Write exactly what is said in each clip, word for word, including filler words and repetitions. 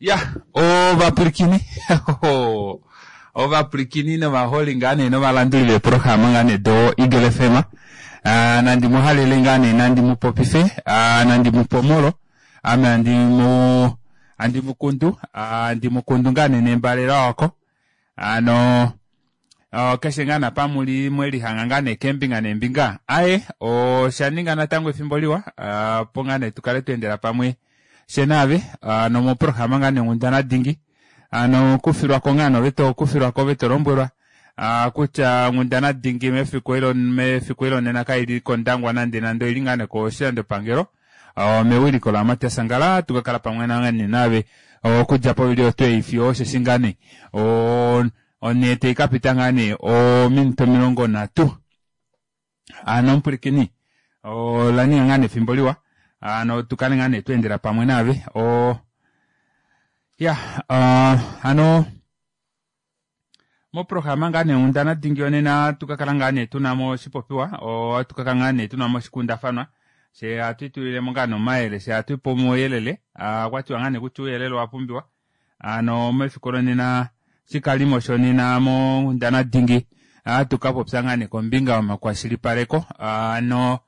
Ya ovapwilikini ovapwilikini novaholi ngaa nee novalanduli veeprograma ngaa nee do Eagle F M nandi muhalele ngaa nee nandi mupopife nandi mupomolo ame andimu handi mukundu handi mukundu ngaa nee nembalela wako hano keshe ngaa apa muli mwelihanga ngaa nee keembinga neembinga aaye oshaninga natango efimbo liwa opo ngaa nee tukale tweendela pamwe fye naave nomoprograma ngaa nee onghundana dingi hano kufilwako ngaa nee ove tokufilwako ove tolombwelwa kutya onghundana dingi mefiku mefiku lonena kaili kondangwa nande nande oili ngaa nee koshilandopangelo mewiliko la Matias Angala tukakala pamwe naave okudja povili oyo fiyo osheshi ngaa nee onhee taikapita ngaa nee ominute omilongo nhatu hano omupwilikini olaninga ngaa nee efimbo liwa hano tukale ngaa nee tweendela pamwe naave o ya hano moprograma ngaa nee onghundana dingi yonena tukakala ngaa nee tunamo oshipopiwa ohatukakala ngaa nee tunamo oshikundafanwa fye hatu itulilemo ngaa nee omayele fye hatu ipe omauyelele okwatiwa ngaa nee kutya ouyelele owapumbiwa hano mefiku lonena shikalimo shonena monghundana dingi ohatukapopya ngaa nee kombinga yomakwashilipaleko hano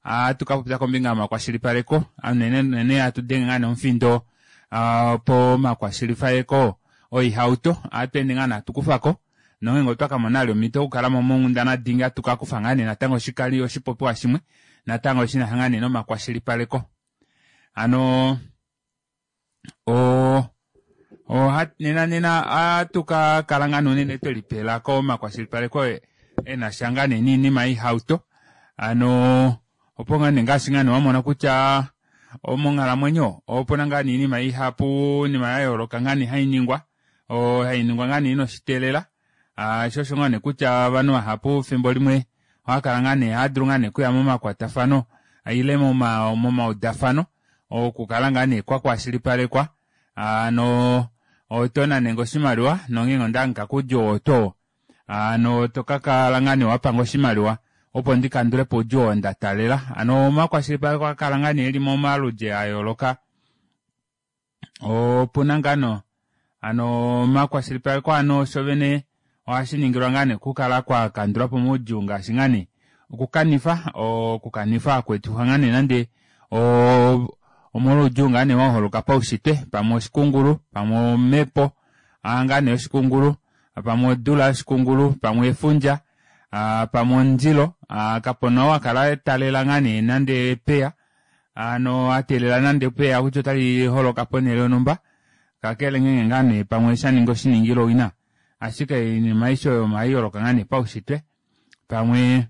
ohatukapopya kombinga yomakwashilipaleko unene unene hatu denge ngaa nee omufindo pomakwashilipaleko oihauto ohatweende ngaa nee hatukufako nongenge otwakamona vali omito okukalamo monghundana dingi hatukakufa ngaa nee natango oshikali oshipopiwa shimwe natango shinasha ngaa nee nomakwashilipaleko hano o nena nena ohatukakala ngaa nee unene twelipela komakwashilipaleko enasha ngaa nee niinima yoihauto hano opo ngaa nee ngaashi ngaa nee wamona kutya monghalamwenyo opuna ngaa nee iinima ihapu iinima yayooloka ngaa nee hainingwa hainingwa ngaa nee inoshiteelela shoo osho ngaa nee kutya ovanhu vahapu efimbo limwe ohakala ngaa nee ohadulu ngaa nee okuya momakwatafano ile momaudafano okukala ngaa nee kwakwashilipalekwa hano otonane oshimaliwa nongenge ondahangika koudjuu oo tuu hano tokakala ngaa nee wapanga oshimaliwa opo ndikandulepo oudjuu oo ndataalela hano omakwashilipaleko ohaakala ngaa nee eli momaludi ayooloka opuna ngaa hano omakwashilipaleko hano shovene ohashiningilwa ngaa nee okukala kwakandulapo omaudjuu ngaashi ngaa nee okukanifa okukanifa hakweetifwa ngaa nee nande omolwoudjuu ngaa nee waholoka paushitwe pamwe oshikungulu pamwe omepo ngaa nee oshikungulu pamwe odula yoshikungulu pamwe efundja pamwe omundilo kapena ou akala atalela ngaa nee nande epeya hano ateelela nande epeya kutya otali holoka ponele yonhumba kakele ngeenge ngaa nee pamwe shaninga oshiningilo owina ashike oinima aishe oyo ohaiholoka ngaa nee paushitwe pamwe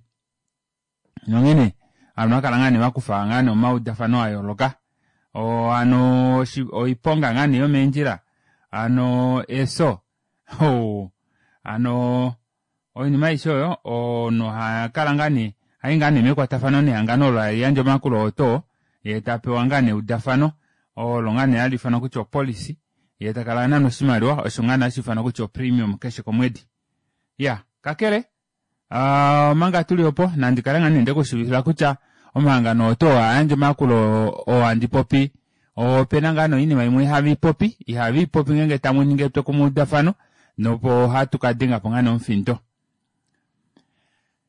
nonghene ovanhu ohakala ngaa nee vakufa ngaa nee omaudafano ayooloka hano oiponga ngaa nee yomeendjila hano efyo hano oinima aishe oyo omunhu ohakala ngaa nee hayi ngaa nee mekwatafano nehangano olo haliyandje omayakulo oo tuu yee tapewa ngaa nee eudafano olo ngaa nee hali ifanwa kutya opolicy yee takala anana oshimaliwa osho ngaa nee hashi ifanwa kutya opremium keshe komwedi iya kakele omanga tuli opo nandikale ngaa nee ndekushivifila kutya omahangano oo tuu hayandje omayakulo oo handi popi opena ngaa nee oinima imwe ihaviipopi ihaviipopi ngeenge tamuningi etwokumweudafano nopo hatukadengapo ngaa nee omufindo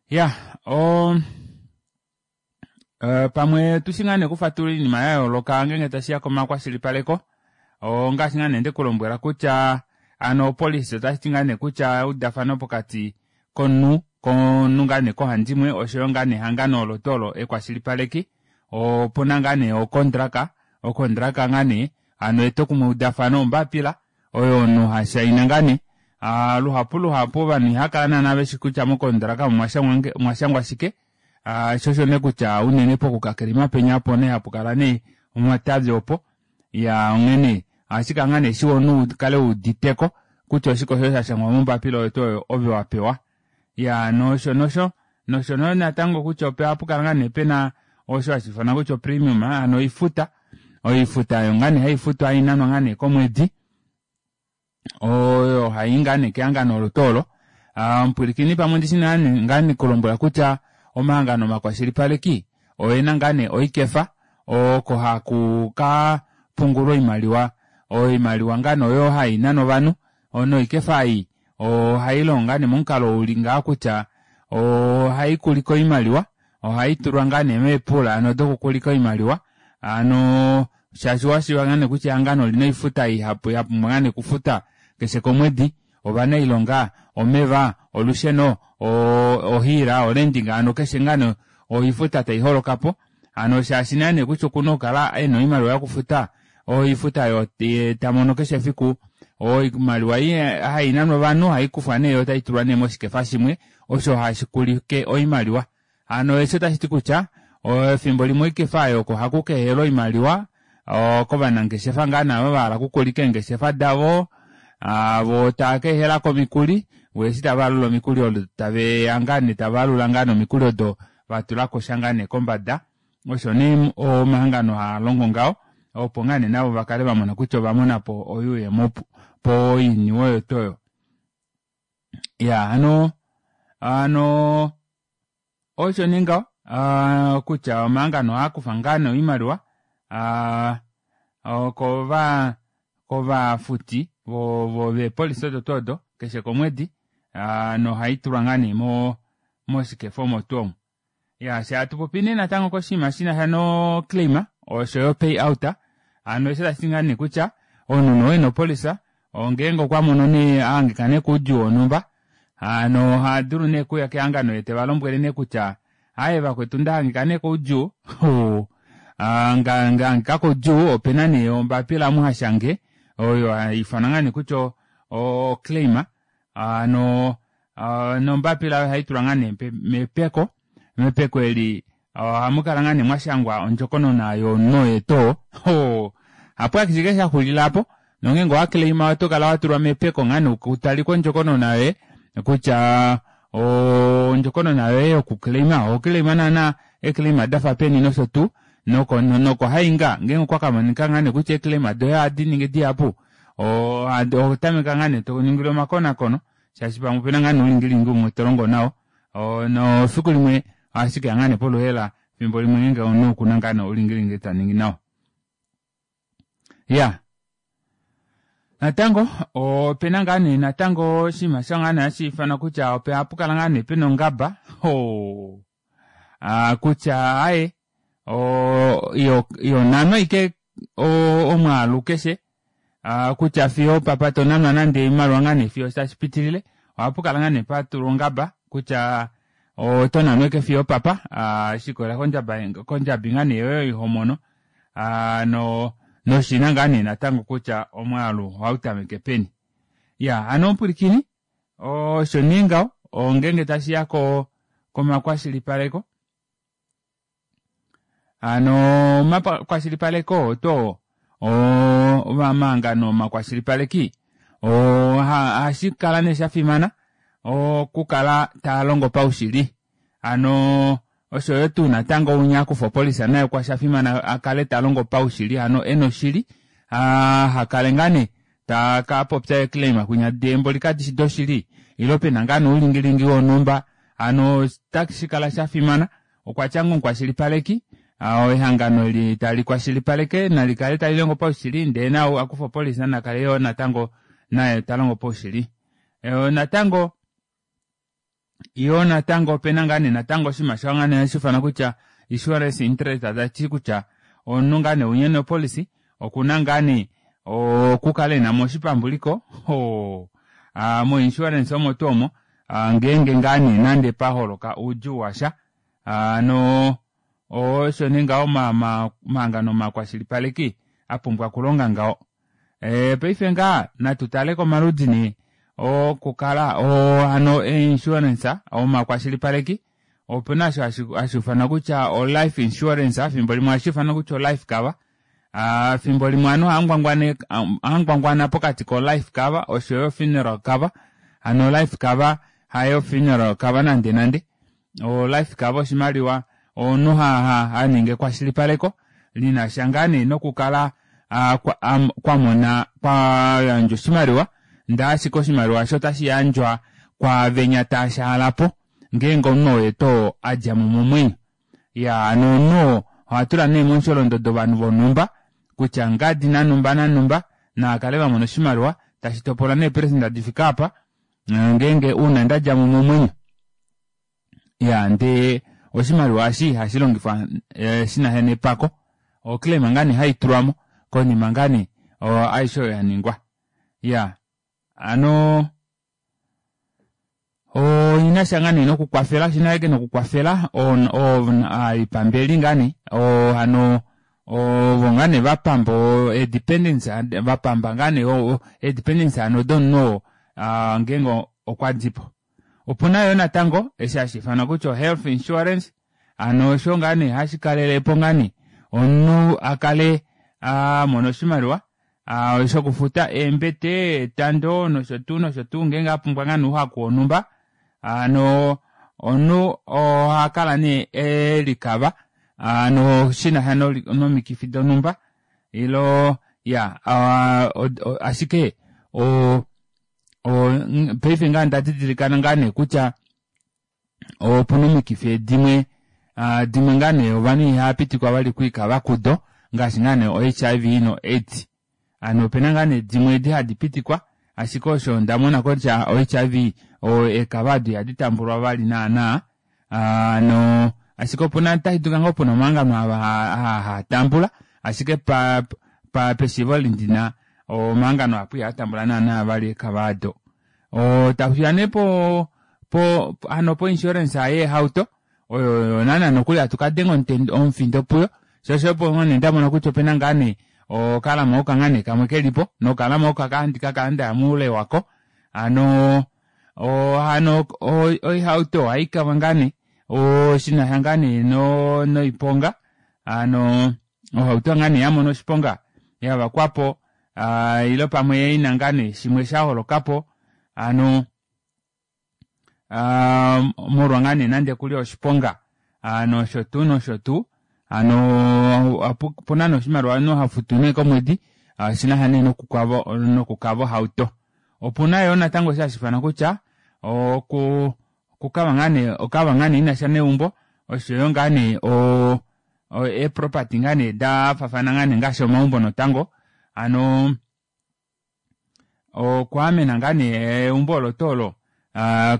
iya o pamwe tushi ngaa nee okufatulula oinima yayooloka ngeenge tashiya komakwashilipaleko ongaashi ngaa nee ndekulombwela kutya hano opolisi otashiti ngaa nee kutya eudafano pokati komunhu komunhu ngaa nee kohandimwe oshoyo ngaa nee ehangano olo tuu olo ekwashilipaleki opuna ngaa nee okondraka okondraka ngaa nee hano etwokumweudafano ombapila oyo omunhu hashaina ngaa nee luhapu luhapu ovanhu ihakala naana veshi kutya mokondraka omwashangwa shike shoo osho nee kutya unene pokukakelima penya opo nee hapukala nee omatavi opo iya onghene ohashikala ngaa nee shiwa omunhu ukale wuuditeko kutya oshike osho shashangwa mombapila oyo tuu oyo ove wapewa iya nosho nosho nosho natango kutya ohapukala ngaa nee pena osho hashi ifanwa kutya opremium hano oifuta oifuta oyo ngaa nee haifutwa hainanwa ngaa nee komwedi oyo hayi ngaa nee kehangano olo tuu olo omupwilikini pamwe ndishi ngaa nekulombwela kutya omahangano omakwashilipaleki oyena ngaa nee oikefa oko haku ka pungulwa oimaliwa Oimaliwa ngano oyo hainanwa ovanhu noikefa ei ohailongo ngoo nee momukalo uli ngaha kutya ohaikulike oimaliwa ohaitulwa ngoo nee meepool hano dokukulika oimaliwa hano shaashi owashiiva ngoo nee kutya ehangano olina oifuta ihapu yapumbwa ngaa nee okufuta keshe komwedi ovanailonga omeva olusheno ohiila o renting hano keshe ngoo nee oifuta taiholokapo hano shaashi nee kutya okuna okukala ena oimaliwa yokufuta oifuta oyo tamono keshe efiku oimaliwa ei hainanwa ovanhu ohaikufwa nee yoo taitulwa nee moshikefa shimwe osho hashikulike oimaliwa hano eshi otashiti kutya efimbo limwe oikefa aayo oko hakukeehelwa oimaliwa kovanangeshefa ngoo nee ava vahala okukulika eengeshefa davo voo tavakeehelako omikuli voo eshi tavaalula omikuli odo taveya ngoo nee tavalula ngoo nee omikuli odo vatulakosha ngoo nee kombada osho nee omahangano haalongo ngaho opo ngoo nee navo vakale vamona kutya ovamonapo oyuuyemo poiniwe oyo twoo oyo iyaa hano hano osho nee ngaho kutya omahangano ohaakufa ngoo nee oimaliwa aa kova kovafuti veepolicy odo twoo odo keshe komwedi nohaitulwa ngoo nee moshikefa omo tuu omo iyaa fyee hatupopi nee natango koshinima shinasha no claim oshoyo payout hano eshi otashiti ngoo nee kutya omunhu nee oo ena opolicy ngeenge okwamono nee ahangika nee koudjuu wonhumba hano ohadulu nee okuya kehangano yee tevalombwele nee kutya aaye vakwetu ndahangika nee koudjuu ndahangika koudjuu opena nee ombapila omu hashange oyo haifanwa ngoo nee kutya o claim hano nombapila aayo ohaitulwa ngoo nee mepeko mepeko eli ohamukala ngoo nee mwashangwa ondjokonona yomunhu oye tuu oo hapo ashike shaxulila aapo nongeenge owaclaima otokala watulwa mepeko ngoo nee kutalike ondjokonona yoye kutya ondjokonona yoye yoku claima oho claima naana eeclaima dafa peni noshotuu noko hainga ngeenge okwakamonika ngoo nee kutya eeclaima doye ohadi ningi dihapu ohotameke ngoo nee toningilwa omakonakono shaashi pamwe opena ngoo nee oulingilingi umwe tolongo nao nefiku limwe ohashikeya ngoo nee poluheela efimbo limwe ngeenge omunhu okuna ngoo nee oulingilingi taningi nawa iyaa natango opena ngoo nee natango oshinima osho ngoo nee hashiifanwa kutya ohapukala ngoo nee pena ongaba hoo kutya aaye ihonanwa ashike omwaalu keshe kutya fiyo opapa tonanwa nande oimaliwa ngoo nee fiyo tashipitilile ohapukala ngoo nee patulwa ongaba kutya otonanwa ashike fiyo opapa shikolela kondjabi ngoo nee yoye oyo homono noshina ngoo nee natango kutya omwaalu ohautameke peni iyaa hano omupwilikini osho nee ngaho ngeenge tashiya komakwashilipaleko hano omakwashilipaleko oto omahangano omakwashilipaleki ohashikala nee shafimana okukala taalongo paushili hano oshoyo tuu natango unya akufa opolicy naye oshafimana akale talongo paushili hano ena oshili ahakale ngoo nee takapopya eeclaim kwinya deemboli kadishi doshili ile pena ngoo nee oulingilingi wonhumba hano otashikala shafimana okwatya ngoo omukwashilipaleki ehangano eli talikwashilipaleke nalikale talilongo paushili ndee naau akufa opolicy nakale yoo natango naye talongo paushili natango yoo natango opena ngoo nee natango oshinima sho ngoo nee hashiifanwa kutya insurance interest tashiti kutya omunhu ngoo nee unya ena opolicy okuna ngoo nee okukala enamo oshipambuliko mo insurance omo tuu omo ngeenge ngoo nee nande paholoka oudjuu washa hano osho nee ngaho omahangano omakwashilipaleki apumbwa okulonga ngaho paife ngaha natutale komaludi nee okukala hano einsurance omakwashilipaleki opena osho hashiifanwa kutya o life insurance efimbo limwe ohashiifanwa kutya o life cover efimbo limwe ovanhu ohaangwangwana pokati ko life cover oshoyo funeral cover hano life cover hayo funeral cover nande nande o life cover oshimaliwa omunhu haningi ekwashilipaleko linasha ngoo nee nokukala kwamona kwayandjwa oshimaliwa ndee ashike oshimaliwa osho otashi yandjwa kwaavenya taashaalapo ngeenge omunhu oye too adjamo momwenyo iyaa hano omunhu oo ohatula nee momusholondodo ovanhu vonhumba kutya ngadi nanumba nanumba Naakale vamona oshimaliwa tashi topolwa neeperecenta difike aapa ngeenge uuna ndadjamo momwenyo. Iyaa ndee oshimaliwa eshi ihashilongifwa shinasha nepako oclaim ngaa nee haitulwamo konima ngaa nee aishe oyo yaningwa. Iyaa hano oinasha ngaa nee nokukwafela oshinasha ashike nokukwafela oipambele ngaa nee oo hano ovo ngaa nee vapamba ee dependants vapamba ngaa nee ee dependants hano domunhu oo ngeenge okwadipo. Opuna yoo natango eshi hashiifanwa kutya o health insurance hano osho ngaa nee hashikalelepo ngaa nee omunhu akale amona oshimaliwa shokufuta eembete etando noshotuu noshotuu ngeenge apumbwa ngaane ouhaku wonhumba hano omunhu ohakala nee elikava hano shinasha nomikifi donumba ilo iyaa ashike oo paife ngaha ondadidilika ngaane kutya opuna omikifi dimwe dimwe ngaa nee ovanhu ihaapitikwa vali okwiikava kudo ngaashi ngaa nee o H I V no AIDS hano opena ngaa nee dimwe edi hadi pitikwa ashike osho ondamona kutya o H I V eekava aado ihadi tambulwa vali naana hano ashike opuna otashidulika ngoo pena omahangano aa haatambula ashike pa pashiivo eli ndina omahangano mahapu ihaatambula naana vali eekava aado. Tashiya nee po hano po insurance yeehauto oyo naana nokuli hatu kadenga omufindo puyo shoo osho opo nee ndamona kutya opena ngaa nee okalama oka kamwe kelipo nokalama oko ohandi kakala ndaya moule wako hano hano oihauto ohaikavwa ngaa nee shinasha ngaa nee noiponga hano ohauto ngaa nee yamona oshiponga yavakwapo ile pamwe ina ngaa nee shimwe shaholokapo hano molwa ngaa nee nande okuli oshiponga noshotuu noshotuu hano opuna nee oshimaliwa omunhu hafutu nee komwedi shinasha nee nokukava ohauto. Opuna yoo natango osho hashiifanwa kutya okuu okukava ngaa nee okava ngaa nee inasha neumbo oshoyo ngaa nee oo eproperty ngaa nee dafaafana ngaa nee ngaashi omaumbo natango hano okwaamena ngaa nee eumbo olo tuu olo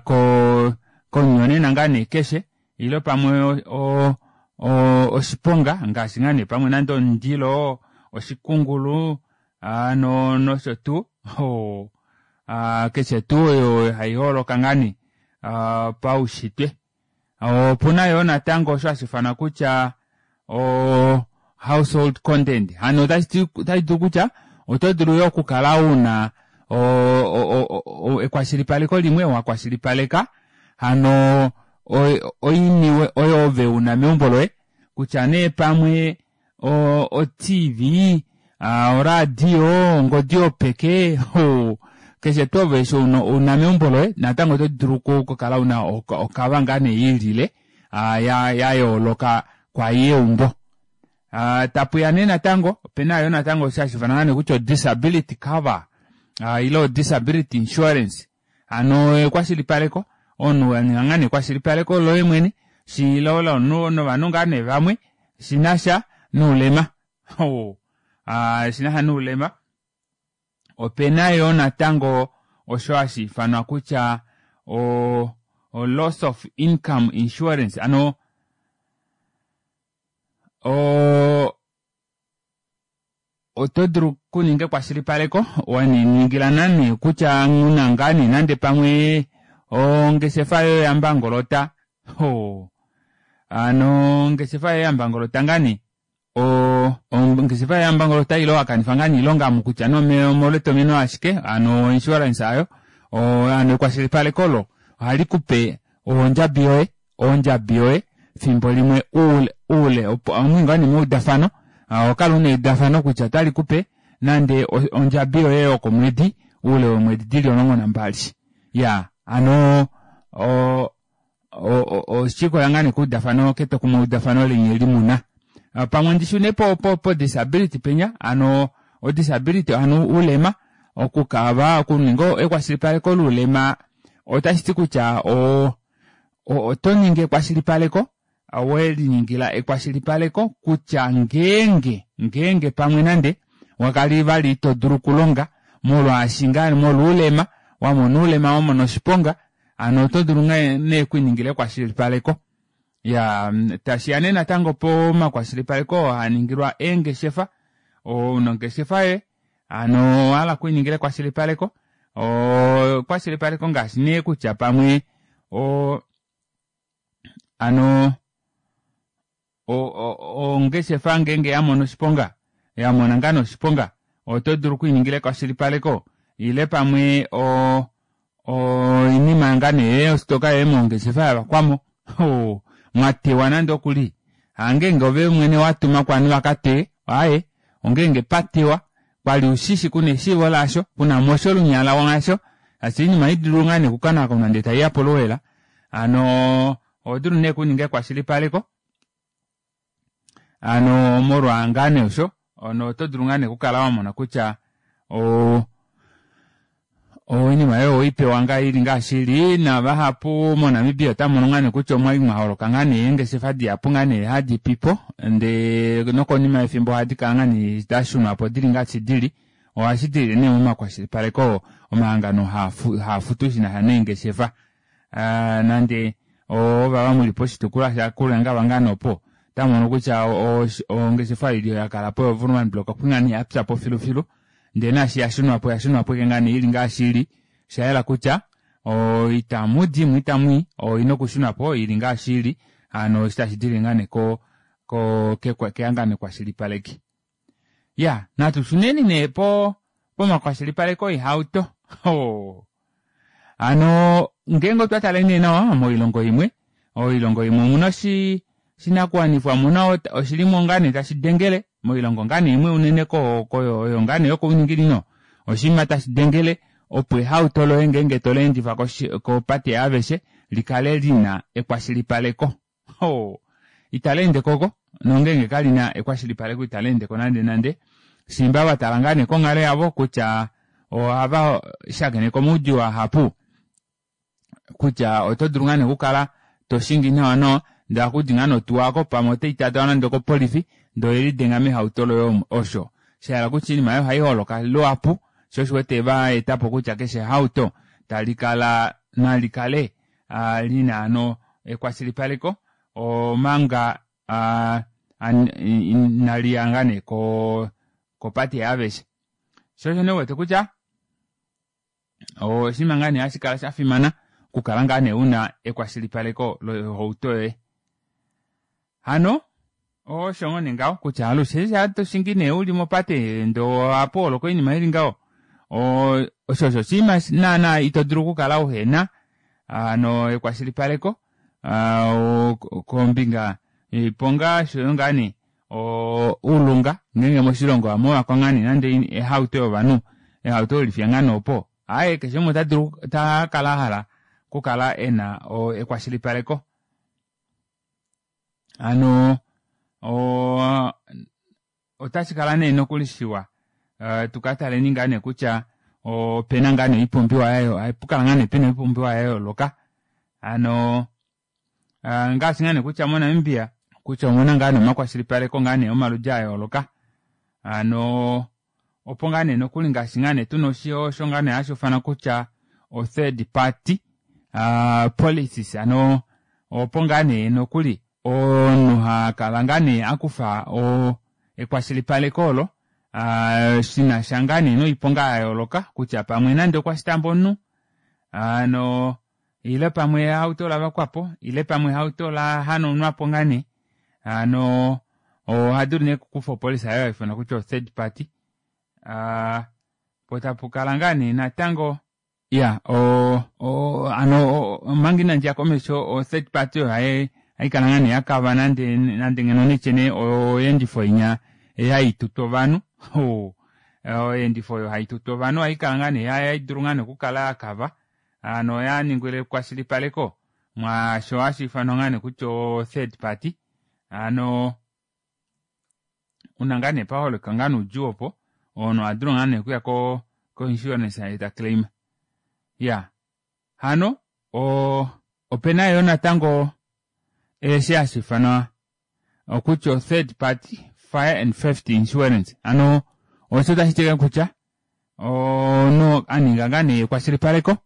koo komunyonena ngaa nee keshe ile pamwe o- o oshiponga ngaashi ngaa nee pamwe nande omundilo oshikungulu hano noshotuu oo keshe tuu oyo haiholoka ngaa nee paushitwe. Opuna yoo natango osho hashiifanwa kutya o household content hano otashiti otashidulu kutya oto dulu yoo okukala una o- ekwashilipaleko limwe wakwashilipaleka hano oiniwe oyo ove una meumbo loye kutya nee pamwe o T V oradio ongodi yopeke keshe tuu ove osho una meumbo loye natango oto dulu okukala una okava ngaa nee yiilile yayooloka kwaayi yeumbo. Tapuya nee natango opena yoo natango osho hashiifanwa kutya o disability cover ile disability insurance hano ekwashilipaleko omunhu waninga ngaa nee ekwashilipaleko loye mwene ile lovanhu ngaa nee vamwe shinasha noulema shinasha noulema. Opena yoo natango osho hashiifanwa kutya o loss of income insurance hano oo oto dulu okuninga ekwashilipaleko waningila nane kutya una ngaa nee nande pamwe ongeshefa yoye yambangolota hano ongeshefa yoye yambangolota ngaa nee ongeshefa yoye yambangolota ile wakanifa ngaa nee oilonga omu kutya nee omolwetomeno ashike hano insurance aayo hano ekwashilipaleko olo ohalikupe ondjabi yoye ondjabi yoye fimbo limwe oule oule omuyi ngaa nee meudafano ohokala una eudafano kutya otalikupe nande ondjabi yoye yokomwedi oule weemwedi dili omulongo nambali. Iyaa hano o oshiikolela ngaa nee keudafano ketwokumwe udafano leni eli muna. Pamwe ndishune po po disability penya hano o disability hano oulema okukava okuninga ekwashilipaleko loulema otashiti kutya oo otoningi ekwashilipaleko weliningila ekwashilipaleko kutya ngeenge ngeenge pamwe nande Wakali vali ito dulu okulonga molwaashi ngaa molwoulema wamona oulema wamona oshiponga hano oto dulu nee okwiiningila ekwashilipaleko. Iyaa tashiya nee natango pomakwashilipaleko oo haaningilwa eengeshefa, ouna ongeshefa yoye hano owahala okwiiningila ekwashilipaleko oo ekwashilipaleko ngaashi nee kutya pamwe oo hano ongeshefa ngeenge yamono oshiponga yamona ngaa nee oshiponga oto dulu okwiiningila ekwashilipaleko ile pamwe o oinima ngaa nee ostoka yoye mongeshefa yavakwamo oo mwatewa nande okuli hangenge ove mwene watuma ovanhu vakateye aaye ongenge patewa kwali ushishi kuna eshiivo laasho kunamosha olunyala mwasho shaashi oinima ohaidulu ngaa nee okukonakonwa ndee taiya poluhaela hano ohodulu nee okuninga ekwashilipaleko hano molwa ngaa nee osho hono oto dulu ngaa nee okukala wamona kutya oo oinima yoye oweipewa ngaa ili ngaashi ili navahapu moNamibia otamono ngaa nee kutya omwali mwaholoka ngaa nee eengeshefa dihapu ngaa nee hadi pipo ndee nokonima yefimbo ohadi kala ngaa nee dashunwapo dili ngaashi dili ohashi dilile nee momakwashilipaleko oo omahangano haafutu shinasha neengeshefa nande ovava muli poshitukulwa shaKuryangava ngaa nee opo otamumono kutya ongeshefa ili yakalapo yo Woermann Brock okwali ngaa nee yapyapo filufilu ndee naashi yashunwapo oyashunwapo ashike ngaa nee ili ngaashi ili oshayela kutya itamudi mo itamwii oina okushunwapo ili ngaashi ili hano eshi tashi dilile ngaa nee ko ko kehangano ekwashilipaleki. Iya natu shuneni nee po pomakwashilipaleko oihauto hano ngeenge otwa tale nee nawa moilongo imwe oilongo imwe omuna oshinakuwanifwa omuna oshilimo ngaa nee tashi dengele moilongo ngaa nee imwe unene oyo ngaa nee yokouninginino oshinima tashi dengele opo ehauto loye ngeenge toleendifa kopate yaaveshe likale lina ekwashilipaleko. Italeende koko nongeenge kalina ekwashilipaleko italeendeko nande nande shimba vatala ngaa nee konghalo yavo kutya ohava shakeneke omaudjuu ahapu kutya oto dulu ngaa nee okukala toshingi nawa nawa ndee ohakudi ngaa nee otuwa aako pamwe otaitatawa nande okopolifi ndee oyelidenga mehauto loye osho shahala kutya oinima aayo ohaiholoka luhapu shoo osho uwete vaetapo kutya keshe ehauto talikala nalikale lina hano ekwashilipaleko omanga inaliya ngaa nee kopate yaaveshe shoo osho nee uwete kutya oshinima ngaa nee hashi kala shafimana okukala ngaa nee una ekwashilipaleko lohauto yoye. Hano osho ngoo nee ngaho kutya alushe eshi hatoshingi nee uli mopate ndee ohapu holoka oinima ili ngaho osho osho oshinima naana ito dulu okukala uhena hano ekwashilipaleko kombinga yoiponga oshoyo ngaa nee oulunga ngeenge moshilongo ohamuvakwa ngaa nee nande ehauto yovanhu ehauto welifiya ngaa nee opo aaye keshe umwe otadulu otakala ahala okukala ena ekwashilipaleko. Hano otashi kala nee nokuli shiwa tukataleni ngaa nee kutya opena ngaa nee oipumbiwa yayo ohapukala ngaa nee pena oipumbiwa yayooloka hano ngaashi ngaa nee kutya moNamibia kutya omuna ngaa nee omakwashilipaleko ngaa nee omaludi ayooloka hano opo ngaa nee nokuli ngaashi ngaa nee tuna osho ngaa nee hashi ufanwa kutya o third party policies hano opo ngaa nee nokuli omunhu hakala ngaa nee akufa ekwashilipaleko olo shinasha ngaa nee noiponga yayooloka kutya pamwe nande okwa shtamba omunhu hano ile pamwe ehauto olavakwapo ile pamwe ehauto olahanaunwapo ngaa nee hano ohadulu nee okukufa opolisa oyo haifanwa kutya o third party po tapukala ngaa nee natango iya hano omanga inandiya komesho o third party oyo haikala ngaa nee yakava nande nande ngeno nitye nee oyeendifo inya haitutu ovanhu oyeendifo oyo haitutu ovanhu ohaikala ngaa nee haidulu ngaa nee okukala yakava hano yaningilwa ekwashilipaleko mwaasho hashi ifanwa ngaa nee kutya o third party hano una ngaa nee paholoka ngaa nee oudjuu opo omunhu ohadulu ngaa nee okuya ko insurance eta claim. Iya hano opena yoo natango eshi hashi ifanwa kutya o third party fire and theft insurance hano Osho tashiti kutya omunhu aninga ngaa nee ekwashilipaleko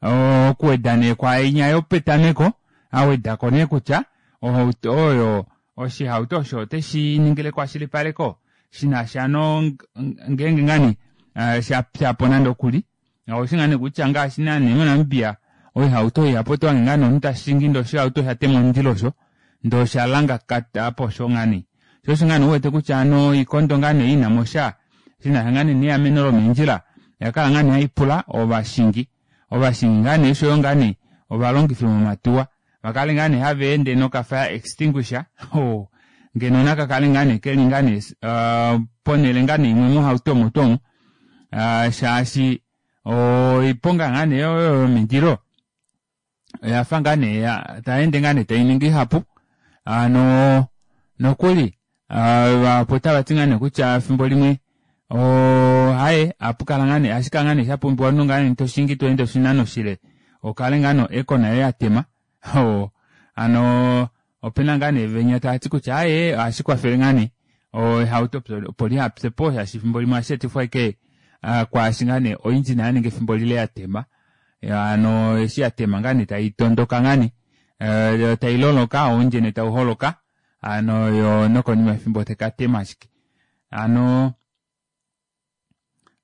okuweda nee kwaainya yopetameko awedako nee kutya ohauto oyo oshihauto osho oteshiningile ekwashilipaleko shinasha no ngeenge ngaa nee shapyapo nande okuli oushi ngaa nee kutya ngaashi naana moNamibia oihauto ihapu otohange ngaa nee omunhu tashingi ndee oshihauto oshatema omundilo osho ndee oshalangakata osho ngaa nee shoo osho ngaa nee uwete kutya hano oikondo ngaa nee inamosha shinasha ngaa nee neameno lomeendjila oyakala ngaa nee haipula ovashingi ovashingi ngaa nee oshoyo ngaa nee ovalongifi vomatuwa vakale ngaa nee haveende noka fire extinguisher oo ngeno nakakale ngaa nee keli ngaa nee ponele ngaa nee imwe mohauto omo tuu omo shaashi oiponga ngaa nee oyo yomindilo oyafa ngaa nee tayeende ngaa nee tainingi ihapu hano nokuli vahapu otavati ngaa nee kutya efimbo limwe aaye ohapukala ngaa nee ohashikala ngaa nee shapumbiwa omunhu ngaa nee toshingi tweende oshinano shile ukale ngaa no aircon yoye yatema hano opena ngaa nee venya tavati kutya aaye ohashikwafele ngaa nee ehauto opo lihapyepo shaashi efimbo limwe ohasheetifwa ashike kwaashi ngaa nee oengine yaninga efimbo lile yatema hano eshi yatema ngaa nee taitondoka ngaa nee tailoloka oundjene tauholoka hano yoo nokonima yefimbo taikatema ashike hano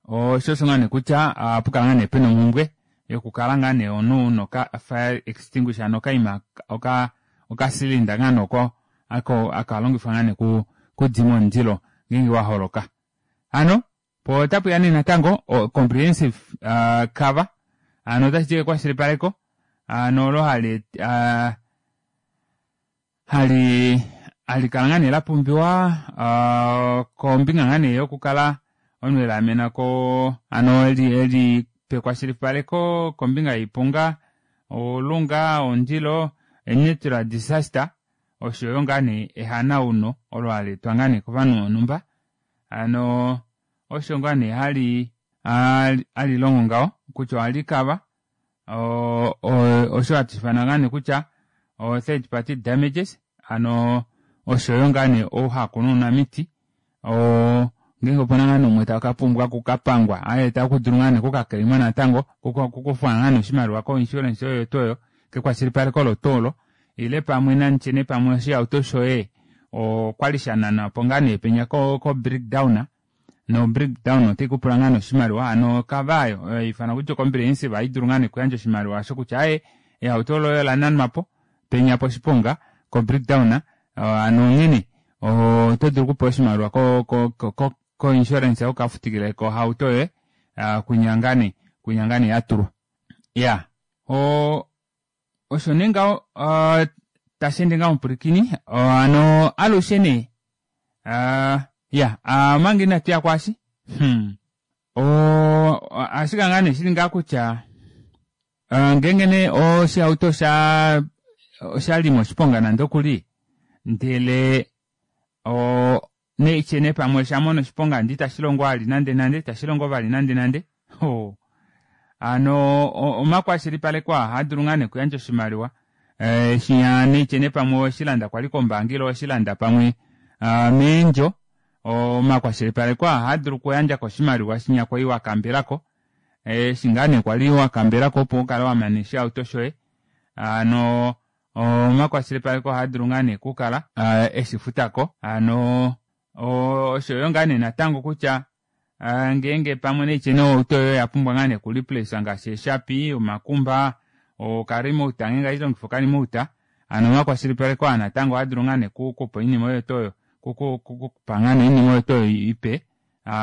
osho osho ngaa nee kutya ohapukala ngaa nee pena omumbwe yokukala ngaa nee omunhu una oka fire extinguisher hano okaima oka okacylinder ngaa nee oko ako hakalongifwa ngaa nee okudima omundilo ngeenge waholoka. Hano poo otapuya nee natango o comprehensive cover hano otashiti ekwashilipaleko hano olo hali hali halikala ngaa nee lapumbiwa kombinga ngaa nee yokukala omunhu elaamena ko hano eli pekwashilipaleko kombinga yoiponga oulunga omundilo natural disaster oshoyo ngaa nee ehanauno olo haleetwa ngaa nee kovanhu vonhumba hano osho ngaa nee hali halilongo ngaho kutya ohali kava osho hatu ifana ngaa nee kutya o third party damages hano oshoyo ngaa nee ouhaku nounamiti ngeenge opena ngaa nee umwe takapumbwa okukapangwa aaye takudulu ngaa nee okukaclaima natango okukufwa ngaa nee oshimaliwa ko insurance oyo tuu oyo kekwashilipaleko olo tuu olo ile pamwe nanditye nee pamwe oshihauto shoye okwali shananwapo ngaa nee penya ko breakdown no breakdown otaikupula ngaa nee oshimaliwa hano okava ayo oyo haifanwa kutya comprehensive ohaidulu ngaa nee okuyandja oshimaliwa osho kutya aaye ehauto loye olananwapo penya poshiponga ko breakdown hano onghene oto dulu okupewa oshimaliwa ko ko ko insurance ukafutikileko ohauto yoye kwinya ngaa nee kwinya ngaa nee yatulwa iya osho nee ngaho tasheende ngaho omupwilikini hano alushe nee iya omanga inatuya kwaashi hmm ohashikala ngaa nee shili ngaa kutya ngeenge nee oshihauto osha oshali moshiponga nande okuli ndele neitye nee pamwe oshamona oshiponga ndee itashilongo vali nande nande itashilongo vali nande nande hano omakwashilipaleko aa ohaadulu ngaa nee okuyandja oshimaliwa shinya neitye nee pamwe oweshilanda kwali kombaanga ile oweshilanda pamwe meendjo omakwashilipaleko aa ohaadulu okuyandjako oshimaliwa shinya kwali wakambelako eshi ngaa nee kwali wakambelako opo ukale wamana oshihauto shoye hano omakwashilipaleko ohaadulu ngaa nee okukala eshifutako hano oshoyo ngaa nee natango kutya ngeenge pamwe neitye nee ohauto yoye oyapumbwa ngaa nee okureplace ngaashi eeshapi omakumba okaremote ngeenge ohailongifa okaremote hano omakwashilipaleko aa natango ohaadulu ngaa nee okukupa oinima oyo tuu oyo okukupa ngaa nee oinima oyo tuu oyo ipe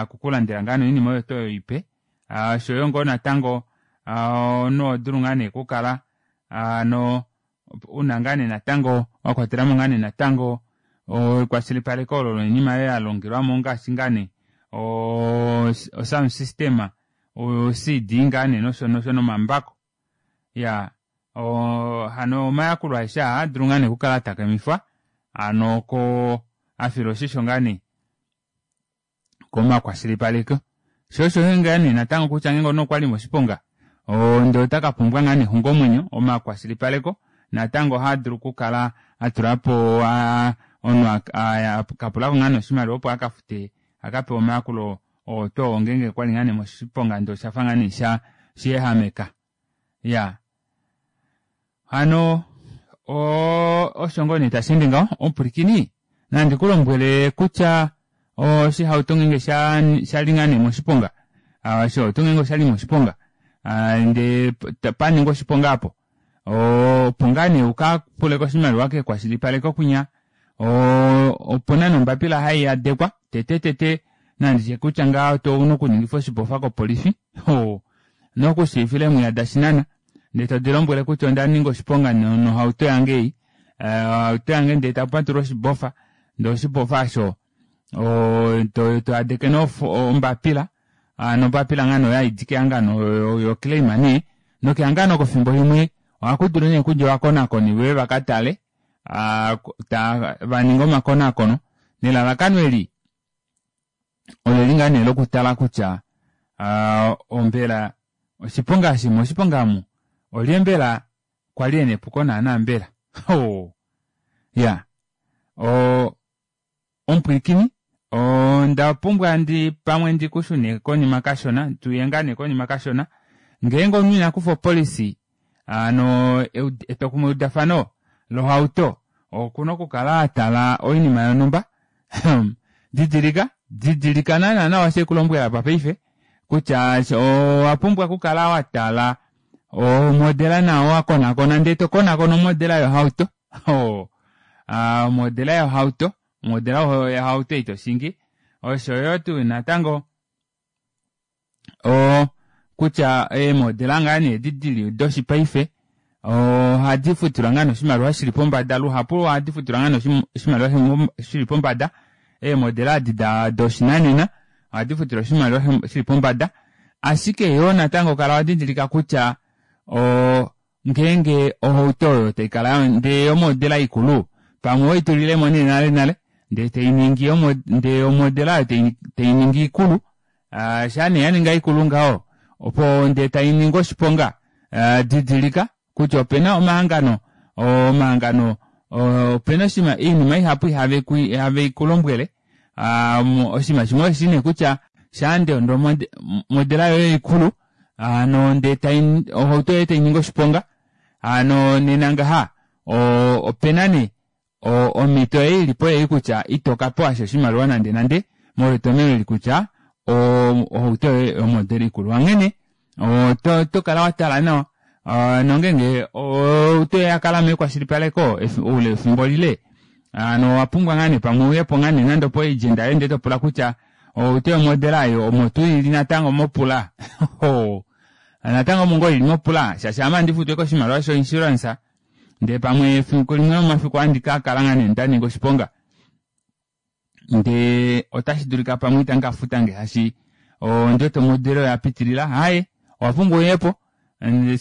okukulandela ngaa nee oinima oyo tuu oyo ipe oshoyo ngoo natango omunhu ohodulu ngaa nee okukala hano una ngaa nee natango wakwatelamo ngaa nee natango ekwashilipaleko olo loinima yoye yalongelwamo ngaashi ngaa nee o sound system o C D ngaa nee nosho nosho nomambako iyaa hano omayakulo aeshe aa ohaadulu ngaa nee okukala atakamifwa hano ko afilwa oshisho ngaa nee komakwashilipaleko shoo osho ngaa nee natango kutya ngeenge omunhu okwali moshiponga ndee otakapumbwa ngaa nee exungomwenyo omakwashilipaleko natango ohaadulu okukala atulapo omunhu akapulako ngaa nee oshimaliwa opo akafute akapewe omayakulo Ohauto ngeenge kwali ngaa nee moshiponga ndee oshafa ngaa nee sha sheehameka iyaa hano oo osho ngoo nee tasheende ngaho omupwilikini nandi kulombwele kutya oshihauto ngeenge shali ngaa nee moshiponga oshihauto ngeenge oshali moshiponga ndee paningwa oshiponga aapo opo ngaa nee ukapuleko oshimaliwa kekwashilipaleko kwinya opena nee ombapila haiyadekwa tete tete nanditye kutya ngaha ouna okuningifa oshibofa kopolifi ouna okushiivifila eemwiya dashinana ndee todilombwele kutya ondaninga oshiponga nohauto yange ei ohauto yange ndee tapatululwa oshibofa ndee oshibofa aasho toyadeke nee ombapila hano ombapila ngaano oyo haidi kehangano yo claim nee nokehangano oko efimbo limwe ohakudulu nee okudja ovakonakoni veuye vakatale vaninge omakonakono nelalakano eli oleli ngaa nee lokutala kutya mbela oshiponga eshi moshiponga omu olye mbela kwali ena epuko naana mbela iyaa oo omupwilikini ondapumbwa ndi pamwe ndikushune konima kashona tuye ngaa nee konima kashona ngeenge omunhu inakufa opolicy hano etwokumwe udafano lohauto okuna okukala atala oinima yonumba didilika didilika naana nawa osho haikulombwele apa paife kutya owapumbwa okukala watala omodela nawa wakonakona ndee tokonakona omodela yohauto omodela yohauto omodela yohauto ei toshingi oshoyo tuu natango oo kutya eemodela ngaa nee edi dili doshipaife ohadi futilwa ngaa nee oshimaliwa shili pombada luhapu ohadi futilwa ngaa nee oshimaliwa shili pombada eemodela edi doshinanena ohadi futilwa oshimaliwa shili pombada ashike yoo natango kala wadidilika kutya oo ngeenge ohauto oyo taikala ndee omodela ikulu pamwe oweitulilemo nee nale nale ndee tainingi ndee omodela oyo tainingi ikulu shaa nee yaninga ikulu ngaho opo ndee tainingi oshiponga didilika kutya opena omahangano omahangano opena oinima ihapu ihavekulombwele oshinima shimwe osheshi nee kutya shaande omodela yoye ikulu hano ndee ohauto yoye tainingi oshiponga hano nena ngaha opena nee omito ei ilipo ei kutya itokapewasha oshimaliwa nande nande molwa etomeno eli kutya ohauto yoye oyomodela ikulu onghene otokala watala nawa nongenge ohauto yoye oyakala mekwashilipaleko oule wefimbo lile hano owapumbwa ngaa nee pamwe uyepo ngaa nee nande opo agent yoye ndee topula kutya ohauto yomodela aayo omo tuu ili natango mopula natango omo ngoo ili mopula shaashi ame ohandi futu ashike oshimaliwa sho insurance ndee pamwe efiku limwe lomomafiku ohandi kakala ngaa nee ndaninga oshiponga ndee otashi dulika pamwe ita ndikafutange shaashi ondiwete omodela oyo yapitilila aaye owapumbwa uyepo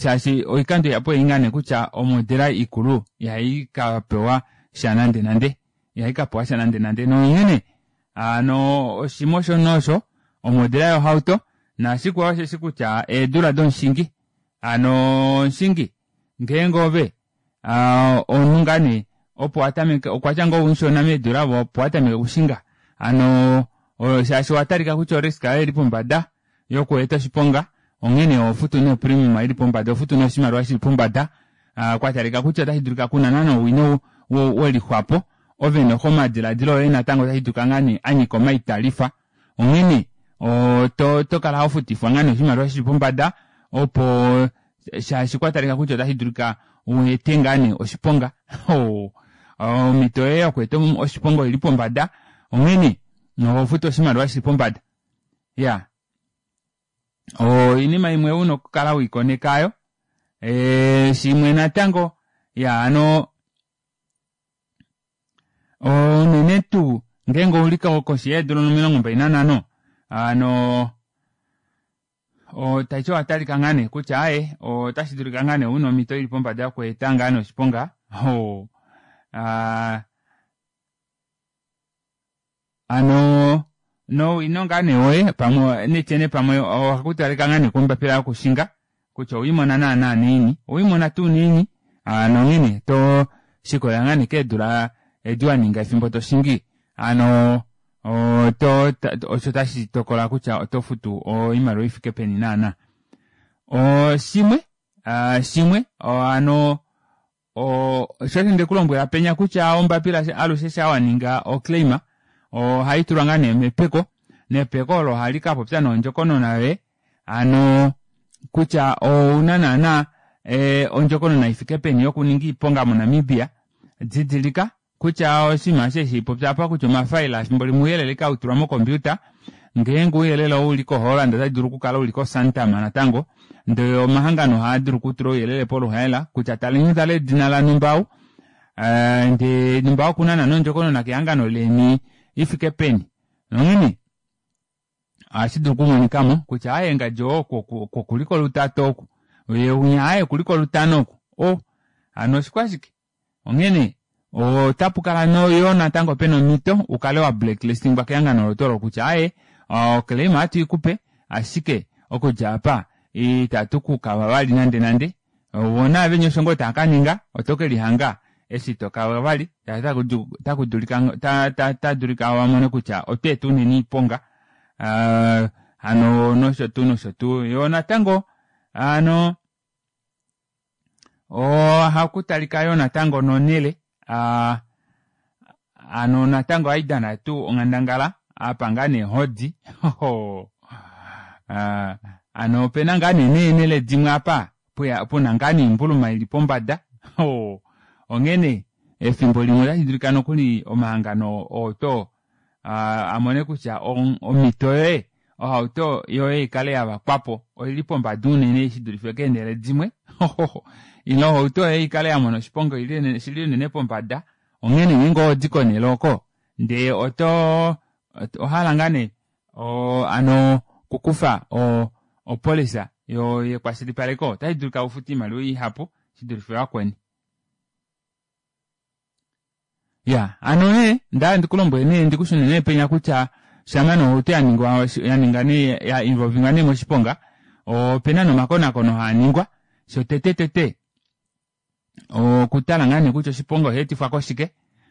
shaashi oikando ihapu ei ngaa nee kutya omodela ikulu ihaikapewa sha nande nande ihaikapewa sha nande nande nonghene hano oshimwe osho noosho omodela yohauto nashikwao osheshi kutya eedula domushingi hano omushingi ngeenge ove omunhu ngaa nee opo watameke okwatya ngoo umushona meedula opo watameke okushinga hano shaashi owatalika kutya orisk yoye oili pombada yokweeta oshiponga onghene ohofutu nee opremium ili pombada ohofutu nee oshimaliwa shili pombada kwatalika kutya ota shidulika kuna naana owino welixwapo ove noxo omadilaadilo oye natango ota shidulika ngaa nee anyika omaitalifa onghene otokala hofutifwa ngaa nee oshimaliwa shili pombada opo shaashi kwatalika kutya ota shidulika weete ngaa nee oshiponga omito yoye yokweeta oshiponga oili pombada onghene ohofutu oshimaliwa shili pombada iyaa oinima imwe una okukala weikoneka aayo shimwe natango iya hano unene tuu ngeenge ouli koshi yeedula omilongo mbali nanhano hano taiti owatalika ngaa nee kutya aaye otashidulika ngaa nee una omito ili pombada yokweeta ngaa nee oshiponga hano nowino ngaa nee woye pamwe nitye nee pamwe ohakutalika ngaa nee kombapila yokushinga kutya oweimona naana naini oweimona tuu naini nonghene to shikolela ngaa nee keedula edi waninga efimbo toshingi hano Oto osho tashi tokola kutya oto futu oimaliwa ifike peni naana. Shimwe shimwe hano sho osho ndekulombwela penya kutya ombapila alushe shaa waninga oclaim ohaitulwa ngoo nee mepeko nepeko olo ohali kapopya nee ondjokonona yoye hano kutya ouna naana ondjokonona ifike peni yokuninga oiponga mo Namibia. Didilika kutya oshinima eshi hashipopya apa kutya omafaila efimbo limwe ouyelele ashike hautulwa mo computer ngeenge ouyelele oo uli ko Holland ota dulu okukala uli ko Santam natango ndee omahangano ohaadulu okutula ouyelele poluhaela kutya taleni tale edina lanumba ou ndee numba okuna naana ondjokonona kehangano leni ifike peni nonghene ohashi dulu okumonikamo kutya aaye ngadi oo okuliko lutatu oku yee unya aaye okuliko lutano oku oh hano oshikwashike onghene otapukala yoo natango pena omhito ukale wa blacklistingwa kehangano olo tuu olo kutya aaye oclaim ohatu ikupe ashike okudja apa itatu kukava vali nande nande voo naavenya osho ngoo taakaninga oto kelihanga eshi tokava vali tadulika vamone kutya otweeta unene oiponga hano nosho tuu nosho tuu yoo natango hano ohakutalika yoo natango nonele hano natango ohaidana tuu onghandangala apa ngaa nee hodi hano opena ngaa nee neenele dimwe apa puna ngaa nee oimbuluma ili pombada onghene efimbo limwe otashi dulika nokuli omahangano ooto amone kutya omhito yoye ohauto yoye ikale yavakwapo oili pombada unene shidulife keenele dimwe ile ohauto yoye ikale yamona oshiponga shili unene pombada onghene ngeenge ohodi konele oko ndee oto ohala ngaa nee hano okukufa opolisa yekwashilipaleko otashi dulika ufute oimaliwa ihapu shidulife vakweni. Ya hano nee ndahala ndikulombwele nee ndikushune nee penya kutya shama nee ohauto yaningwa yaninga nee ya involvingwa nee moshiponga opena nomakonakono haaningwa shotete tete okutala ngaa nee kutya oshiponga oshaetifwa koshike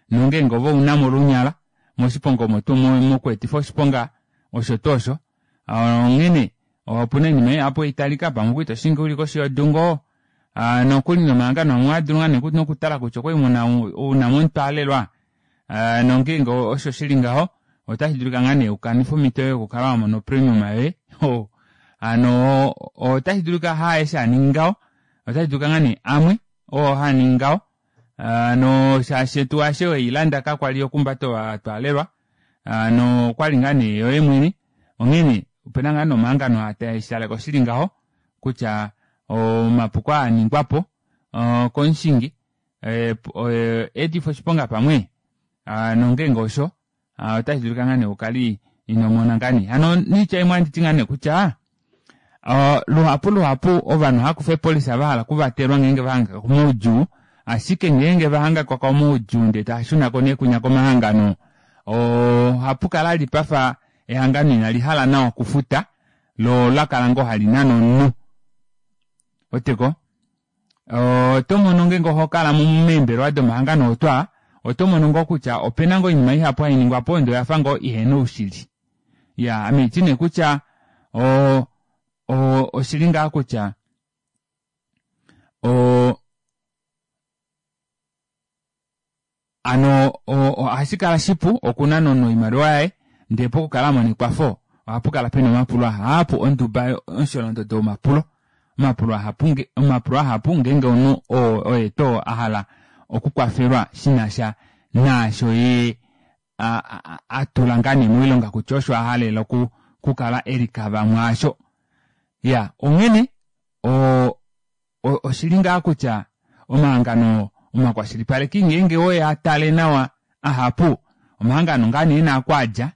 nongeenge ove ounamo olunyala moshiponga omo tuu mokweetifa oshiponga osho tuu osho onghene opuna oinima ihapu haitalika pamwe okwali toshingi uli koshi yodungo nokuli nomahangano amwe ohaadulu ngaa nee nokutala kutya okwali unamo omutwaalelwa nongeenge osho shili ngaho otashi dulika ngaa nee ukanife omhito yoye yokukala wamona opremium yoye hano otashi dulika haaeshe haningi ngaho otashi dulika ngaa nee amwe oo haningi ngaho hano shaashi tuu ashe weilanda kakwali okumbata ovatwaalelwa hano okwali ngaa nee yoye mwene onghene opena ngaa nomahangano hatashitaleko shili ngaho kutya omapuko aaningwapo komushingi etifa oshiponga pamwe nongeenge osho otashi dulika ngaa nee ukale inomona ngaa nee hano noitya imwe ohanditi ngaa nee kutya luhapu luhapu ovanhu ohakufa eepolisa vahala okuvatelwa ngeenge vahangika komaudjuu ashike ngeenge vahangikwa komaudjuu ndee taashunako nee kunya komahangano ohapukala ali pafa ehangano inalihala nawa okufuta loo olakala ngoo hali nane omunhu weteko otomono ngeenge ohokala meembelewa domahangano otwaa otomono ngoo kutya opena ngoo oinima ihapu hainingwapo ndee oyafa ngoo ihena oushili iya ame haiti nee kutya o oshili ngaa kutya o hano ohashi kala shipu okunana omunhu oimaliwa yaye ndee pokukala amona ekwafo ohapukala pena omapulo ahapu onduba omusholondodo womapulo omapulo ahapu omapulo ahapu ngeenge omunhu oo oye too ahala okukwafelwa shinasha naasho yee atula ngaa nee moilonga kutya osho ahalela okukala elikava mwaasho iya onghene oshili ngaa kutya omahangano omakwashilipaleki ngeenge owe atale nawa ahapu omahangano ngaa nee ena okwaadja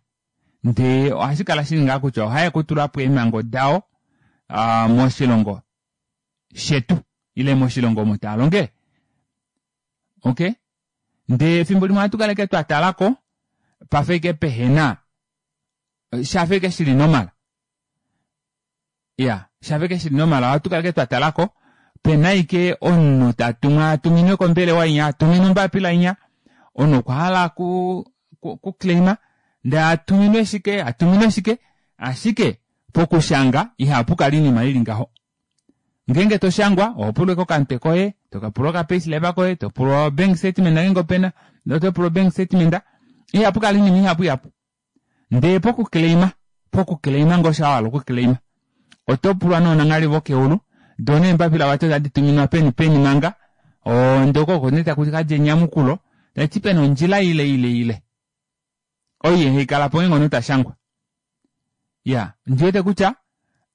ndee ohashi kala shili ngaa kutya ohaye kutulapo eemhango dao moshilongo shetu ile moshilongo omo taalongele okay ndee efimbo limwe ohatu kala ashike twatalako pafa ashike pehena shafa ashike shili normal iya shafa ashike shili normal ohatu kala ashike twatalako pena ashike omunhu tatumwa atuminwe kombelewa inya atuminwe ombapila inya omunhu okwa hala ku ku claima Ndee atuminwe shike atuminwe shike ashike pokushanga ihapukala oinima ili ngaho. Ngeenge toshangwa ohopulwa ashike okamutwe koye topulwa oka payslip koye topulwa o bank statement ngeenge opena otopulwa o bank statement ihapukala oinima ihapu ihapu ndee poku claima poku claima ngoo shaa wahala oku claima otopulwa noonanghali vokeulu doo neembapila vati otadi tuminwa peni peni manga oo ndee oko oko nee takukadja enyamukulo tashiti pena ondjila ile ile ile oyo haikalapo ngeenge omunhu tashangwa. Iyaa ondiwete kutya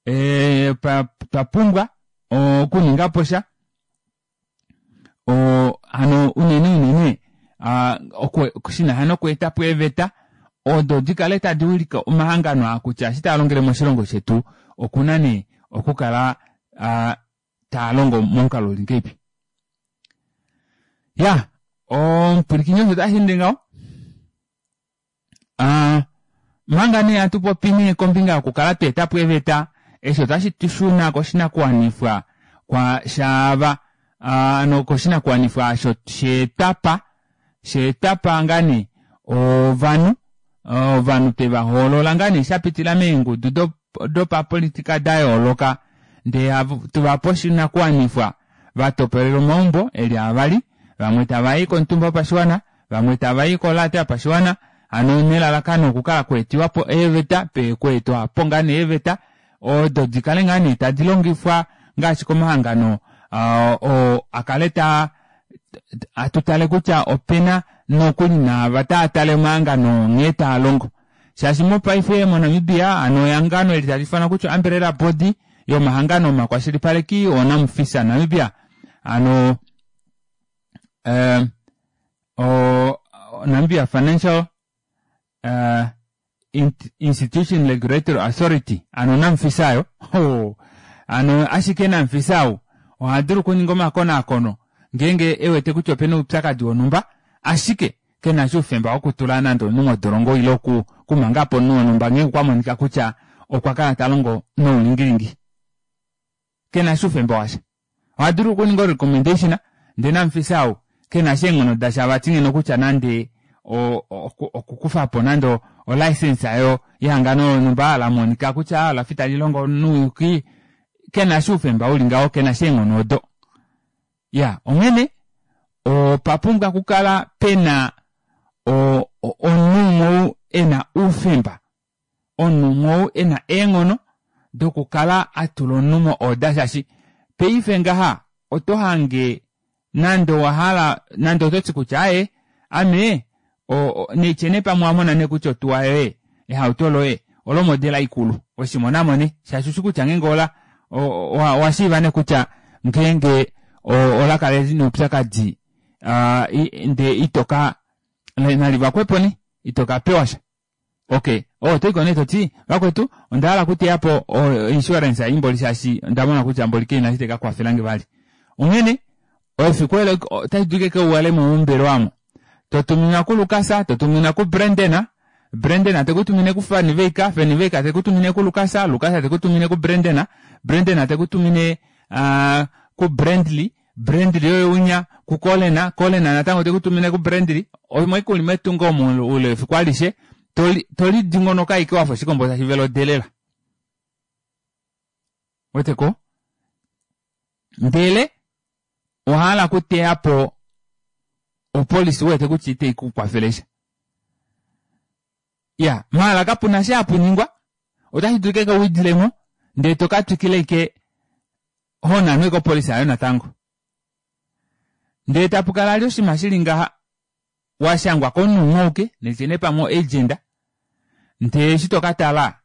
ee otwapumbwa okuningaposha oo hano unene unene aa shinasha nokweetapo eeveta odo dikale tadi wilike omahangano aa kutya eshi taalongele moshilongo shetu okuna nee okukala aa taalongo momukalo uli ngahelipi. Iyaa omupwilikini osho tasheende ngaho aa omanga nee hatupopi nee kombinga yokukala tweetapo eeveta eshi otashi tushuna koshinakuwanifwa shaava hano koshinakuwanifwa aasho sheetwapa sheetwapa ngaa nee ovanhu ovanhu twevahoolola ngaa nee shapitila meengudu dopapolitika dayooloka ndee hatuvape oshinakuwanifwa vatopolelwe omaumbo eli avali vamwe tavai komutumba wopashiwana vamwe tavai kolaata yopashiwana hano nelalakano okukala kweetiwapo eeveta pokweetwapo ngoo nee eeveta odo dikale ngoo nee tadi longifwa ngaashi komahangano oo akale taa hatutale kutya opena nokuli naava taatale omahangano nghee taalongo shaashi mopaife mo namibia hano ehangano eli taliifanwa kutya umbrella body yomahangano omakwashilipaleki o namfisa Namibia hano ee o Namibia Financial uh, Institution Regulatory Authority hano namfisa aayo oh, hano ashike namfisa ou ohadulu okuninga omakonaakono ngeenge ewete kutya opena oupyakadi wonhumba ashike kenasha oufemba wokutula nande omunhu modolongo ile okumangapo omunhu wonhumba ngeenge okwamonika kutya okwa kala talongo noulingilingi kenasha oufemba washa ohadulu okuninga o recommendation ndee namufisa ou kenasha eenghono dasha vati ngeno kutya nande okukufapo nande o license aayo yehangano lonhumba lamonika kutya olafa italilongo nouyuki kenasha oufemba uli ngaho kenasha eenghono odo. Iya onghene opapumbwa okukala pena omunhu umwe ou ena oufemba omunhu umwe ou ena eenghono dokukala atula omunhu mo order shaashi paife ngaha oto hange nande owahala nande ototi kutya aaye ame naitye nee pamwe owamona nee kutya otuwa yoye ehauto loye olo modela ikulu weshimonamo nee shaashi ushi kutya ngeenge ola owashiiva nee kutya ngeenge olakala lina oupyakadi ndee itoka nalivakwepo nee itoka pewasha okey otoyiko nee toti vakwetu ondahala okuteyapo o insurance ei mboli shaashi ondamona kutya mboli kaina eshi taikakwafelange vali. Onghene efiku olo otashi dulika ashike uhalemo mombelewa aamo totuminwa ku Lukas totuminwa ku Brenden Brenden tekutumine ku Van Wyk Van Wyk tekutumine ku Lukas Lukas tekutumine ku Brenden Brenden tekutumine aa ku Brandly Brandly oye unya ku Colin Colin natango tekutumine ku Brandly omo ashike uli metungo omo oule wefiku alishe tolidingonoka ashike wafa oshikombo tashi vele odelela weteko ndele owahala okuteyapo opolisi uwete kutya iteikukwafele sha iya maala kapuna eshi hapuningwa otashi dulika ashike widilemo ndee tokatwikila ashike honanwa ashike opolisi aayo natango. Ndee tapukala vali oshinima shili ngaha washangwa komunhu umwe auke nitye nee pamwe o agent ndee eshi tokatala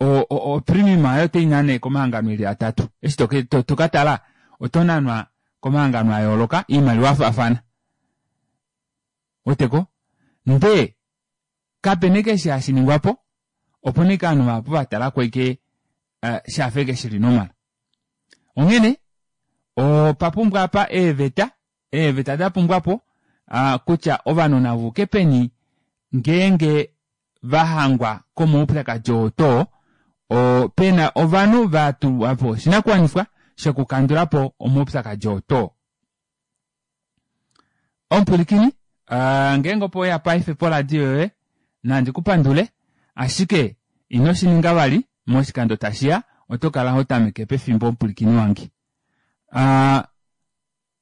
o premium aayo otainane komahangano eli atatu eshi tokatala otonanwa komahangano ayooloka oimaliwa yafaafana ouweteko ndee kapena ashike eshi hashiningwapo opena ashike ovanhu vahapu vatalako ashike shafa ashike shili normal. Onghene opapumbwa apa eeveta eeveta dapumbwapo kutya ovanhu navayuke peni ngeenge vahangwa komaupyakadi oo too pena ovanhu vatulwapo oshinakuwanifwa shokukandulapo omaupyakadi oo too. Omupwilikini ngeenge opo weya paife poradio yoye Nandi kupandule, ashike ino shininga vali moshikando tashiya oto kala hotameke pefimbo omupwilikini wange. Aa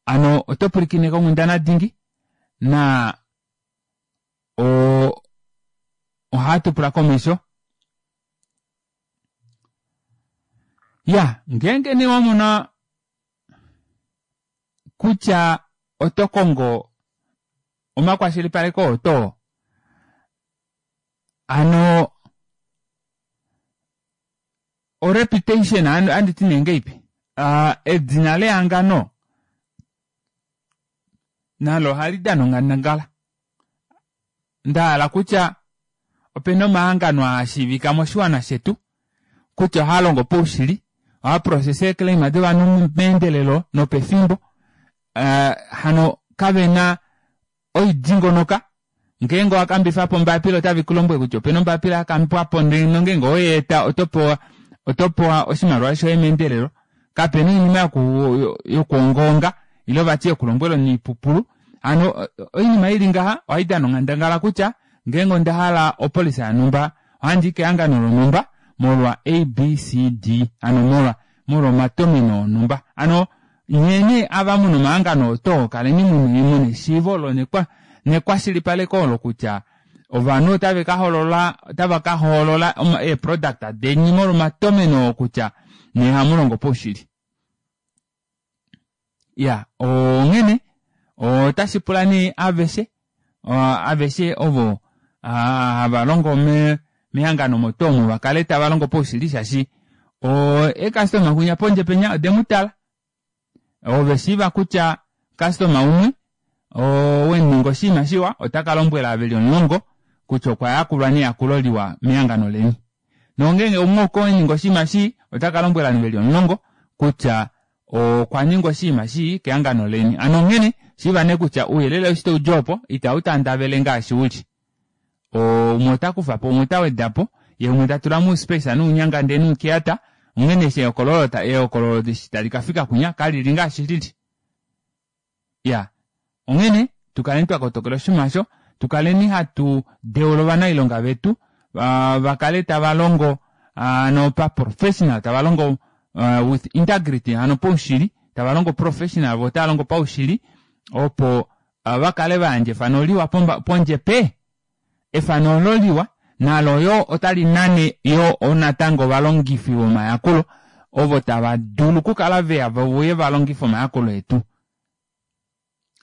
ano oto pwilikine konghundana dingi na o ohatu pula komesho. Ya ngeenge nee wamona kutya oto kongo omakwashilipaleko oto ano o reputation anditi nee ngeipi edina lehangano nalo ohali dana onghandangala ndahala kutya opena omahangano aashiivika moshiwana shetu kutya ohaalongo paushili ohaaprocesse eeclaim dovanhu meendelelo nopefimbo hano kavena oidingonoka ngeenge owakambifapo ombapila otave kulombwele kutya opena ombapila yakambwapo ndee nongeenge oweyeeta otopewa otopewa oshimaliwa shoye meendelelo kapena oinima yokwoongaonga ile vati yokulombwela omunhu oipupulu hano oinima ili ngaha ohaidana onghandangala kutya ngeenge ondahala opolicy yonumba ohandii kehangano lonumba molwa A B C D hano molwa molwa omatomeno onumba hano nyee ava muna omahangano oto kaleni muna eshiivo olo nekwashilipaleko olo kutya ovanhu otava kahoolola otava kahoolola eeproduct deni molwa omatomeno oo kutya nyee ohamulongo paushili. Iya onghene otashi pula nee aveshe aveshe ovo hava longo mehangano omo tuu omo vakale tava longo paushili shaashi eecustoma kwinya pondje penya odemutala ove shiiva kutya customer umwe owemuninga oshinima shiwa otaka lombwela veli omulongo kutya okwa yakulwa neyakulo liwa mehangano leni nongeenge umwe okweninga oshinima shii otaka lombwela veli omulongo kutya okwa ninga oshinima shii kehangano leni. Ano onghene shiiva nee kutya ouyelele eshi taudji opo itau tandavele ngaashi uli. Umwe ota kufapo umwe ota wedapo yee umwe tatula mouspace nounyanga ndee noukeyata onghene eshi ehokololo ehokololo eshi tali kafika kwinya kalili ngaashi lili. Iya onghene tukaleni twakotokela oshinima osho tukaleni hatu deula ovanailonga vetu vakale tava longo hano paprofessional tava longo with integrity hano paushili tava longo professional voo otava longo paushili opo vakale vayandja efano liwa pondje pe efano olo liwa nalo yoo otali nane yoo natango ovalongifi vomayakulo ovo tava dulu okukala veya veuye valongife omayakulo etu.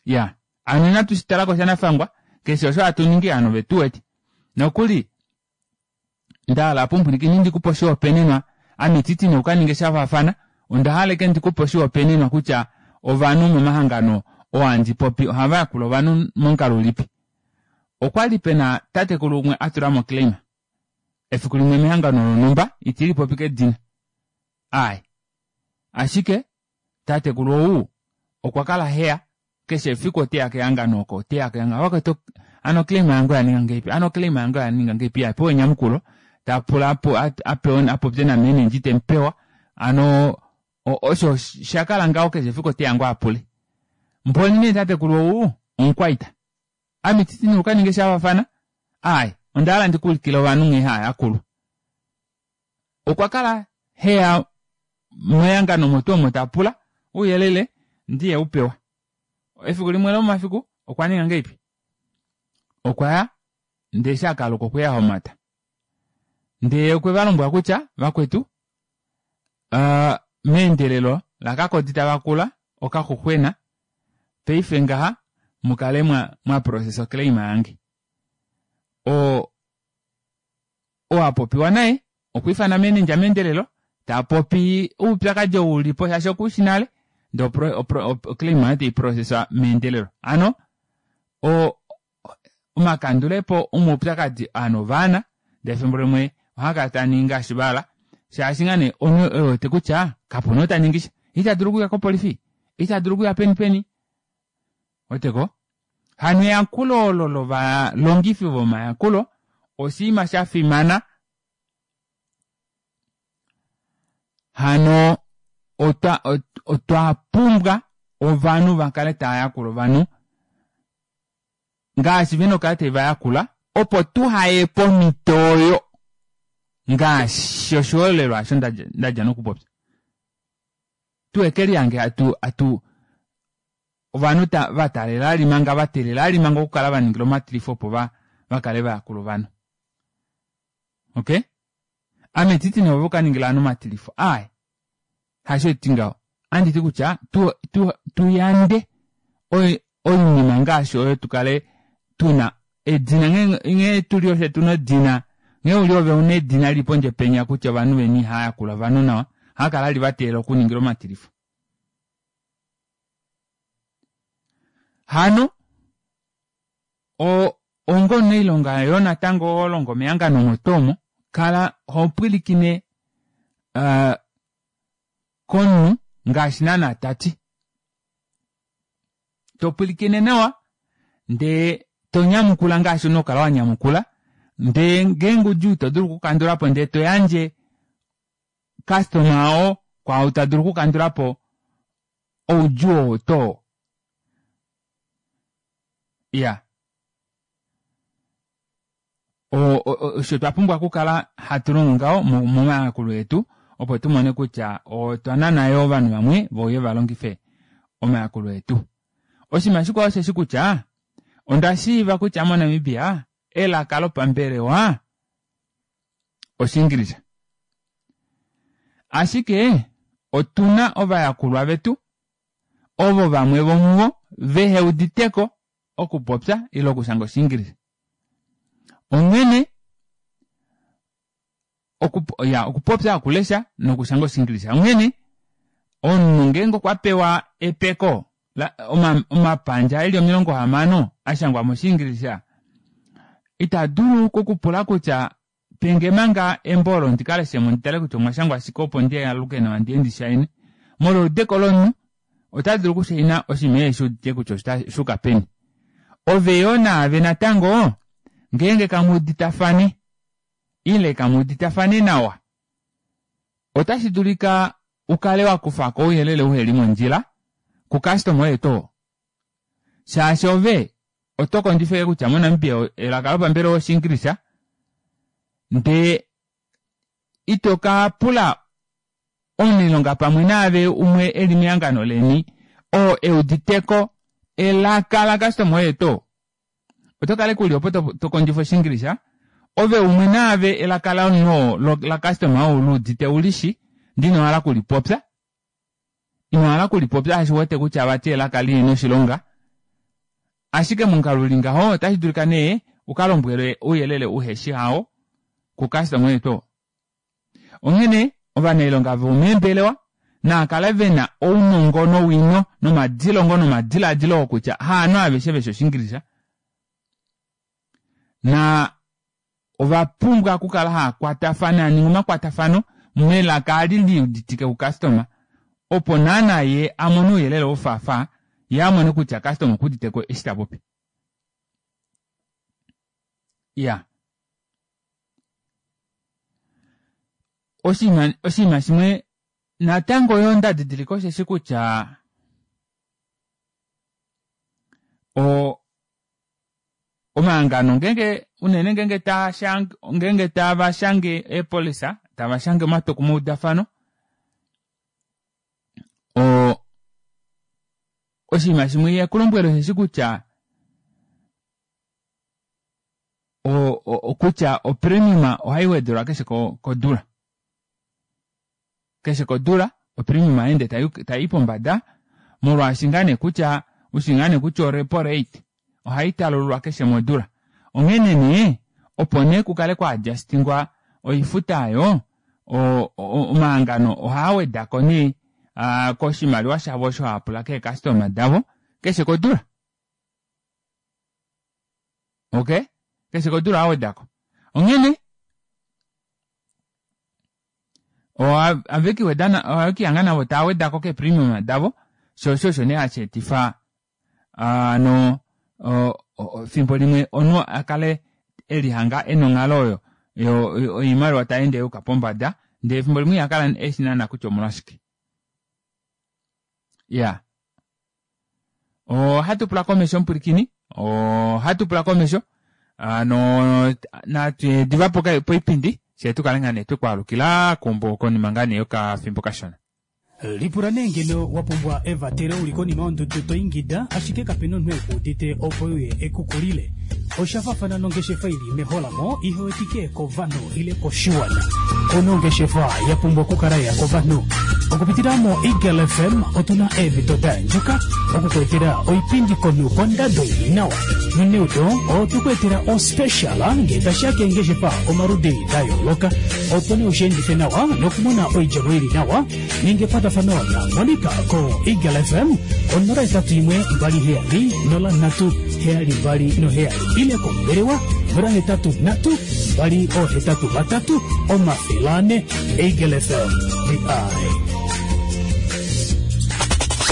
Ya hano inatu shitalako shanafangwa keshe osho hatu ningi ovanhu ovetu wete nokuli ndahala apa omupwilikini ndikupe oshihopaenenwa ame ititi nee ukaninge shafaafana ondahala ashike ndikupe oshihopaenenwa kutya ovanhu momahangano oo handi popi ohava yakula ovanhu momukalo ulipi. Okwali pena tatekulu umwe atulamo oclaim efiku limwe mehangano lonumba itilipopi kedina aaye ashike tatekulu ou okwa kala heya keshe efiku oteya kehangano oko oteya kehangano vakwetu hano oclaim yange oyaninga ngahelipi hano oclaim yange oyaninga ngahelipi apewa enyamukulo tapula apewe apopye namenendja itemupewa hano osho shakala ngaho keshe efiku oteya ngoo apule. Mboli nee tatekulu ou omukwaita ame ititi nee ukaninge shafaafana aaye ondahala ndikuulikile ovanhu nghee haayakulwa. Okwa kala heya mehangano omo tuu omo tapula ouyelele ndiye upewa. Efiku limwe lomomafiku okwa ninga ngahelipi okwaya ndee eshi akaluka okweya ahomata ndee okwe valombwela kutya vakwetu meendelelo lakakodi tavakula okaxuxwena paife ngaha mukale mwaprocessa oclaim yange. Oo oo apopiwa naye okwa ifana manager meendelelo tapopi oupyakadi ou ulipo shaashi okuushi nale ndee oclaim oyo taiprocesswa meendelelo. Hano o omakandulepo omaupyakadi ovanhu ovaana ndee efimbo limwe ohaakala taaningi ngaashi vahala shaashi ngaa nee omunhu ewete kutya kapuna ou taningisha itadulu okuya kopolifi itadulu okuya peni peni ouweteko hano eyakulo olo lovalongifi vomayakulo oshinima shafimana hano otwa otwa pumbwa ovanhu vakale tava yakula ovanhu ngaashi vena okukala tave vayakula Opo tuhaye pomhito oyo ngaashi oshiholelwa osho ndadja nokupopya. Tuhekelihange atu atu ovanhu vataalela vali manga vateelela vali manga okukala vaningilwa omatilifo opo vakale vayakula ovanhu. Okey, ame ititi nee ove ukaningile ovanhu omatilifo aaye hasho haiti ngaho ohanditi kutya tuyande oinima ngaashi oyo tukale tuna edina nghee tuli ofye tuna edina nghee uli ove una edina lili pondje penya kutya ovanhu veni ihayakula ovanhu nawa ohakala vali vateelela okuningilwa omatilifo. Hano onga omunailonga yoo natango holongo mehangano omo tuu omo kala hopwilikine komunhu ngaashi naana tati topwilikine nawa ndee tonyamukula ngaashi una okukala wanyamukula ndee ngeenge oudjuu itodulu okukandulapo ndee toyandje customer oo kwaau tadulu okukandulapo oudjuu oo too. Iya osho twapumbwa okukala hatu longo ngaho momayakulo etu opo tumone kutya otwa nana yoo ovanhu vamwe veuye valongife omayakulo etu. Oshinima shikwao osheshi kutya onda shiiva kutya moNamibia elaka lopambelewa Oshiingilisa. Ashike otuna ovayakulwa vetu ovo vamwe vomuvo veheuditeko okupopya ile okushanga Oshiingilisa. Onghene ya okupopya okulesha nokushanga Oshiingilisa. Onghene omunhu ngeenge okwa pewa epeko omapandja eli omilongo hamano ashangwa mOshiingilisa ita dulu okupula kutya penge manga embo olo ndikaleshemo nditale kutya omwashangwa shike opo ndialuke nawa ndiye ndishaine. Molwa eudeko lomunhu ota dulu okushaina oshinima eshi udite kutya oshuuka peni. Ove yoo naave natango ngeenge kamuuditafane ile kamuuditafane nawa otashi dulika ukale wakufako ouyelele uheli mondjila kukastoma oye tuu shaashi ove oto kondjifa kutya moNamibia elaka lopambelewa Oshiingilisa ndee ito ka pula omunailonga pamwe naave umwe eli mehangano leni oo euditeko elaka lakastoma oye tuu. Oto kala uli opo tokondjifa Oshiingilisa ove umwe naave elaka lomunhu lakastoma oo uluudite ulishi ndee inohala okulipopya inohala okulipopya shaashi ouwete kutya vati elaka lihena oshilonga ashike momukalo uli ngaho otashi dulika nee ukalombwelwe ouyelele uheshi hao kukastoma oye tuu. Onghene ovanailonga vomeembelewa naakale vena ounongo nowino nomadilongo nomadilaadilo okutya haanhu aveshe veshi Oshiingilisa na ovapumbwa okukala haakwatafana aninga omakwatafano melaka ali liuditike kukastoma opo naana ye amone ouyelele wofaafa ye amone kutya kastoma okuuditeko eshi tapopi. Iya oshinima oshinima shimwe natango yoo ndadidilika osheshi kutya o omahangano ngeenge unene ngeenge taashange ngeenge tava shange eepolisa tava shange omatwokumweudafano o oshinima shimwe ihekulombwele osheshi kutya o kutya opremiuma ohai wedelwa keshe kodula. Keshe kodula opremiuma ohayeende tai pombada molwaashi ngaa nee kutya ushi ngaa nee kutya orepo rate ohai talululwa keshe modula. Onghene nee opo nee kukale kwa adjustingwa oifuta aayo omahangano ohaa wedako nee koshimaliwa shavo osho haapula keekastoma davo keshe kodula. Okay, keshe kodula ohaa onghene ohavekiweda navo tava wedako keepremium davo shoo osho osho nee hashi etifa hano fimbo limwe omunhu akale elihanga ena onghalo oyo oimaliwa tayeende yuuka pombada ndee efimbo limwe ihakala eshi naana kutya omolwashike. Iya ohatu pula komesho omupwilikini ohatu pula komesho Ano natu diva poipindi fyee tukale ngaa nee twekwaalukila konima ngaa nee yokafimbo kashona. Lipula nee ngeno wapumbwa evatelo uli konima yondudu toingida ashike kapena omunhu ekuudite opo euye ekukulile. Oshafafana nongeshefa ili meholamo ihewetike kovanhu ile koshiwana. Ouna ongeshefa yapumbwa okukala ya kovanhu. Okupitila mo Eagle F M otuna eemhito daandjuka okukweetela oipindi komunhu kondado ili nawa. Noneudo otukweetela ospecial ngee tashiya keengeshefa omaludi da yooloka opo nee ushiendife nawa nokumona oidjemo ili nawa. Ninga ekwatafano na Monica ko Eagle F M onola etatu imwe mbali heyali nola nhatu heyali mbali noheyali ile kombelewa nola hetatu nhatu mbali ohetatu vatatu omafele ane. Eagle F M, the eye.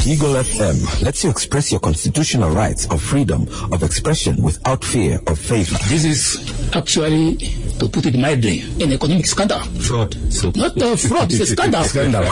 Eagle F M lets you express your constitutional rights of freedom of expression without fear of favor. This is actually, to put it mildly, an economic scandal. Fraud. So Not a fraud, it's a scandal. Scandal.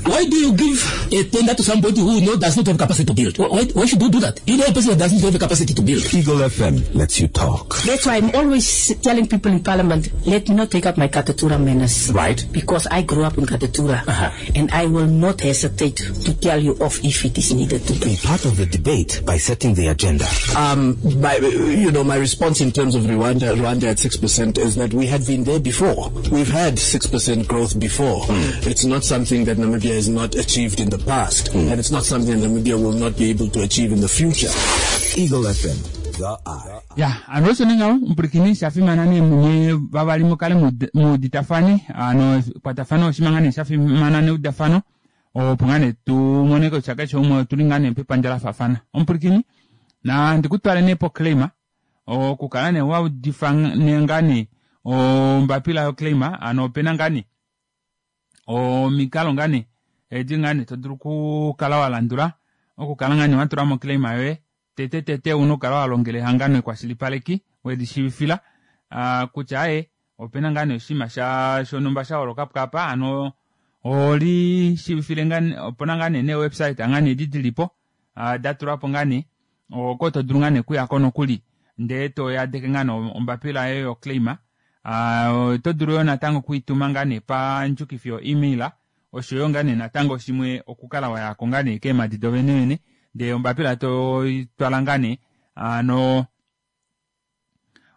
Why do you give a tender to somebody who knows does not have capacity to build? Why, why should you do that? You know a person that doesn't have the capacity to build. Eagle F M lets you talk. That's why I'm always telling people in Parliament, let me not take up my Katutura manners. Right. Because I grew up in Katutura. Uh-huh. And I will not hesitate to tell you off if it is needed to be. Part of the debate by setting the agenda. Um, my, you know, my response in terms of Rwanda, Rwanda at six percent is that we had been there before. We've had six percent growth before. Mm. It's not something that Namibia has not achieved in the past, mm. and it's not something that Namibia will not be able to achieve in the future. Eagle F M, the eye. Ya, ano ninga mpurikini shafimana ne munye vavali mukale muditafane, ano kwatafano oshimangane shafimana ne udafano. Opo ngane tu moneko chaka chomwe tulingane pepandja la fafana. Ompurikini na ndikutwale nepo claima okukala ne waudifa ngani ombapila yo claima ano pena ngani omikalo ngani edi ngani todulu kukala walandula okukala ngani watula mo claima yoye tete tete uno kala walongele hangano ekwashilipaleki wedishivifila kutya aye opena ngani oshima sha shonumba sha holoka pukapa ano oli shivifile ngani opona ngani ne website ngani edi dilipo datulapo ngani oko todulu ngani kuyako nokuli ndee toyadeke ngani ombapila yoye yo claima todulu yo natango kuituma ngani pandjukifi yo email oshoyo ngani natango shimwe okukala wayako ngani keemadi dovenevene ndee ombapila toitwala ngani ano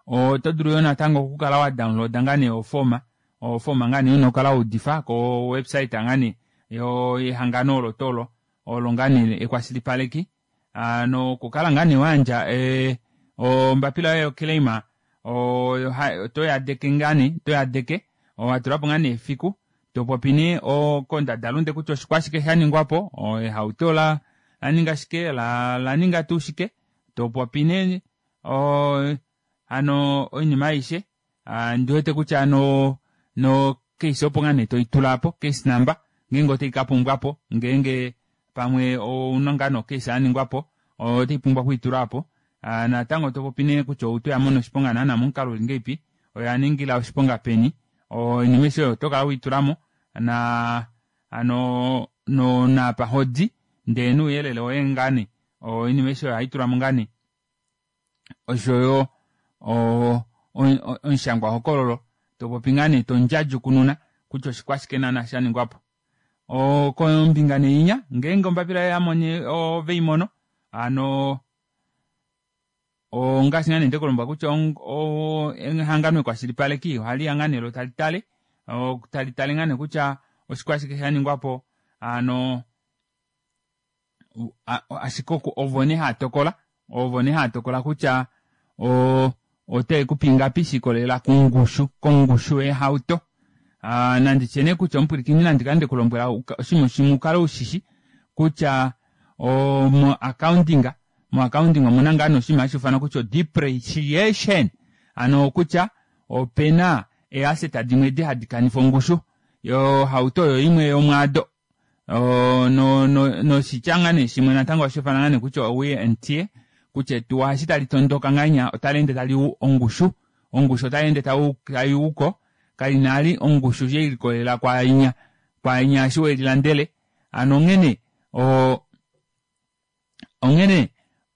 otodulu yo natango okukala wa downloada ngani ofoma ofoma ngani unokala udifa ko website ngani yo ehangano olo tolo olo ngani ekwashilipaleki ano kukala ngani wanja e ombapila yoye claima o toyadeke ngani toyadeke owatulapo ngani efiku topopine okondadalunde kutya oshikwashike shaningwapo ehauto la laninga shike la laninga tuu shike topopine o ano oinima aishe ndiwete kutya ano no case opo ngane toitulapo case number ngenge otaikapumbwapo ngenge pamwe ouna ngano case aningwapo otaipumbwa kuitulapo natango topopine kutya outo yamona oshiponga naana momukalo uli ngeipi oyaningila oshiponga peni oinima aishe oyo otokala uitulamo na ano no napa hodi ndee nouyelele woye ngane oinima aishe oyo ohaitulamo ngane oshoyo omushangwa hokololo topopi ngane tondjadjukununa kutya oshikwashike naana shaningwapo. Kombinga neinya ngenge ombapila yamone oveimono ano ongaashi ngane ndekulomba kutya ehangano ekwashilipaleki ohali ya ngane lo talitale talitale ngane kutya oshikwashike shaningwapo ano ashike ovo nee hatokola ovo nee hatokola kutya o ote kupingapi shikolela kongushu kongushu yehauto. Nanditye nee kutya omupwilikini nandikale ndekulombwela oshimwe shimwe ukale ushishi kutya mo accounting mo accounting omuna ngane oshinima hashi ifanwa kutya depreciation ano kutya opena easset dimwe edi hadi kanifa ongushu yohauto oyo imwe yomwaado no no noshitya ngane shimwe natango hashi ifanwa ngane kutya wear and tear kutya etuwa eshi tali tondoka nganya otali ende tali u ongushu ongushu otali ende taiuko kalinali ongushu yeilikolela kwainya kwainya eshi welilandele ano onghene o onghene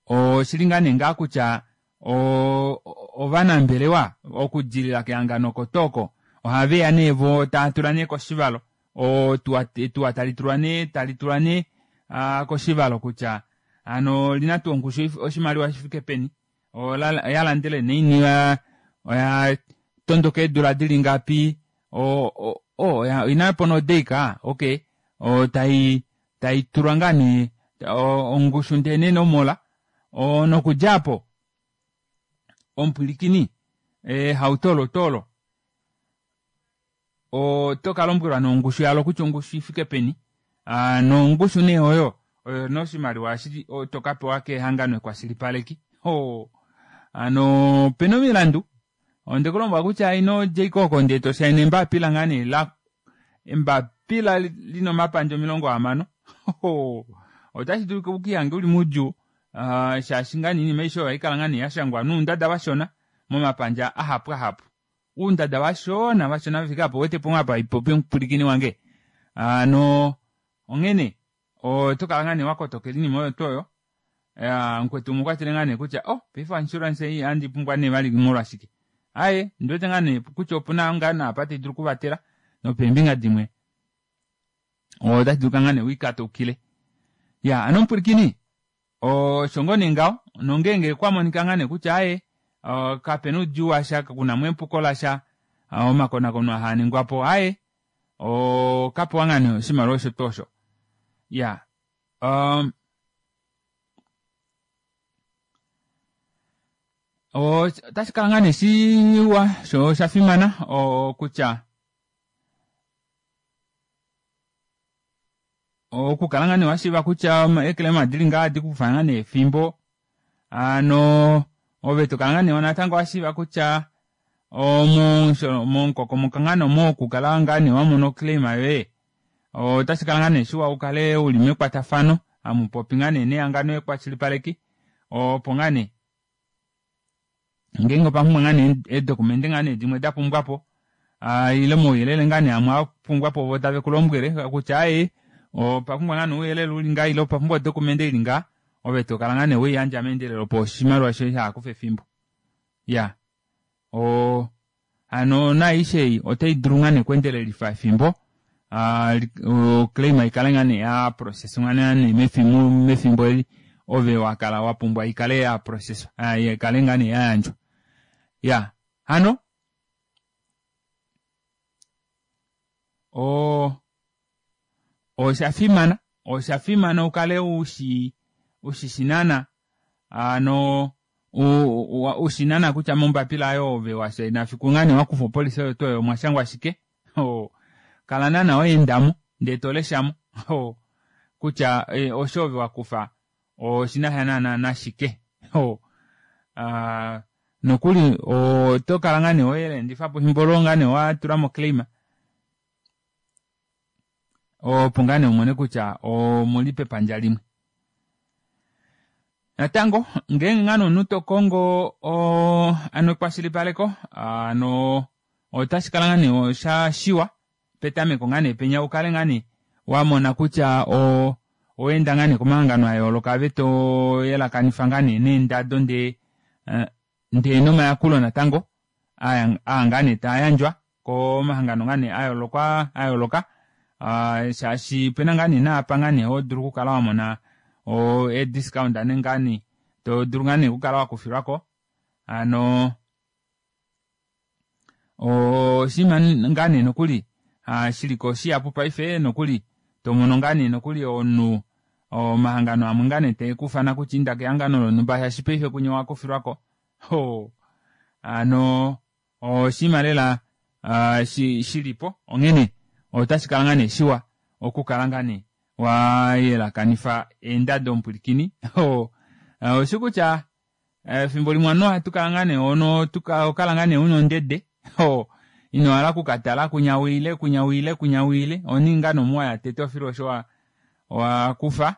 oshili ngane ngaa kutya o ovanambelewa okudilila kehangano kotoko ohaveya nee vo tava tula nee koshivalo etuwa tali tulwa nee tali tulwa nee koshivalo kutya ano lina tuu ongushu oshimaliwa shifike peni oya landele naini oya tondoka eedula dili ngapi ina po nodeika okey tai tai tulwa ngaa nee ongushu ndee nenomola nokudjapo omupwilikini ehauto olo tolo oto kalombwelwa nongushu yalo kutya ongushu ifike peni nongushu nee oyo oyo noshimaliwa eshi tokapewa kehangano ekwashilipaleki ano opena omilandu ondekulombwela kutya ino dja oko ndee toshaina embapila ngaa nee la embapila lina omapandja omilongo hamano otashi dulu ukihange uli moudjuu shaashi ngaa nee oinima aishe oyo ohaikala ngaa nee yashangwa noundada vashona momapandja ahapu ahapu uundada vashona vashona vafika apo uwetepo apa haipopi omupwilikini wange ano onghene otokala ngaa nee wakotokela oinima oyo tuu oyo mukwetu umwe okwatile ngaa nee kutya oh paife insurance ei ohandi pumbwa nee vali molwashike aaye ndiwete ngaa nee kutya opuna ngaa naapa taidulu okuvatela nopeembinga dimwe otashi dulika ngaa nee wikataukile ya ano omupwilikini osho ngoo nee ngaho nongenge kwamonika ngaa nee kutya aaye kapena oudjuu washa kunamo epuko lasha omakonakono ahaningwapo aaye okapewa ngaa nee oshimaliwa osho tuu osho ya um, otashi kala ngaa nee shiwa sho osha fimana kutya okukala ngaa nee washiiva kutya eeclaim dili ngaa hadi kufa ngaa nee efimbo ano ove tokala ngaa nee natango washiiva kutya momukokomoko ngaa nee mokukala ngaa nee wamona oclaim yoye otashi kala ngaa nee shiwa ukale uli mekwatafano amupopi ngaa nee nehangano ekwashilipaleki opo ngaa nee ngeenge opapumbwa ngaa nee eedocumente ngaa nee dimwe dapumbwapo ile omauyelele ngaa nee amwe apumbwapo vo tave kulombwele kutya aaye opapumbwa ngaa nee ouyelele uli ngaa ile opapumbwa odocumente ili ngaa ove tokala ngaa nee weiyandja meendelelo opo oshimaliwa shoye shahakufa efimbo ya o hano naaishe ei otai dulu ngaa nee okweendelelifa efimbo oclaim ikale ngaa nee ya processwa nee mefimbo eli ove wakala wapumbwa ikale ya processwa ikale ngaa nee yayandjwa ya hano o osha fimana osha fimana ukale ushi ushishinana ano ushinana kutya mombapila ayo ove washaina fiku ngaa nee wakufa opolisi oyo tuu oyo omwashangwa shike kala naana waendamo ndee toleshamo kutya osho ove wakufa oshinasha naana nashike nokuli oto kala ngaa nee welendifapo efimbo olo ngaa nee watulamo claim opo ngaa nee umone kutya omuli pepandja limwe. Natango ngeenge ngaa nee omunhu tokongo ano ekwashilipaleko ano otashi kala ngaa nee oshashiwa petameko ngaa nee penya ukale ngaa nee wamona kutya oweenda ngaa nee komahangano ayooloka ave toyelakanifa ngaa nee neendado ndee ndee nomayakulo natango aa ngaa nee taayandjwa komahangano ngaa nee ayooloka ayooloka shaashi opena ngaa nee naapa ngaa nee hodulu okukala wamona e-discount ane ngaa nee todulu ngaa nee okukala wakufilwako ano oshinima ngaa nee nokuli shiliko shihapu paife nokuli tomono ngaa nee nokuli omunhu omahangano amwe ngaa nee taekufana kutya inda kehangano lonhumba shaashi paife kunye wakufilwako ano oshinima lela shilipo onghene otashi kala ngaa nee shiwa okukala ngaa nee wayelakanifa eendado omupwilikini oshi kutya efimbo limwe ovanhu ohatu kala ngaa nee ono okala ngaa nee una ondede ino hala okukatala kunya wiile kunya wiile kunya wiile oningi ngaa nee omuwaya tete ofilo osho wakufa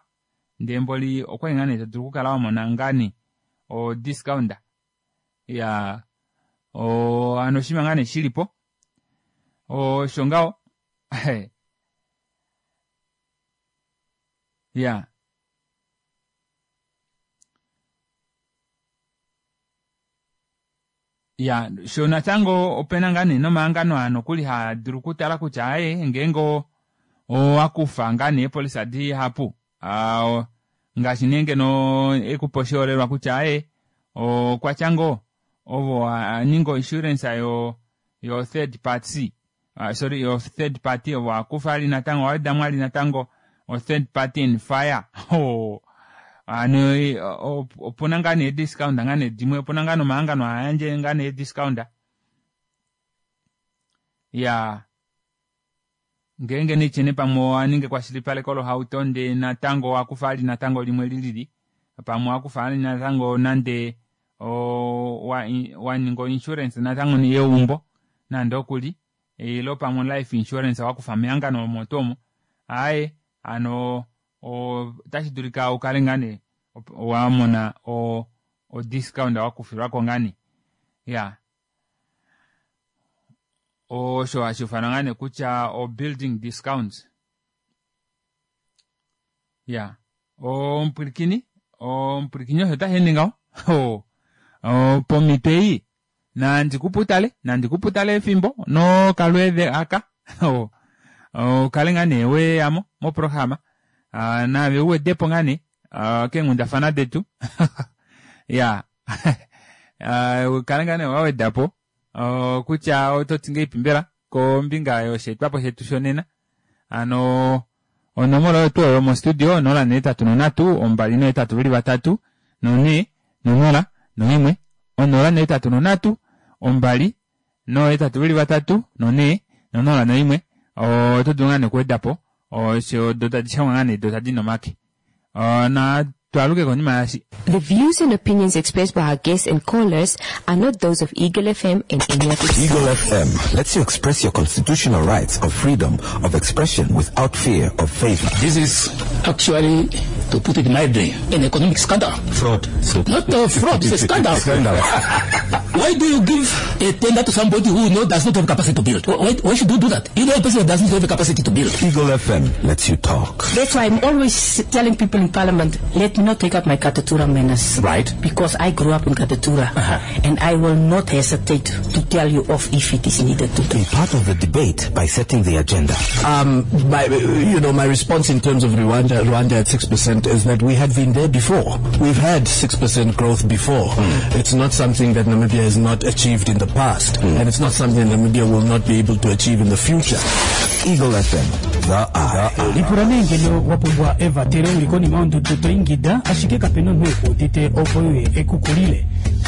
ndee mboli okwali ngaa nee todulu okukala wamona ngaa nee o discount ya ano oshinima ngaa nee shilipo osho ngaho ya Ya sho natango opena ngaa nee nomahangano aa nokuli haa dulu okutala kutya aaye ngeenge owakufa ngaa nee eepolisa dihapu ngaashi nee ngeno ekupa oshiholelwa kutya aaye okwatya ngoo ovo aninga oinsurance yo yo third party sorry yo third party ovo akufa ali natango owedamo ali natango o third party and fire hano opuna ngaa nee discount ngaa nee dimwe opuna ngaa nomahangano hayandje ngaa nee discount ya ngeenge nechene pamwe owaninga ekwashilipaleko lohauto ndee natango wakufa ali natango limwe lilili pamwe wakufa ali natango nande waninga insurance natango yeumbo nande okuli ilo pamwe life insurance wakufa mehangano omo tuu omo aaye hano otashi dulika ukale ngaa nee wamona o discount wakufilwako ngaa nee ya osho hashi ufanwa ngaa nee kutya o building discount ya omupwilikini omupwilikini osho tashi ende ngaho pomhito ei nandikuputale nandikuputale efimbo nokalweedhe aka ukale ngaa nee weyamo moprograma naave uwedepo ngaa nee keenghundafana detu ya ukale ngaa nee wawedapo kutya ototi ngeipi mbela kombinga yosheetwapo shetu shonena hano onomola oyo tuu oyo mostudio onola nehetatu nonhatu ombali nohetatu veli vatatu nonhee nonola noimwe onola nohetatu nonhatu ombali nohetatu veli vatatu nonhee nonola noimwe oto dulu ngaa nee okuwedapo osho do tadi shangwa ngaa nee do tadi nomake na twaluke konima yashi. The views and opinions expressed by our guests and callers are not those of Eagle F M and any of its Eagle F M lets you express your constitutional rights of freedom of expression without fear of favor. This is actually, to put it mildly, an economic scandal. Fraud. So Not a fraud, it's a scandal. Scandal. Why do you give a tender to somebody who knows does not have capacity to build? Why, why should you do that? You know a person that doesn't have the capacity to build. Eagle F M lets you talk. That's why I'm always telling people in Parliament, let me not take up my Katutura manners. Right. Because I grew up in Katutura. Uh-huh. And I will not hesitate to tell you off if it is needed to. Be part of the debate by setting the agenda. Um, my, you know, my response in terms of Rwanda, Rwanda at six percent is that we had been there before. We've had six percent growth before. Mm. It's not something that Namibia has not achieved in the past. Mm. And it's not something Namibia will not be able to achieve in the future. Eagle F M, the eye. Lipula nee ngeno wapumbwa evatelo uli konima yondudu to ingida ashike kapena omunhu ekuudite opo uye ekukulile.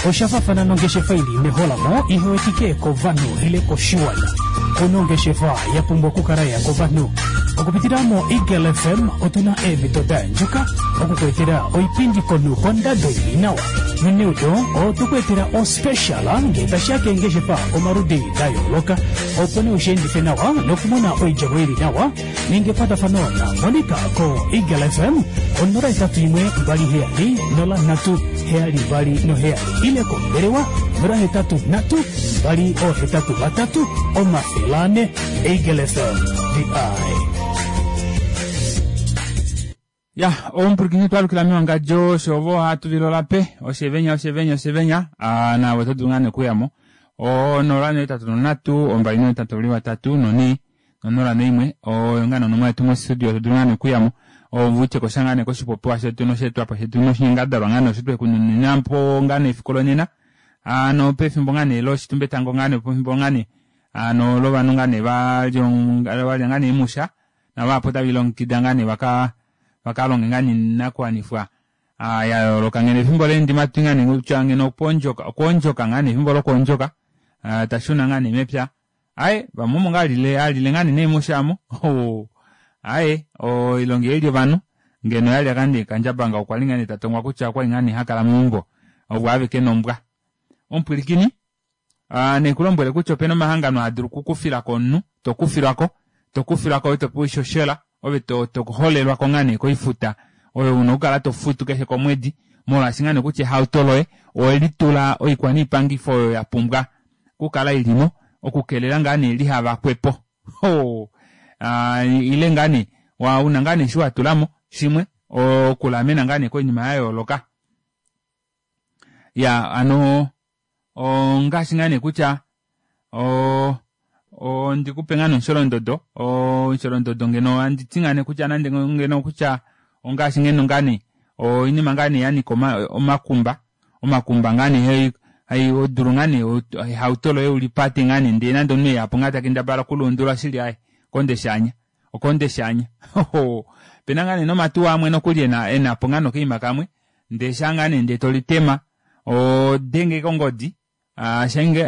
Osha fafana nongeshefa ili meholamo ihewetike kovanhu ile koshiwana. Kuna ongeshefa ya pumbwa okukala ya kovanhu. Okupitila mo Eagle F M otuna eemhito da andjuka okukuetela oipindi komunhu kondado ili nawa. Noneudo otukuetela ospecial ngee tashiya keengeshefa omaludi da yooloka opo nee ushiendife nawa nokumona oidjemo ili nawa ninga ekwatafano na Monica ko Eagle F M onola etatu imwe mbali heyali nola nhatu heyali mbali noheyali ile kombelewa nola hetatu nhatu mbali ohetatu vatatu omafele ane. Eagle F M, the eye. Ya, omupwilikini twalukila mewangadjo oshovo hatu vilola pe oshevenya oshevenya oshevenya nawe oto dulu ngaa nee okuyamo onola nohetatu nonhatu ombali nohetatu vali vatatu nonhee nonola noimwe oyo ngaa nonomola yetu mostudio oto dulu ngaa nee okuyamo ovutye kosha ngaa nee koshipopiwa shetu nosheetwapo shetu noshinyangadalwa ngaa nee osho twekununinapo ngaa nee efiku lonena hano pefimbo ngaa nee loshitumbetango ngaa nee pefimbo ngaa nee hano lovanhu ngaa nee valya ngaa nee emusha navahapu tavilongekida ngaa nee vaka vakalonge ngaa nee inakuwanifwa ya yooloka ngeno efimbo leendima twi ngaa nee kutya ngeno okwoondjoka okwoondjoka ngaa nee efimbo lokwoondjoka tashuna ngaa nee mepya aye vamwe omo ngaa alile alile ngaa nee neemusha amo aye oilonga eli ovanhu ngeno yalya ngaa nee kandjabanga okwa li ngaa nee tatongwa kutya okwali ngaa nee hakala meumbo ovo aveke nombwa. Omupwilikini nekulombwele kutya opena omahangano haa dulu okukufilako omunhu tokufilwako tokufilwako ove topewa oishoshela ove toholelwako ngaa nee koifuta oyo una okukala tofutu keshe komwedi molwaashi ngaa nee kutya ehauto loye owelitula oikwaniipangifo oyo ya pumbwa okukala ilimo okukelela ngaa nee lihavakwepo ile ngaa nee una ngaa nee shi watulamo shimwe okulamena ngaa nee koinima ya yooloka. Ya ano ongaashi ngaa nee kutya o ndikupe ngaa nee omusholondodo omusholondodo ngeno anditi ngaa nee kutya nande ngeno kutya ongaashi ngeno ngaa nee oinima ngaa nee yanika omakumba omakumba ngaa nee hodulu ngaa nee ehauto loye ulipate ngaa nee ndee nande omunhu eyapo ngaa takendabala okuluundula shili aaye okonde shaanya okonde shaanya opena ngaa nee nomatuwa amwe nokuli enapo ngaa nokaima kamwe ndee shaa ngaa nee ndee tolitema ohodenge ashike ongodi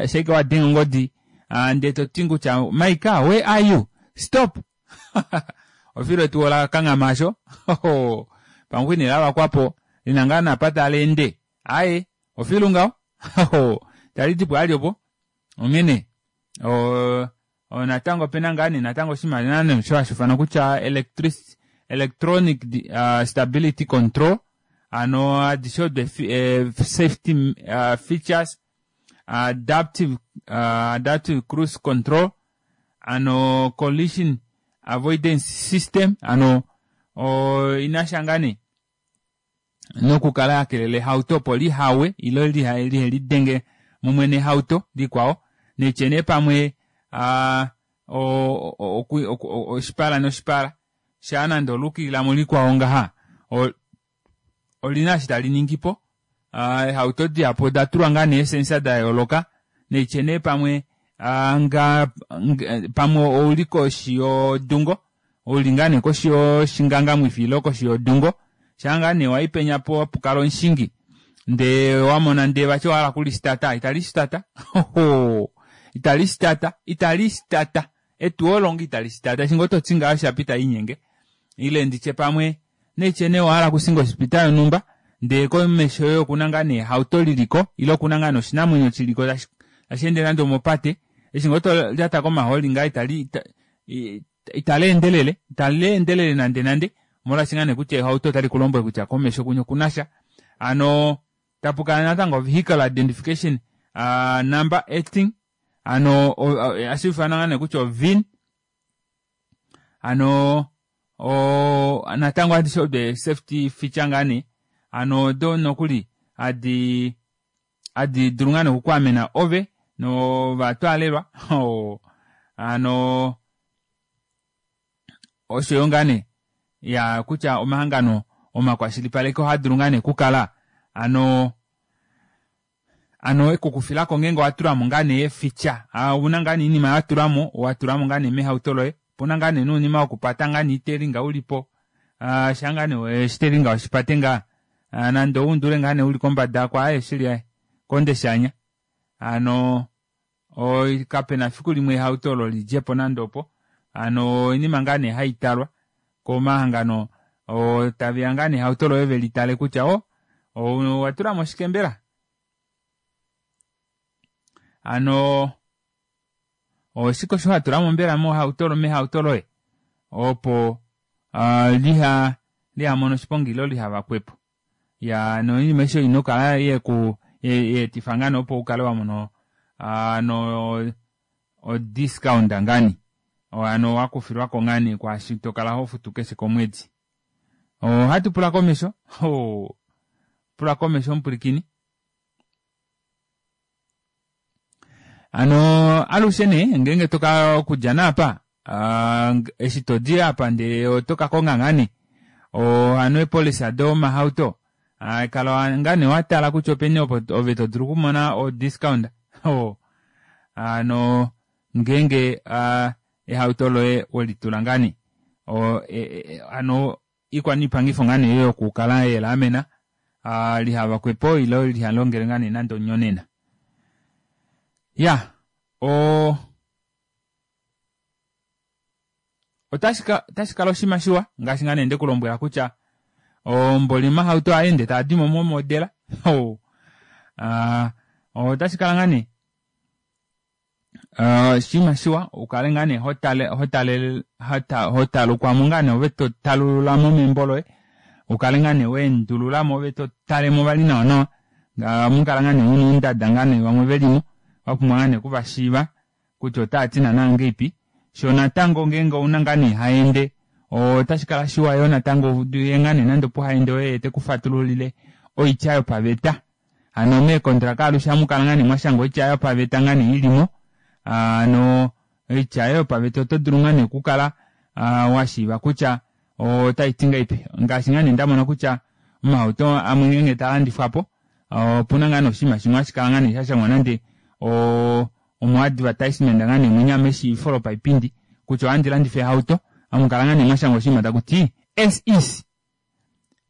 shaike wadenge ongodi ndee toti kutya my car where are you stop ofilo etuwa olakanghama aasho pamwe nee lavakwapo lina ngaa naapa taleende aaye ofilu ngaho talidipo vali opo onghene natango opena ngaa nee natango oshinima osho hashiifanwa kutya electronic stability control hano adishe odo safety features adaptive adaptive cruise control ano collision avoidance system ano inasha ngaa nee nokukala yakelela ehauto opo lihawe ile lihelidenge mumwe nehauto likwao netye nee pamwe oshipala noshipala shaa nande olukililamo likwao ngaha olina eshi taliningipo ehauto dihapu odatulwa ngaa nee eesensa dayooloka neitye nee pamwe pamwe ouli koshi yodungo ouli ngaa nee koshi yoshingangamwifi ile koshi yodungo shaa ngaa nee waipenya po hapukala omushingi ndee wamona ndee vati owahala okulisitata italisitata italisitata italisitata etuwa olo ngoo italisitata eshi ngoo toti ngaho shapo italiinyenge ile nditye pamwe neitye nee owahala okushinga ospita yonhumba ndee komesho yoye okuna ngaa nee ehauto liliko ile okuna ngaa nee oshinamwenyo shiliko tasheende nande omopate eshi ngoo tolyata komahooli ngaho itali italeendelele italeendelele nande nande molwaashi ngaa nee kutya ehauto otali kulombwele kutya komesho kunya okunasha hano tapukala natango vehicle identification number eighteen hano hashiifanwa ngaa nee kutya o V I N hano natango adishe odo safety feature ngaa nee hano odo nokuli hadi hadi dulu ngaa nee okukwaamena ove novatwaalelwa hano oshoyo ngaa nee ya kutya omahangano omakwashilipaleko ohadulu ngaa nee okukala ano ano ekukufilako ngeenge owatulamo ngaa nee eefeature ouna ngaa nee oinima watulamo watulamo ngaa nee mehauto loye opuna ngaa nee nounima wokupata ngaa nee itelinga ulipo shaa ngaa nee oshitelinga weshipate ngaa nande oundule ngaa nee uli kombada ako aaye shili aaye konde shaanya hano kapena efiku limwe ehauto olo lidjepo nande opo hano oinima ngaa nee haitalwa komahangano taveya ngaa nee ehauto loye velitale kutya o owatulamo shike mbela hano oshike osho watulamo mbela mohauto mehauto loye opo liha lihamone oshiponga ile lihavakwepo ya noinima aishe ina okukala yeku yeetifa ngaa nee opo ukale wamona ano odiscount ngani hano wakufilwako ngaa nee kwaashi tokala hofutu keshe komwedi. Ohatu pula komesho pula komesho omupwilikini hano alushe nee ngeenge toka okudja naapa eshi todi apa ndee otoka konga ngaa nee hano eepolisa domahauto kala ngaa nee watala kutya openi opo ove todulu okumona odiscount hano ngeenge ehauto loye welitula ngaa nee hano ikwaniipangifo ngaa nee yokukala yelaamena lihavakwepo ile lihalongele ngaa nee nande onyonena ya o otashi kala oshinima shiwa ngaashi ngaa nee ndekulombwela kutya omboli omahauto aende taadimo momodela otashi kala ngaa nee oshinima shiwa ukale ngaa nee hotale hotale hotalukwamo ngaa nee ove totalululamo membo loye ukale ngaa nee weendululamo ove totalemo vali nawa nawa mukala ngaa nee muna oundada ngaa nee vamwe velimo wapumbwa ngaa nee okuvashiiva kutya otaati naana ngeipi sho natango ngeenge ouna ngaa nee haende otashi kala shiwa yoo natango uye ngaa nee nande opo haende oye tekufatululile oitya yopaveta Hano meekontraka alushe ohamukala ngaa nee mwashangwa oitya yopaveta ngaa nee ilimo. Hano oitya yopaveta oto dulu ngaa nee okukala washiiva kutya otaiti ngahelipi. Ngaashi ngaa nee ndamona kutya omahauto amwe ngeenge taalandifwapo opuna ngaa nee oshinima shimwe hashi kala ngaa nee shashangwa nande oo omo advertisement ngaa nee munya meshiivifo lopaipindi kutya ohandi landifa ehauto hamukala ngaa nee mwashangwa oshinima takuti as is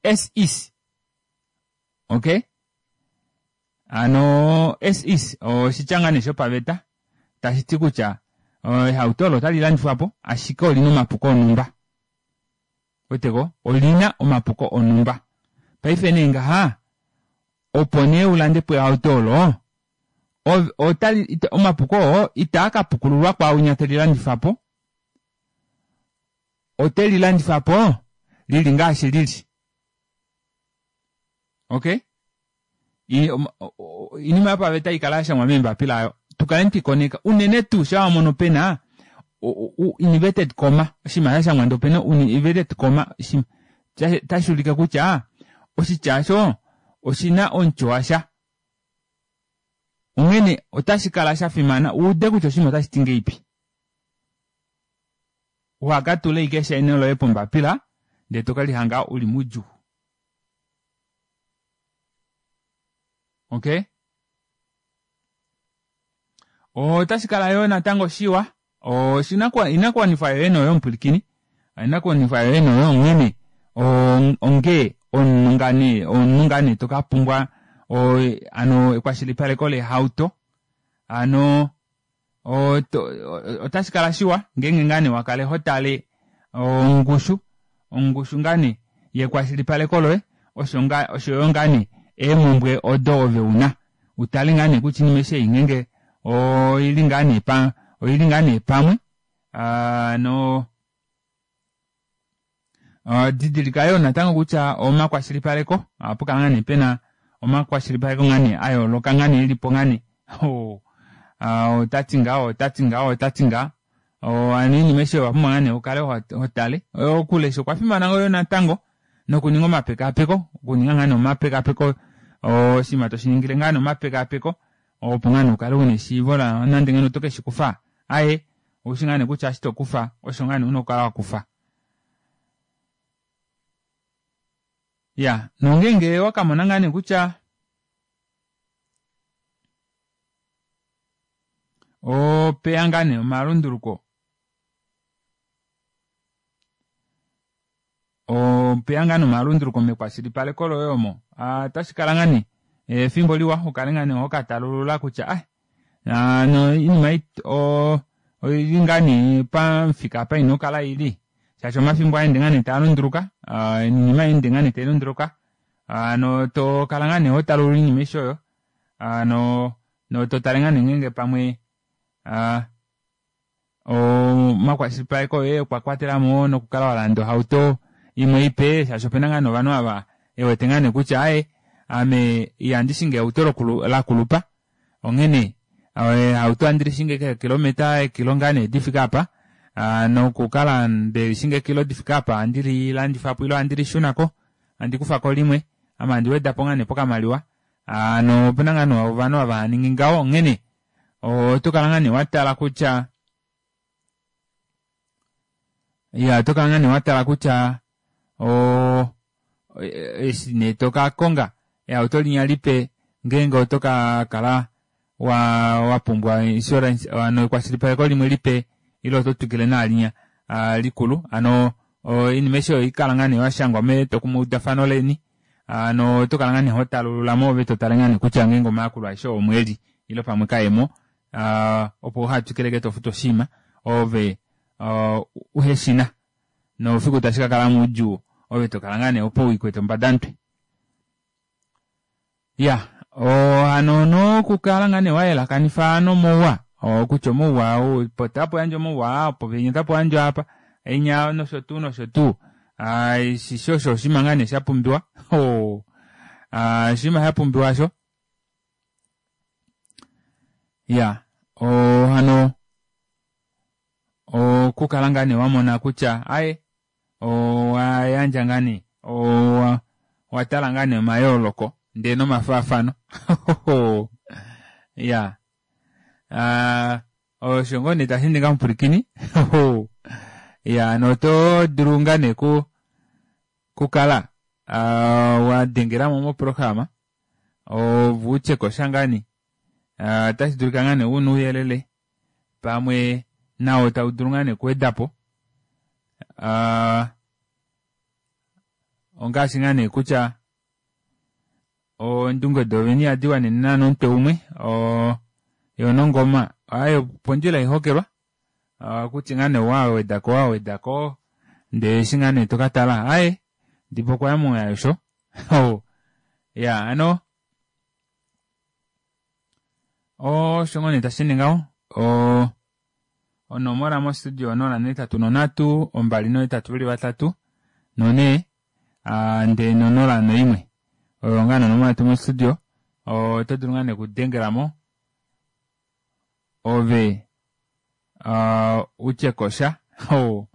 as is okay hano as is oshitya ngaa nee shopaveta tashiti kutya ehauto olo otali landifwapo ashike olina omapuko onumba weteko olina omapuko onumba paife nee ngaha opo nee ulandepo ehauto olo otali omapuko oo itaa kapukululwa kwaaunya telilandifapo otelilandifapo lili ngaashi lili okay oinima yopaveta ikala yashangwa meembapila ayo tukale twikoneka unene tuu shaa wamono pena inverted comma oshinima shashangwa ndee opena inverted comma tashi ulike kutya oshitya osho oshina omutyo washa onghene otashi kala shafimana uude kutya oshinima otashiti ngahelipi uhakatule ashike eshaino loye pombapila ndee tokelihanga uli moudjuu okay otashi kala yoo natango shiwa oinakuwanifwa yoye noyo omupwilikini oinakuwanifwa yoye noyo onghene onge omunhu ngaa nee omunhu ngaa nee tokapumbwa hano ekwashilipaleko lehauto hano otashi kala shiwa ngeenge ngaa nee wakale hotale ongushu ongushu ngaa nee yekwashilipaleko loye oshoyo ngaa nee eemumbwe odo ove una utale ngaa nee kutya oinima aishe ei ngeenge oili ngaa nee pa oili ngaa nee pamwe no didilika yoo natango kutya omakwashilipaleko ohapukala ngaa nee pena omakwashilipaleko ngaa nee ayooloka ngaa nee elipo ngaa nee otati ngaho otati ngaho otati ngaho hano oinima aishe owapumbwa ngaa nee ukale hotale okulesha okwa fimana yoo natango nokuninga omapekaapeko okuninga ngaa nee omapekaapeko oshinima toshiningile ngaa nee omapekaapeko opo ngaa nee ukale una eshiivo nande ngeno oto keshikufa aaye oushi ngaa nee kutya eshi tokufa osho ngaa nee una okukala wakufa ya nongeenge wakamona ngaa nee kutya opeya ngaa nee omalunduluko opeya ngaa nee omalunduluko mekwashilipaleko loye omo otashi kala ngaa nee efimbo liwa ukale ngaa nee hokatalulula kutya ah no oinima oili ngaa nee pamufika apa ina okukala ili shaashi omafimbo aende ngaa nee taalunduluka oinima ende ngaa nee tailunduluka hano tokala ngaa nee hotalulula oinima aishe oyo hano totale ngaa nee ngeenge pamwe omakwashilipaleko oye okwa kwatelamo nokukala walanda ohauto imwe ipe shaashi opena ngaa nee ovanhu ava ewete ngaa nee kutya aaye ame ihandi shingi ehauto lakulupa onghene ehauto ohandi lishingi eekilometa eekilo ngaa nee difike apa nokukala ndelishinga eekilo difike apa ohandi lilandifapo ile ohandi lishunako handi kufako limwe ame handi wedapo ngaa nee pokamaliwa hano opena ngaa nee ovanhu ava haningi ngaho onghene otokala ngaa nee watala kutya iya otokala ngaa nee watala kutya o eshi nee tokakonga ehauto linya lipe ngeenge oto kakala wa wapumbwa insurance hano ekwashilipaleko limwe lipe ile oto twikile naalinya likulu hano oinima aishe oyo oikala ngaa nee yashangwa metwokumweudafano leni hano otokala ngaa nee hotalululamo ove totale ngaa nee kutya ngeenge omayakulo aeshe omo eli ile pamwe kaemo opo uhatwikileke tofutu oshinima ove uheshina noufiku tashi kakala moudjuu ove tokala ngaa nee opo wiikwete ombadamutwe ya hano nokukala ngaa nee wayelakanifa nomauwa kutya omauwa opo tapo yandjwa omauwa opo penya tapo yandjwa apa enya nosho tuu nosho tuu shisho osho oshinima ngaa nee shapumbiwa oshinima shapumbiwa sho ya hano okukala ngaa nee wamona kutya aye owayandja ngaa nee watala ngaa nee omayooloko Ndee nomafaafano. Ya. Ah, osho ngoo nee tashi ninga mupwilikini. Ya, noto dulu ngaa nee ku kukala ah, wa dengelamo moprograma ove utye kosha ngaa nee. Ah, otashi dulika ngaa nee una ouyelele pamwe nawo tau dulu ngaa nee okuwedapo. Ah, ongaashi ngaa nee kutya oondunge doovene ihadi wanene naana omutwe umwe o yo nongoma ayo pondjila ihokelwa kutya ngaa nee wawedako wawedako ndee eshi ngaa nee tokatala aye ndipo okwaya moyasho ya ano osho ngoo nee tashi ende ngaho o onomola mo studio onola nohetatu nonhatu ombali nohetatu veli vatatu nonhee ndee nonola noimwe oyo ngaa nee onomola yetu mo studio oto dulu ngaa nee okudengelamo ove uh, utye kosha oh.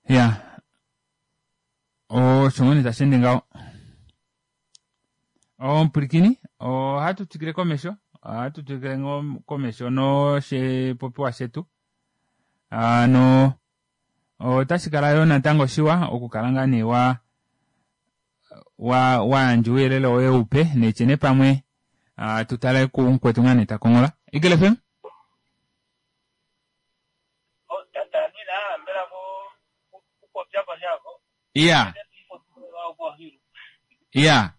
Ya osho ngoo nee tashi ende ngaho. Omupwilikini ohatu twikile komesho ohatu twikile ngoo komesho noshipopiwa shetu ano otashi kala yoo natango shiwa okukala ngaa nee wa wa wayandja ouyelele woye upe netyene pamwe uh, tutale kumukwetu ngaa nee takonghola. Eagle F M? Iya. Iya.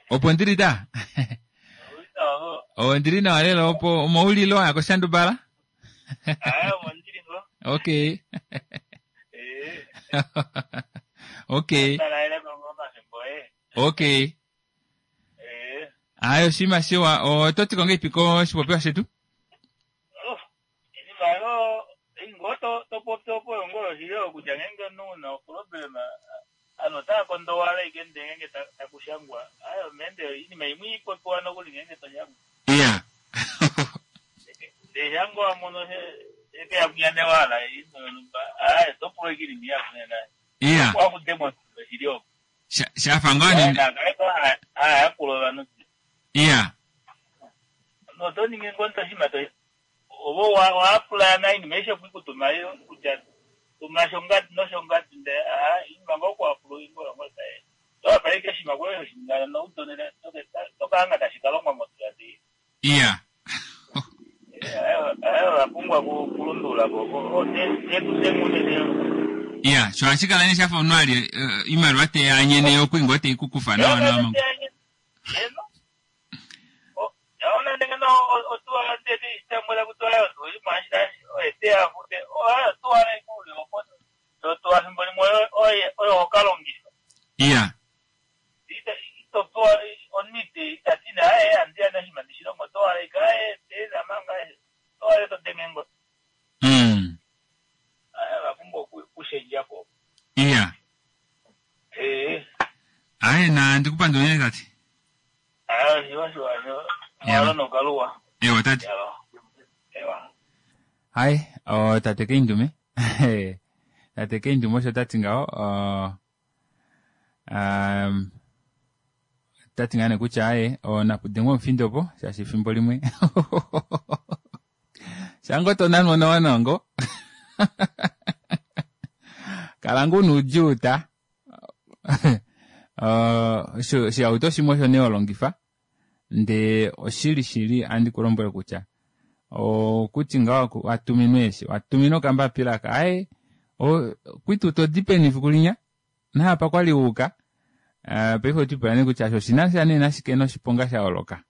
Opo ndili ta? O ndili nawa lelo opo omaulilo aya koshandubala? Okay. Okay. Okay. Ayo shima shiwa ototi konge ipiko shipopiwa shetu? Iya. Iya. Shafa ngoo Iya. Iya. Iya, sho ashikala ne shafa omunhu ali imaliwa teyanyene yokuinga teikukufa nawa nawa. Iya. Mm. Iya. Aye na ndikupandula unene tati. Ewa tati. Hai, o tate Keindume. Tate Keindume osho tati ngaho um tati ngaa nee kutya aye onakudengwa omufindo opo shaashi efimbo limwe. Shango to nanwa nawa nawa ngo. Kala ngoo nuudjuu ta. Oshihauto shimwe osho nee holongifa ndee oshili shili andi kulombwele kutya okuti ngaho watuminwa eshi watuminwa okambapila aka aye kwitu todi peni efiku linya naapa kwali wuuka paife otwipula nee kutya osho oshinasha nee nashike noshiponga sha holoka.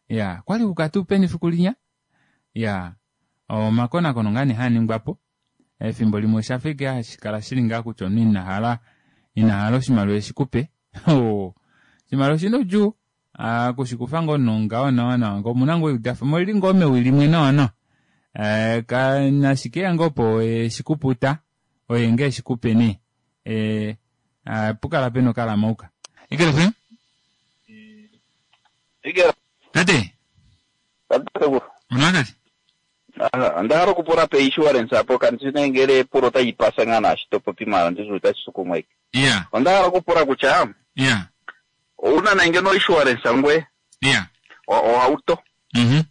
Ya kwali wuuka tuu peni efiku linya. Ya omakonakono ngaa nee haaningwapo efimbo limwe oshafa ike hashi kala shili ngaa kutya omunhu inahala inahala oshimaliwa eshikupe. Oshimaliwa oshina oudjuu kushikufa ngoo nongaho nawa nawa ngo omuna ngoo eudafa molili ngoo mewi limwe nawa nawa nashikeya ngoo opo eshikuputa oye ngee eshikupe nee pukala pena okalamauka. Eagle F M? Tate? Onawa tate? Aha, onda hala okupula pe insurance apo kandi shi ngele epulo otayi pasa ngaa naashi to popi maala ndishi otashi sukumwa ike. Yeah. Onda hala okupula kutya Yeah. owuna na ngeno insurance ngwe Yeah. o- ohauto Mhm.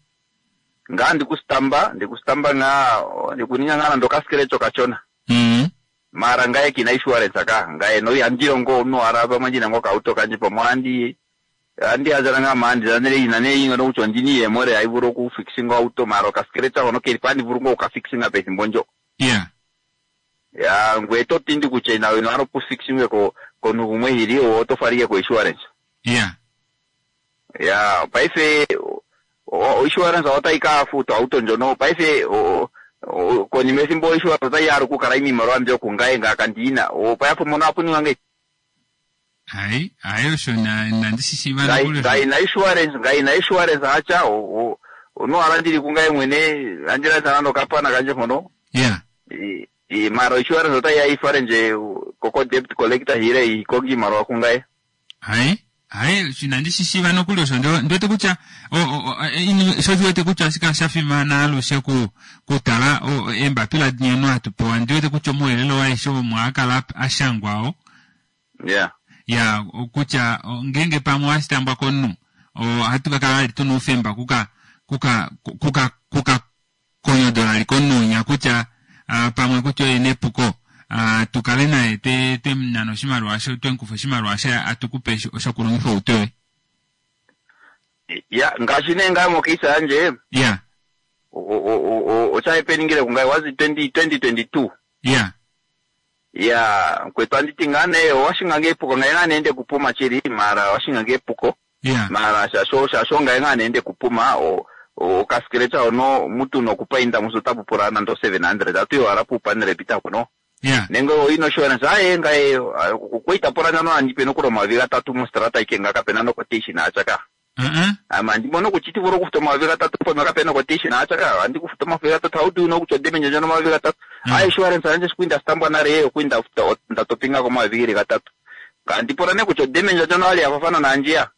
ngaa ndikusitamba ndikusitamba ngaa ndikuninga ngaa nando okasikelecho kachona Mhm. mara ngaye kina insurance ka ngaye no yandilongo omunhu wala pamwe ndina ngo kauto kanje pamwe andi andi azala nga mandi zanele ina ne ingo no kutya ndini yemore aivulu okufixinga auto mara okasikelecha hono keli pa andivulu ngo okafixinga pethimbo ndjo Yeah. ya ngwe to tindi kutya ina ino alo kufixingwe ko komunhu gumwe hili oto falike ko insurance Yeah. ya paife o- o- insurance otayi ka futa auto ndjono paife o- o- konima ethimbo insurance otayi yalu okukala iimaliwa mbyo kungaye ngaaka ndiina opayapo mono apuninga ngeyi Ai, ai osho na nandi shi shiiva Ngai- nokuli osho. ngaina insurance ngaina insurance hacha onohala ndili kungaye mwene andilandisa nando okapana kandje mpono Yeah. I- i- mara insurance otayi ya ifale ndje koko debt collector hile ikonge iimaliwa kungaye Ai, ai osho inandi shi shiiva nokuli osho ndo ndiwete kutya o- o- o- ini- sho ndiwete kutya oshika sha fimana alushe ku kutala o- eembapila dinyeno hatu pewa ndiwete kutya omauyelele waishe omo akala ashangwao yeah ya kutya o, ngenge pamwe washitambwa komunhu ohatu kakala vali tuna oufemba kuka kuka kuka kuka konyodola li komunhu kutya ah, pamwe kutya oye nepuko ah, tukale naye twe twemunana oshimaliwa sho twemukufa oshimaliwa she atukupe shokulongifa outo yoye ya ngaashi nee ngaye mokeisa yandje ya oshaepeningile kungaye wazi twenty twenty twenty two ya ya kwetu anditi ngaa nee owashinga ngeepuko ngaye ngaa neende kupuma chili mara washinga ngeepuko ya mara shasho shasho ngaye ngaa neende kupuma o okasikelecha ono mutu nokupainda musu tapupula nando seven hundred atu yowala puupanele pita kuno ya nenge oina insurance aye ngaye kweitapula nano andipe nokulo omayovi gatatu mostrata ike nga kapena noquotation achaka uh-uh. ama ndimono kuti tivula okufuta omayovi gatatu pamwe kapena quotation achaka andi kufuta omayovi gatatu how do you know kutya odemendje ndjono omayovi gatatu Mm. a insurance yandje shikwinda sitambwa nale yeyo kwinda futa ndatopinga komayovi geli gatatu kandipula ne kutya odemendje ndjono ali yafafana naandjiya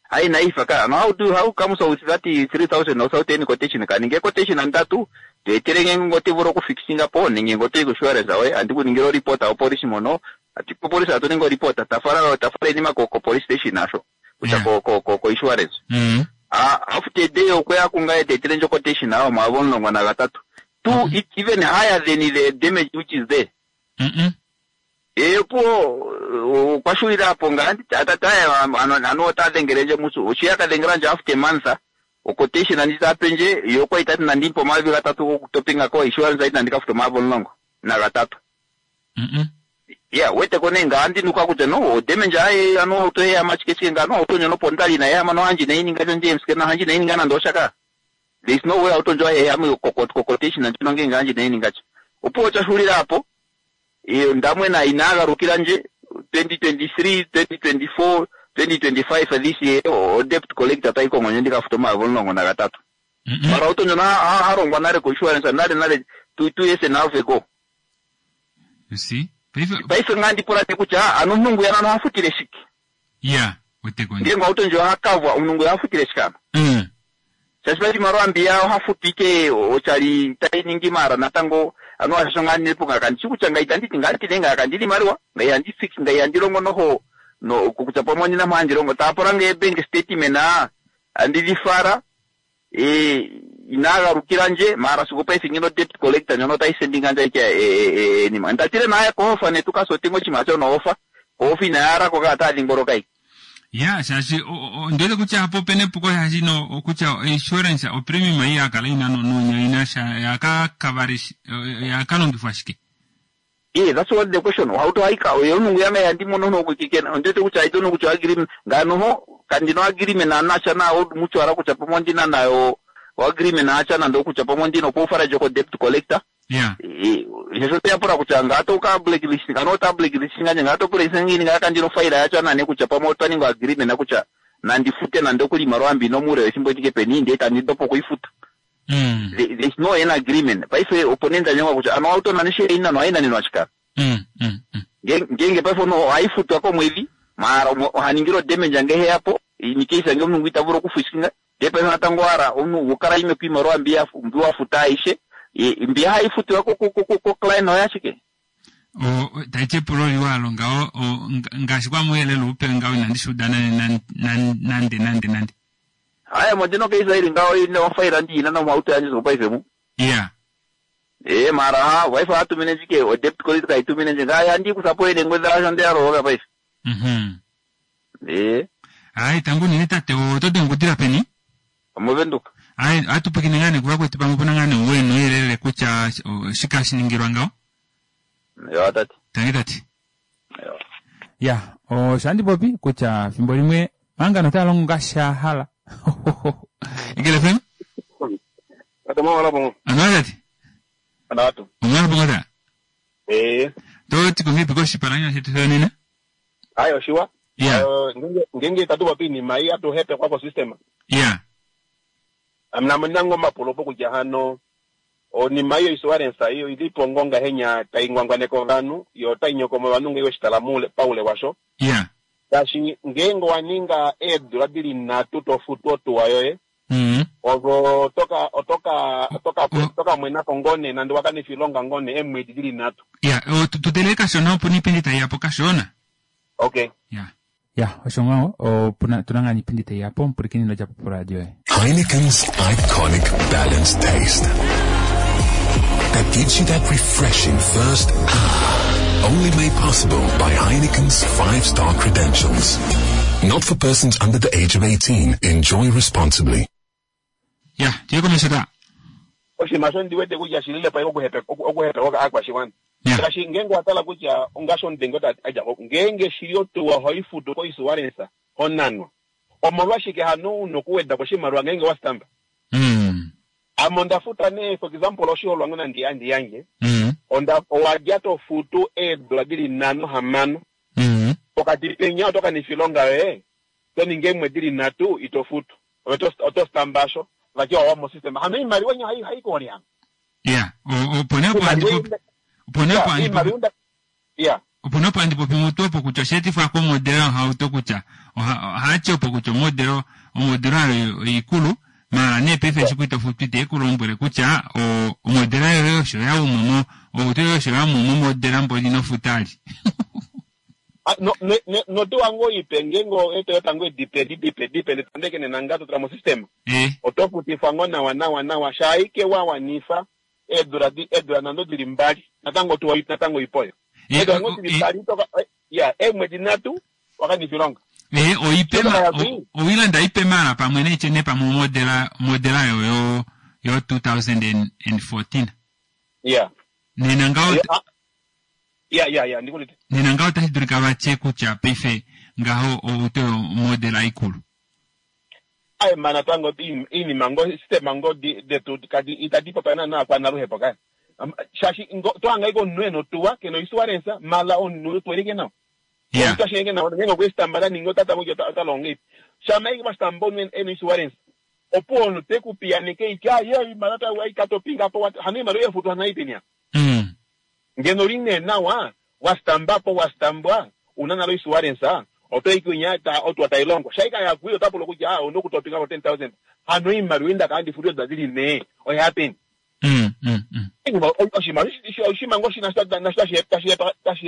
hayi naifa ka no how do how comes with that three thousand without any quotation kaninge quotation andatu toetele ngenge ngotivula okufixinga po nenge ngotoyi ko-insurance awe andikuningila oripota opolisi mono ati kopolisi atoninga oripota tafala tafala inima ko ko police station asho kutya Yeah. ko ko ko ko insurance Mm. Ah, after day okweya kungaye tetele ndjo quotation awo maavo omulongo nagatatu two Mhm. it even higher than the damage which is there Mm-mm. epo okwashulila apo ngandi atataya ano otadhengelendje musu oshiya kadhengelanje after month oquotation anditapenje yokwa itati nandimpa omayovi gatatu gokutopinga ko insurance aiti nandikafuta omayovi omulongo nagatatu Mm-mm. ya weteko nee nga andinuka kutya no odamage aye ano auto eyama chike nga no auto nyono pondali na yama no hanji naininga chonje msike na hanji naininga nando shaka there is no way auto njo eyama quotation ndino nge hanji naininga cho opo chashulira apo iyo ndamwena inagarukira nje twenty twenty three twenty twenty four twenty twenty five this year o debt collector taikongo ndikafuta omayovi omulongo nagatatu Mm-mm. mara auto njono harongwa nale ko insurance nale nale two two years and a half ago You see paife paife ngandipula ne kutya ano omunhu yana nohafutile shike ya weteko nje ngengo auto njo hakavwa omunhu yafutile shikano Mm. shashipa chimaro ambiya ohafutike ochali tainingi mara natango ano ashasho nganinepo ngaka kutya ngaita nditi nganditine ngaka ndili mariwa ngai fix ngai andilongo noho no kutya pamwe ndina mhandilongo tapora nge bank statement a andilifara e inagarukira nje mara siku paife ngino debt collector nyono taisendinga nje ike e, e, nima ndatile naye kohofa netukasotingo chima cho noofa kohofa inayarako katadhingoroka iki ya shaashi o- o- ndiwete kutya apo pene epuko shaashi no okutya insurance opremium ei yakala ina nonya ina sha yakakavari yakalongifwa shike Yeah, that's what the question. How do I ka oyo yame yandimono no kukikena ndete kuti I don't know kuti agreement nganoho kandino agreement anasha na old mutual kutya pamwe ndina nayo agreement achana ndokutya pamwe ndino kufara joko debt collector ya izvo toyapura kuti angatoka blacklist kanota blacklist nganye ngatopurisa ngini ngakandino faila yacho anane kutya pamwe taningo agreement akutya nandifute nandokulima rwambi nomure wechimboitike peni ndeta ndindopo kuifuta mm. There- there's no an agreement paife oponenza nyonga kuti ano autona neshere inano ainanino achikara Mm, mm, mm. ngenge paifono haifutwa komwedhi mara haningiro damage ange yapo inikesa nge munhu itavuro kufishinga nde paifo natangwara omunhu wokara ime kuimarwa mbi mbi wafuta aishe Mbi hayi futiwa ko ko ko client oya shike. O taiti epulo liwa alo ngaho ngaashi kwamuyelele upe ngaho inandi shuuda nande nande nande. Haya modino ke Israeli ngaho ine ofaila ndi ina nomauto yandje zopaife mu. Yeah. Eh mara ha wife atumine njike o debt collector kaitumine nje ngaya ndi kusapo ile ngweza asho ndi aro paife. Mhm. Eh. Ai tangu nini tate oto dengudira peni? Omuvenduka. Ai atupikine ngane kuva kwetu pamwe pona ngane wenu yelele kutya shika shiningirwa ngaho. Ya tati. Tangi tati. Ya. Ya, o shandi popi kutya fimbo limwe mangano talongo ngasha hala. Igele fem? Ata mwa wala bongo. Ano tati? Ana watu. Omwana bongo ta? Eh. To tikumbi koshi paranya shetu nina? Ayo shiwa. Yeah. Uh, ngenge ngenge tatu papi ni mai atu hepe kwako system. Yeah. Amna mnango mapulopo kutya hano oni mayo insurance iyo ilipo ngonga henya taingwangwaneko vanu yo tainyokoma vanu ngewe shitala mule paule washo. Yeah. Kashi ngengo waninga edula dili natu tofutu otuwa yoye. Mm. Ogo toka otoka toka O- toka mwena kongone nandi wakani filonga ngone emwedi dili natu. Yeah, o tutele kashona opo nipindi taiyapo kashona. Okay. Yeah. Ya, osho ngaho opuna tunanga nipindi taiyapo mpulikini no japo radio. e. Heineken's iconic balanced taste that gives you that refreshing first ah, only made possible by Heineken's five-star credentials. Not for persons under the age of eighteen. Enjoy responsibly. Ya, tiye komesha Oshima sho ndiwete kutya shilile pa okuhepe okuhepe oka akwashiwana. Yeah. Kashi ngengo atala kutya ungasho ndengo ta aja ngenge shilio tuwa hoifutu ko insurance honanwa. Omolwashike hano unokuweda koshimaliwa ngenge wasitamba. Mm. Amo ndafuta ne for example oshiholwa ngona ndi andi yange. Mm. Onda owajja tofutu edola dili nano hamano. Mm. Pokati penya otoka ni filonga we. Toninge emwe dili natu itofutu. Oto otostambasho vakiwa wamo system. Hano imaliwa nya hayi haikoni hano. Yeah, o opone opo andipo opone opo andipo Imaliwa yeah. opone opo andipo pimutu opo kutya osheetifwa komodelo ohauto kutya ohachi opo kutya omodelo omodelo ayo ikulu mara nee paife eshi kuitofutu ite ekulombwele kutya o omodelo ayo osho yaumumo outo yoye osho yaumumo modela mboli nofuta ali. Ah, no ne ne no to wango ipe ngengo eto yotango dipe dipe dipe netandeke nenangato tra mo system. Eh. Otofutifwa ngo nawa nawa nawa shaike wawanifa edura di edura nando dili mbali natango tuwa natango ipoyo. Eh, Edura ngo o- dili eh. mbali toka eh, ya emwe dinatu wakani filonga. Eh, oipema Shoka ya owilanda ipe mara pamwe nechene pamwe modela modela yo yo yo twenty fourteen. Yeah. Nena ngaho Yeah, ah, yeah yeah yeah ndikulite. nena ngaho tashidulika vache kutya paife ngaho outo modela ikulu. Ai mana tango ini mango system mango di de tu kadi itadi papa na kwa na ruhepo kai. Shashi ngo twanga iko nweno tuwa keno insurance mala onu tuerike nao. Yeah. Omuntu ashenge nawo ngengo kwesitambala ningo tata mukyo talonge. Shama iki basitamba onu eno insurance. Opo onu te kupianike iki aye imala ta wa ikatopinga po wat hanu imalo yefutu hanaipenia. Mm. Ngeno line nawa wasitamba po wasitambwa unana lo insurance ah. Oto ikunya ta otu atailongo. Shaika ya kuyo tapulo kuja ah ono kutopinga po ten thousand. Hanu imalo inda kandi futu dadili ne. O happen. Mm mm mm. Oshima oshima ngoshi na na tashi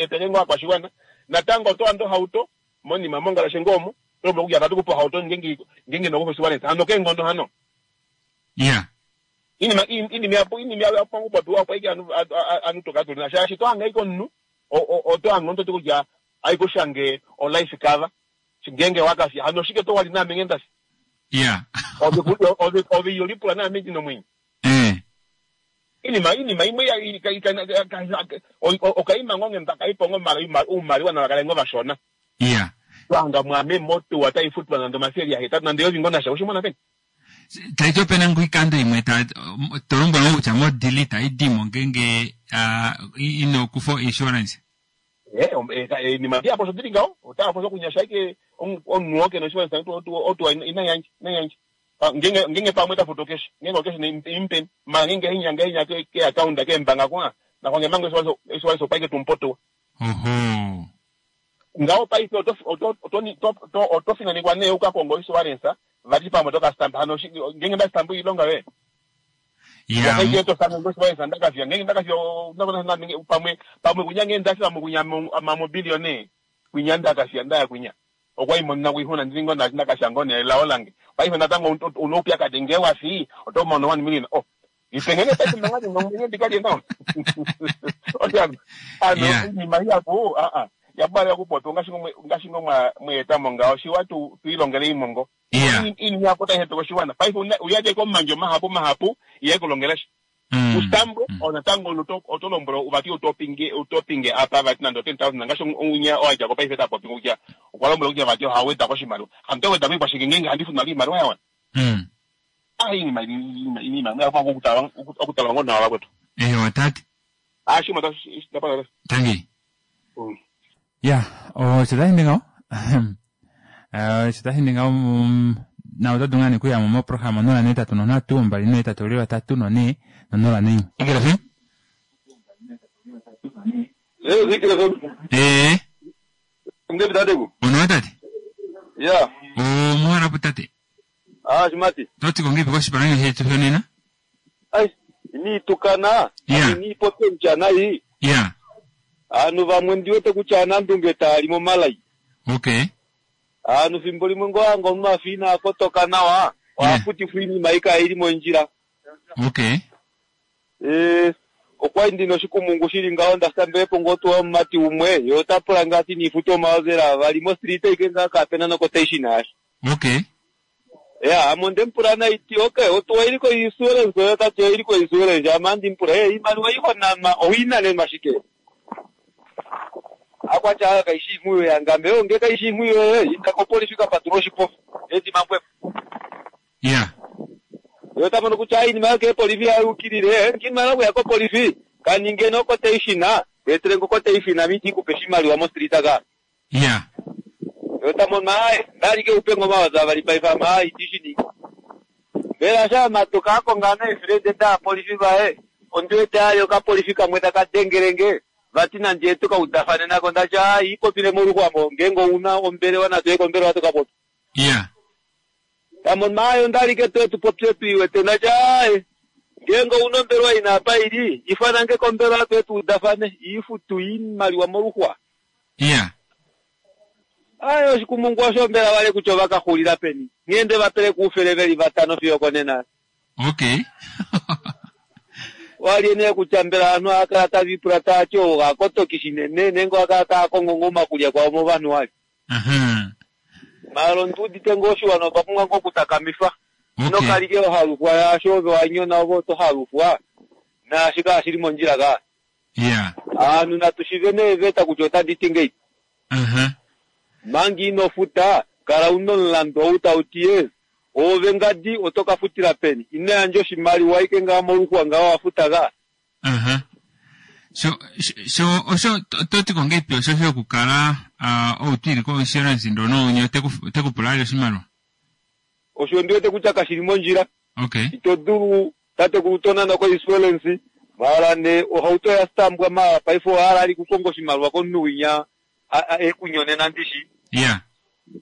akwashiwana. Natango to ando hauto moni mamonga la shengomo to kuja tatu kupo hauto ngengi ngengi no kupo hano ke ngondo hano. Yeah. Ini ma ini mi apo ini mi apo ngupo tu apo iki anu anu toka tu na shashi to anga iko nu o o to anga to kuja aiko shange o life cover ngenge wakasi hano shike to wali na mengenda. Yeah. Obi obi obi yolipula na mengi no mwinyi. Eh. Ini ma ini ma imwe ya ika ika okaima ngonge mpaka ipongo mara umaliwa na wakalengo vashona. Yeah. Twanga mwame moto watai football na ndo ya hetatu na ndio vingona sha ushimona peni. Taito pena nguikando imwe ta tolombo ngo kutya mo delete idimo ngenge ino kufo insurance. Eh eh ni mabia poso diringa o ta poso kunyasha ike onuoke no insurance to to to ina yanji ina yanji. Ngenge ngenge pamwe ta foto cash ngenge cash ni impen ma ngenge hinya ngenge hinya ke ke account ke mbanga kwa na kwa ngemango insurance insurance paike tumpoto. Oho. Ngao paife oto oto oto to oto fina ni kwa ne uka kongo insurance vati pamwe toka stamp hano ngenge nda stamp ilonga we. Ya, wakaite tosanga ngoshivaisa ndakafya ngenge ndakafya ndakafya pamwe pamwe kunya ngenge ndafya pamwe kunya mamobiliyone kwinya ndakafya ndaya kwinya okwaimonena kuihuna ndilingo ndakasha ngone lao lange paife natango unoupyakadi nge wafi otomono one million oh ipengene pese nangati ngomwenye ndikalie nao otyano ano Yeah. inima iyaku aa yabala yakupoto ngashingo mweetamo ngawo shiwa tu tuilongele imongo Yeah. inima yako taihetoka oshiwana paife uyadeko komandjo mahapu mahapu iyekulongelesha Mm. ustambo onatango oto otolombolo uvati utopinge utopinge apa vati nando ten thousand ngasho unya owadjako paife tapopi kutya okwa lombwela kutya vati ohaweda koshimaliwa hamto weda koikwashike ngenge handifuna iimaliwa yawana Mm. ah iinima iinima yafa okutala okutala ngo nawa vakwetu Eyo tate. ah shima ta Tangi. Mm. Ya, osho tashi ningawo. Eh, osho tashi ningawo mm, na oto dulu ngoo nee okuya mo moprograma onola ne tatu nonhatu mbali ne tatu li vatatu none nonola neimwe. Eagle F M? Eh, Zikira F M. Eh, Ngepi tateku? onowa tate? Ya. Omuwarabu tate. Ah, Shimati. Totiko ngepi koshipalanyo shetu shonena? Ai, iniitukana. Yeah. Iniipotentya nayi. Ya, Anu vamwe ndiwete kutya anandunge taali momalai. okay. Anu fimbo limwe ngoanga omunhu afa ina kotoka nawa. Ohafutifwa iinima ika ili mondjila. Okay. Eh, okwali ndina oshikumungu shili ngaho ndasambelepo ngoo tuwa omumati umwe ye ota pula ngaa ati niifute omaozela avali mostrita ike ngaa kapena nokotation yasha. Okay. Ya, ame ondemupula naiti okay, otuwa iliko insurance oyo tati oiliko insurance ame andimupula eh iimaliwa ihonanwa owinanenwa shike? Akwatya aa kaishi imwiyo yangame yo nge kaishi imwiyo yoye inda kopolifi kapatula oshipofa edima mbwepo. Ya. Yo tamono kutya aa iinima yoke epolifi yayukilile nginimala okuya kopolifi kaninge nokotation etele ngokotation miti ikupe oshimaliwa mostrita ka. Ya. Yo tamono aye ndalike upe ngomawaza avali paife ame aa itishi mbela sha matuka akonga neefrende daapolifi vaye ondiwete aye okapolifi kamwe taka dengelenge vati nandje tukaudafane nako ndati aa ipopile moluxwamo ngenge ouna ombelewa natuye kombelewa tukapopi Ya. tamono aye ondalike tuye tupopye tuiwete ndati aaye ngenge ouna ombelewa ina apa ili ifanange kombelewa tuye tuudafane iifutu iimaliwa moluxwa Ya. aye oshikumungu osho mbela wale kutya ovakaxulila peni nghende vapele kuufele veli vatano fiyo konena Okay. wali nee kutya mbela ovanhu ohakala tavipula taati ou gakotoki shinene nenge ohakala taakongo ngoo omakulya kwao movanhu wali Aha. maala ondiudite ngoo oshiwana otwa pumbwa ngoo okutakamifa Okay. nokalike ohalufwa yaasho ove wanyona ove oto halufwa naashi kaashili mondjila ka Ya. aanhu natushive neeveta kutya otadi ti ngei Aha. manga ino futa kala una omulandu ou tauti ye ove ngadi oto ka futila peni ino yandja oshimaliwa ike ngaa moluxwa ngaa wafuta ka Aha. So, so osho totiko ngepi osho shokukala uh, outwili ko insurance ndono unye otekupula ali oshimaliwa. osho ndiwete kutya kashili mondjila Okay. ito dulu tatekulu tonana ko insurance mala ne ohauto ya stambwa mala paife ohala ali kukonga oshimaliwa komunhu winya a- a- ekunyonena ndishi Ya.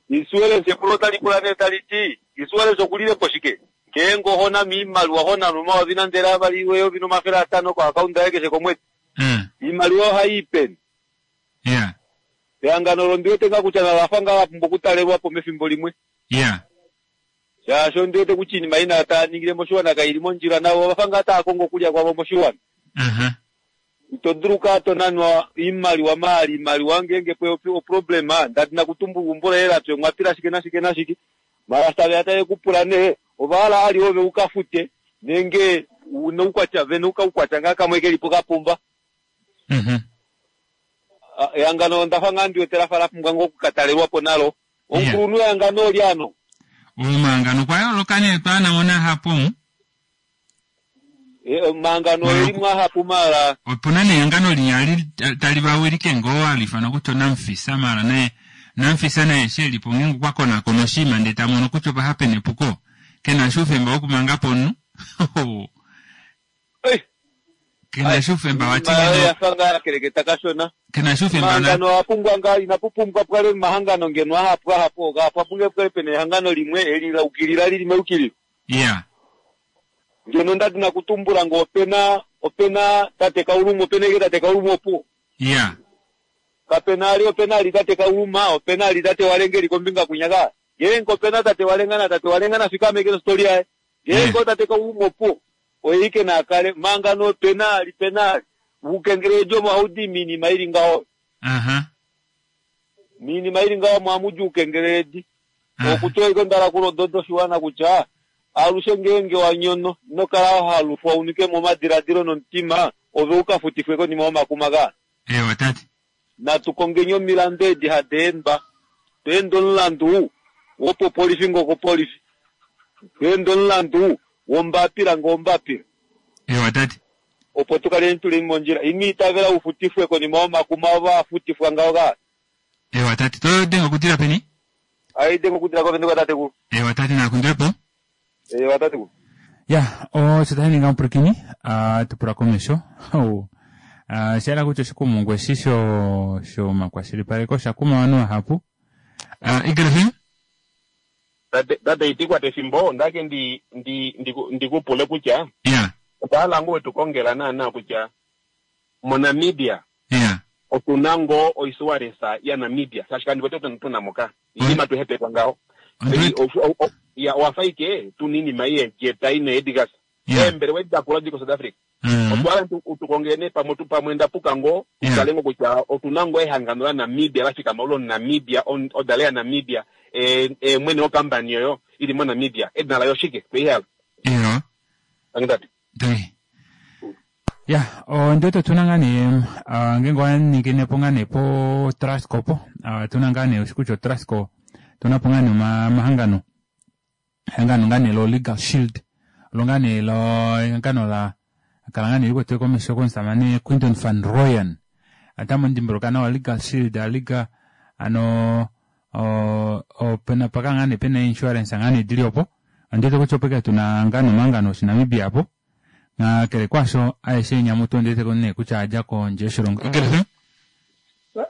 insurance epulo tali pula nee tali ti insurance okulilepo shike ngeenge ohonama iimaliwa honanwa omayovi nande avali eyovi nomafele atano koakaunda yaye keshe komwedi Mm. iimaliwa ohayi peni Ya. ehangano olo ndiwete ngaa kutya nalafa ngaa lapumbwa okutalelwapo mefimbo limwe Ya. shaashi ondiwete kutya iinima ina taa ningile moshiwana kaili mondjila navo ovafa ngaa taa kongo okulya kwavo moshiwana Aha. ito dulu kaa tonanwa iimaliwa maali iimaliwa ngeenge pwe oproblema ndati nakutumbula umbo laye lapya omwapila shike nashike nashike mala taveya taye kupula nee ovahala ali ove ukafute nenge una ukwatya vene ukaukwatya ngaa kamwe kelipo kapumba Mhm. Ah, ehangano ondafa ngaa ndiwete lafa lapumbwa ngoo okukatalelwapo nalo omukulunhu wehangano oli ano Omahangano kwa yooloka nee twaanamona hapo. Eh, omahangano eli mwahapu mala Opuna nehangano linya li tali vawilike ngoo alifanwa kutya onamfisa mala naye namfisa naye shelipo ngeenge okwa konakona oshinima ndee tamono kutya opa hapena epuko kena shi oufemba wokumangapo omunhu. Kena shi oufemba wati Iimaliwa ngeno yafa ngaa yakeleketa kashona kena shi oufemba na omahangano ohapumbwa ngaa inapupumbwa pukale omahangano ngeno ahapu ahapu oga apumbwe pukale pena ehangano limwe eli laukilila lili meukililo ya. Ngeno nda dina kutumbula ngo opena opena tate Kauluma, opena ike tate Kauluma opo. Ya. Kapena ali opena ali tate Kauluma, opena ali tate Walengeli kombinga kunyaka. Ngeenge opena tate Walenga na tate Walenga na fikame ke story yaye. Ngeenge tate Kauluma opo. Oye na kale manga no penali penali. Ukengerejo mwaudi minima ili ngaho. Aha. Minima ili ngaho mwamuju ukengereji. Okutoa iko ndala kulo dodo shiwana kutya alushe ngeenge wanyono nokala halufwa unike momadiladilo nomutima ove ukafutifwe konima yomakuma ga. Ewa tate. Natukongenye omilandu edi hadeemba. Tweende omulandu wopopolifi ngokopolifi. Tweende omulandu wombapila ngombapila. Ewa tate. Opo tukaleni tuli mondjila. Ino itavela ufutifwe konima yomakuma ovafutifwa ngaho ga. Ewa tate. Todenga kutila peni? Aide ngokutila kovenduka tate ku. Ewa tate nakundirepo. Ewa tate ku. Ya, osho tashi ninga omupulakeni, uh, tupula komesho. Oh. Uh, shaela kutya oshikumungu eshi sho shomakwashilipaleko osha kuma ovanhu vahapu. Uh, Eagle F M? Tate tate itikwata efimbo ndake ndi ndi ndikupule kutya. Ya. Otwahala ngoo wetukongela naana kutya moNamibia. Ya. Otuna ngoo oisuarensa ya Namibia. Shaashi kandi wete tuna moka. Inima tuhepekwa ngaho. Ya owafa ike tuna iinima yeejeta ina Edgars. Eembelewa edi dakula dili ko South Africa. Otwahala utukongele pamwe pamwe ndapuka ngoo utale ngoo kutya otuna ngoo ehangano la Namibia lafikama ulo Namibia odala ya Namibia e mwene wokampani oyo ili mo Namibia edina layo shike tweihala. Iyo. Angitati. Doi. Ya, onde tuna ngaa nee ngeenge owaningine po ngaa nee po Trustco po, tuna ngaa nee oshikutya Trustco tuna po ngaa nee omahangano. Ehangano ngaa nee lo Legal Shield. Lo ngaa nee lo ehangano la kala ngaa nee likwetele komesho komusamane Quinton van Rooyen. Atamu ndimbuluka nawa Legal Shield, Liga ano opena paka ngaa nee pena insurance ngaa nee dili opo. Ondete kutya opeke tuna ngaa nee omahangano oshiNamibia po. Na kele kwasho aeshe nyamutu ndete kone kutya aja kondje yoshilongo. Eagle F M?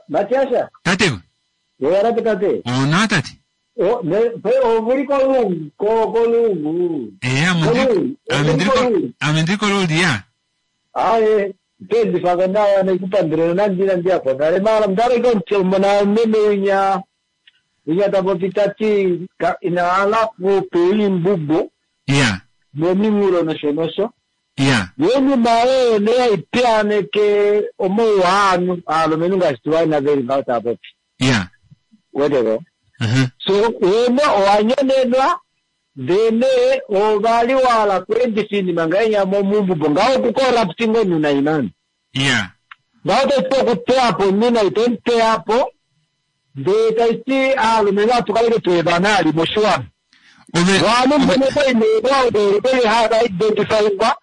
Matiasha. Tate. Yera tate. Ona tate. O ne pe ovuri kolungu ko kolungu. Eh amendri amendri amendri kolungu ya. Aye tendi fagana na kupandire na ndina ndia po. Nare mara mdare kon mona meme nya nya tabopitati ina ala ku pei mbubo. Ya. Momimuro no shonosho. Ya. Yeni mae ne ipiane ke omo wanu alumenhu ngaashi tuwaina veli ngaho tava popi. Ya. Weteko. Uh-huh. So wene owanyonenwa then ovali wala kuendisa iinima ngainya momumbubo ngaho kucorrupting onuna inani. Ya. Ngaho taiti okuteyapo nina itomuteyapo ndee taiti aalumenhu atukaleke tuevana ali moshiwana. Vanu mbono hava identifyingwa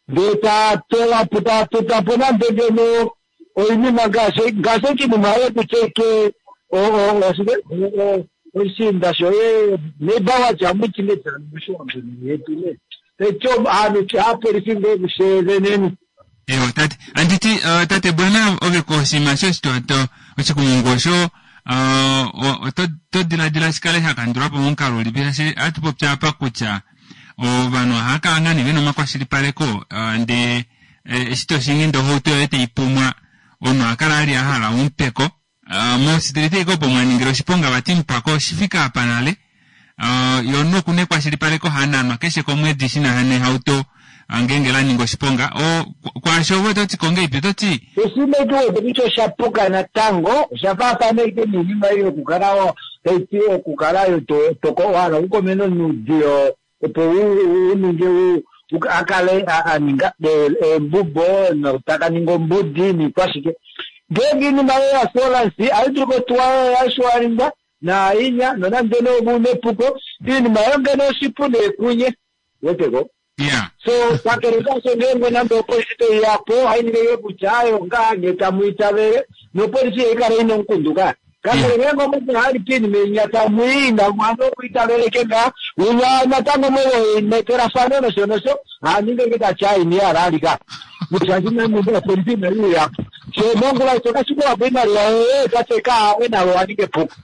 ndee tatowapo tatotapo nande ngeno oinima ngaashi ngaashi okinima yekucheke oshinda shoye nebawa jamuchimedzana mushiwana yetu ne techo anu apolisi ngekusheveneni. Ewa tate anditi uh, tate bwana ove koshima shoshitoto oshikumungu osho uh, to diladila shikale shakandulwapo momukalo ulipi shaashi atupopya apa kutya ovanhu ohakala ngaa nee vena omakwashilipaleko uh, ndee eshi toshingi ndee ohauto yoye taipumwa omunhu ohakala ali ahala omupeko uh, mositelite ike opo mwaningile oshiponga vati mupako oshifika apa nale uh, yo omunhu okuna ekwashilipaleko hananwa keshe komwedi shina nehauto ngeenge laninga oshiponga o kwaasho ove ototi kongeipi ototi oshimekiwete kutya oshapuka natango oshafaafana ike niinima ei yokukala taiti okukala wahala okukomena onuudiyo opo uninge akale aninga embubo notakaninga ombudi niikwashike ngeenge iinima yo yasolansi aidulu kotuwa yashiwalingwa nainya nonande nobu nepuko iinima yo ngeno oshipu neekunye weteko. Yeah. So kakele kasho ngeenge nande opolisi toiyapo haininge kutya ayo ngaa nge tamuitavele nopolisi yeikala ina omukundu ka kakele ngeenge omunhu hali piinima inya tamuiina mwana okuitaveleke ngaa unya natango mwenekelafano nosho nosho haninge nge tatya aini alalika shaashi namundu opolisi inaiuyapo so mongula ito kashikulapo imaliwa yoye tateka awe nalo waninge puko